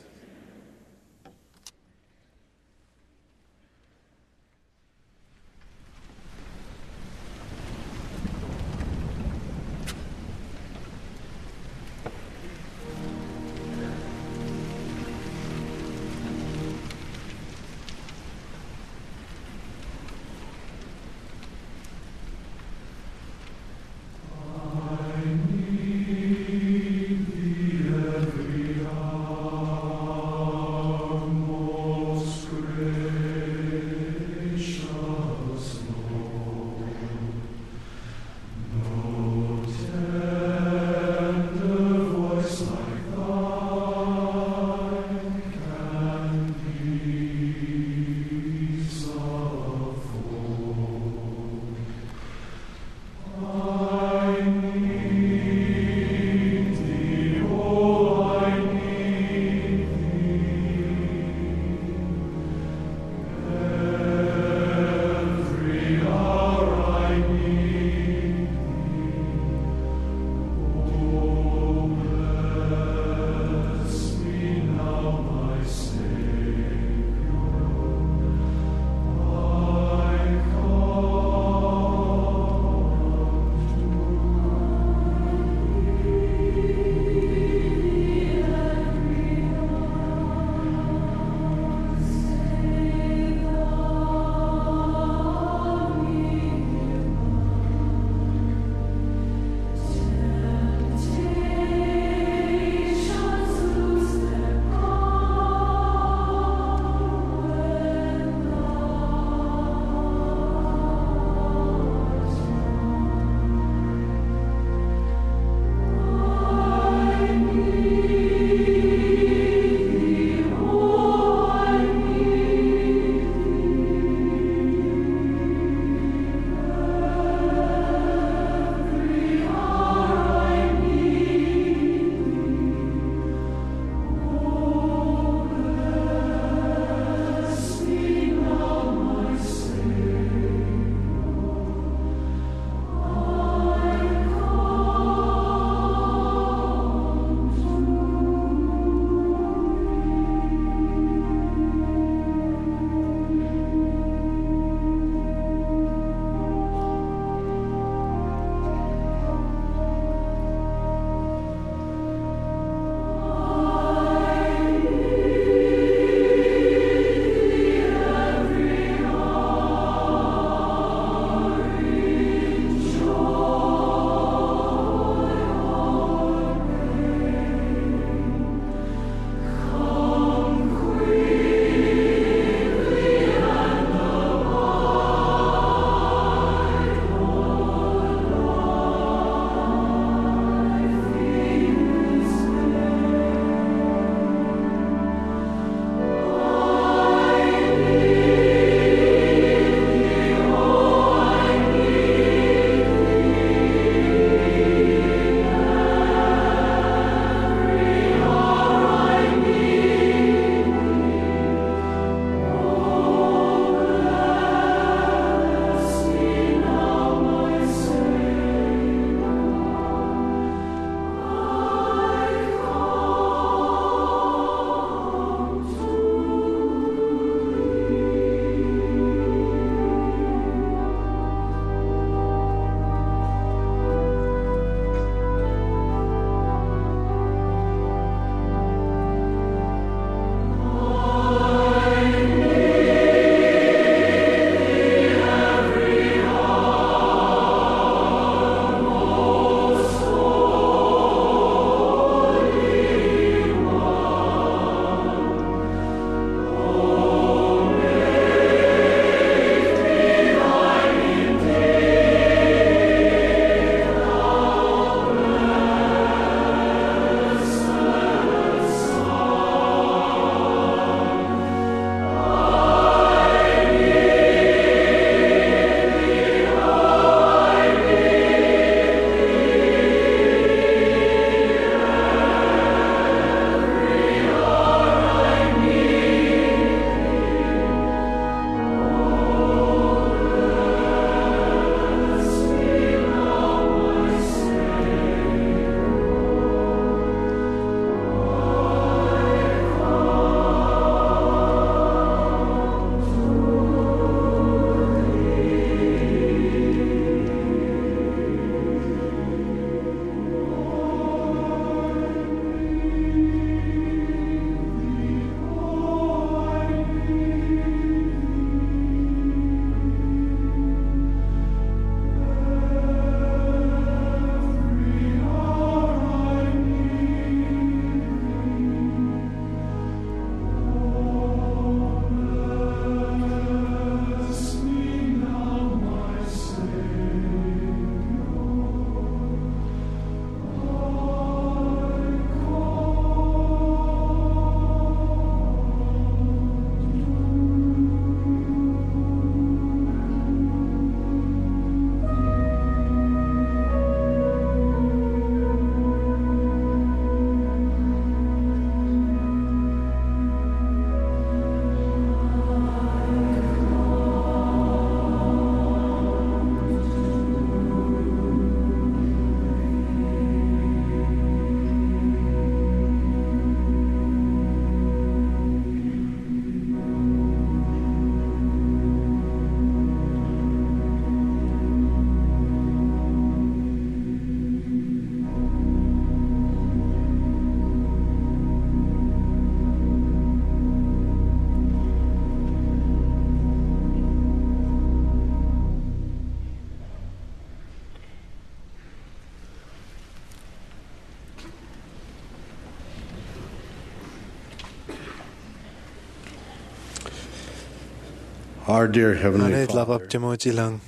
Our dear Heavenly Father, Anij ḷapḷap Jemem ilañ,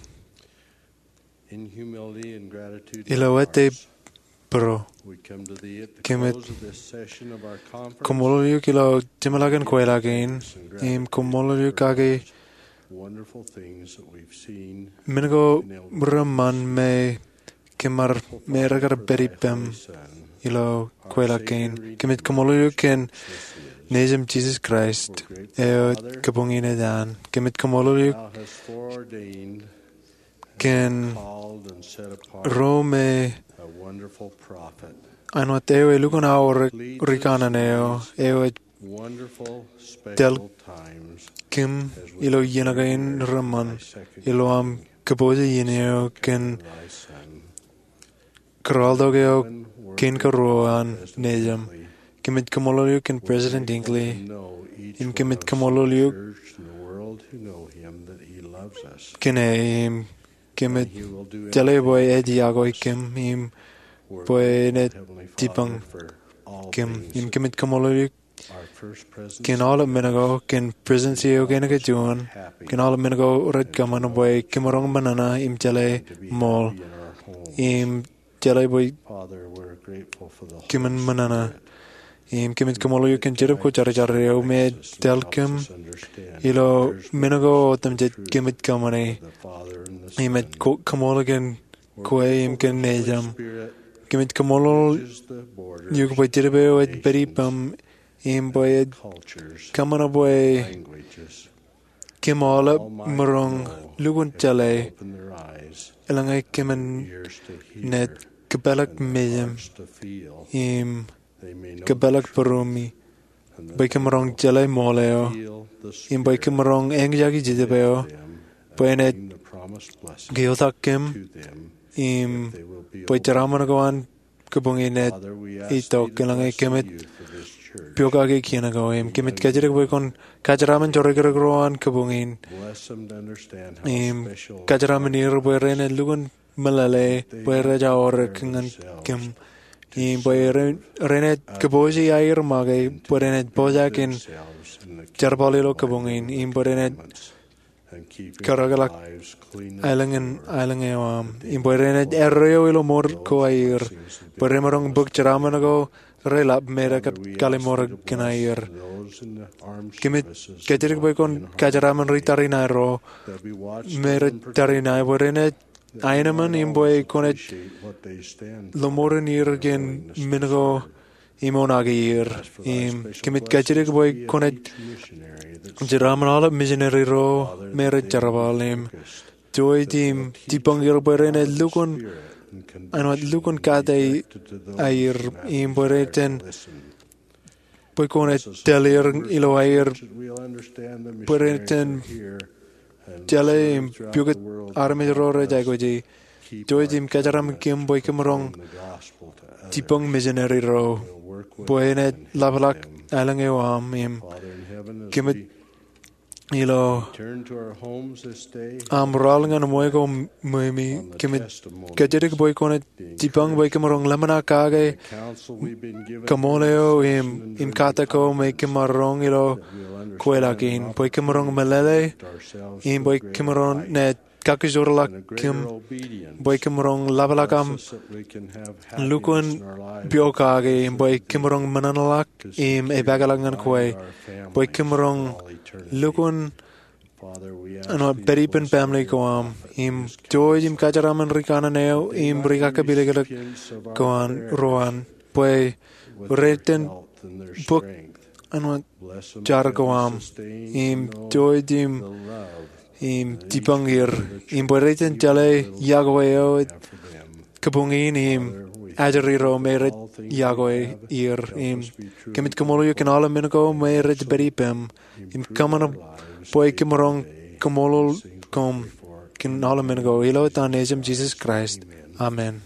in humility and gratitude, ilo ete būruō, we come to Thee at the close of this session of our conference. Kōmeḷeḷ eok ilo jeṃḷọkin kweilọk in, im kōmeḷeḷ eok kake wonderful things that we've seen, men ko reṃṃan me kōmij, me rekar pād ippem ilo kweilọk kein. Kōmij kōmeḷeḷ eok kōn Nejiṃ Jisōs Kraist, eo ej kōbuñi naaj an. Kōmij kōmeḷeḷ eok kōn ro me āinwōt eo elukkuun aorōk rikanaan eo, eo ej tōl kōm ilo iien kein reṃṃan, ilo aṃ kōpooje iien eo kōn kōrọọltok eo kein karuo an Nejiṃ. Kōmij kōmeḷeḷ eok kōn President Hinckley, im kōmij kōmeḷeḷ eok kōn e, im kōmij jeḷā bwe ej iọkwe kōm, im bwe enaaj jipañ kōm, im kōmij kōmeḷeḷ eok kōn aolep men ko, kōn Presidency eo kein kajuon, kōn aolep men ko rej kōṃṃan bwe kōm maroñ ṃōṇōṇō im jeḷā ṃool, im jeḷā bwe kōmin ṃōṇōṇō. Im kōmij kōmeḷeḷ eok kōn Jetōb Kwōjarjar eo me ej tōl kōm ilo men ko otemjej kōmij kōṃṃane, im ej kō-, kōmeḷeḷ kōn kwe im kōn Nejiṃ. Kōmij kōmeḷeḷ eok bwe Jetōb eo ej pād ippem, im bwe ej kōṃṃan bwe kōm aolep maroñ lukkuun jeḷā, eḷaññe kōmin naaj kōpeḷḷọk mejaṃ, im kōpeḷḷọk būruemi, bwe kōm maroñ jeḷā ṃool eo, im bwe kōm maroñ eñjake Jetōb eo, bwe enaaj keotak kōm, im bwe jeraaṃṃan ko an kōbuñi naaj itok, eḷaññe kōmij pokake kien ko. Im kōmij kajjitōk bwe kwōn kōjeraaṃṃan jorikrōk ro an kōbuñi in, im kōjeraaṃṃan er bwe renaaj lukkuun meḷeḷe bwe rej aorōk ñan kōm, im bwe re-, renaaj kōpooje aer make, bwe renaaj pojak in jerbal ilo kōbuñi in, im bwe renaaj kōrōkḷọk aelōñ in, aelōñ eo aṃ, im bwe renaaj erreo ilo mour ko aer, bwe remaroñ bōk jeraaṃṃan ko reḷap me rekar kalimour kōn aer. Kōmij kajjitōk bwe kwōn kōjeraaṃṃan ri tariṇae ro me rej tariṇae, bwe renaaj aenōṃṃan, im bwe kwōnaaj lọmọọren er kōn men ko im oṇaake er. Im kōmij kajjitōk bwe kwōnaaj jeraaṃṃan aolep misineri ro me rej jerbal, im jouj im jipañ er bwe renaaj lukkuun, āinwōt lukkuun kate aer, im bwe renaaj bwe kwōnaaj tōl er ilo aer, bwe renaaj jeḷā im pukot armej ro rej aikuji. Jouj im kōjeraaṃṃan kōm bwe kōm maroñ jipañ misineri ro, bwe enaaj ḷapḷọk aelōñ eo aṃ, im kōmij ilo aṃ ralitōk ñan ṃweo ko ṃweo, kōmij kajjitōk bwe kwōnaaj jipañ bwe kōm maroñ ḷōmṇak kake kaṃool eo im, im kate ko me kōm maroñ ilo kweilọk in, bwe kōm maroñ meḷeḷe, im bwe kōm maroñ naaj kakkajorḷọk kōm, bwe kōm maroñ ḷapḷọk aṃ lukkuun pokake, im bwe kōm maroñ ṃōṇōṇōḷọk im epākḷọk ñan kwe, bwe kōm maroñ lukkuun āinwōt pād ippān family ko aṃ, im jouj im kōjeraaṃṃan ri kanaan eo im ri kakapiliklik ko an, ro an, bwe ren bōk āinwōt jar ko aṃ, im jouj im, im jipañ er, im bwe ren jeḷā iọkwe eo kōbuñi in, im ajri ro me rej iọkwe er, im kōmij kōmeḷeḷ eok kōn aolep men ko me rej pād ippem, im kōṃṃan bwe kōm maroñ kaṃṃoolol koṃ kōn aolep men ko, ilo etan Nejūṃ Jisōs Kraist. Amen.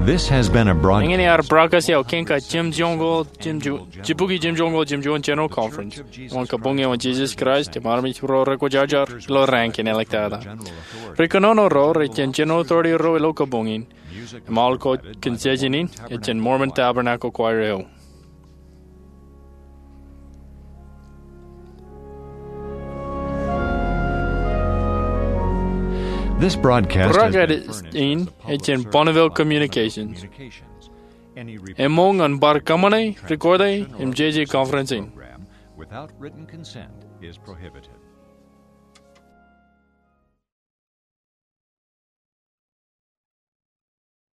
Eñin ear broadcast eo kein kajimjuonñoul, jibukwi jimjuonñoul jimjuon General Conference eo an Kabuñ eo an Jesus Christ im Armej ro Rekwōjarjar ilo Raan kein Āliktata. Ri kōnono ro rej jen General Authority ro ilo kabuñ in, im aolep kōj kōn session in ej jān Mormon Tabernacle Choir eo. Broadcast in ej jān Bonneville Communications. Emoñ ñan bar kōṃṃane, record e, im jeje conference in.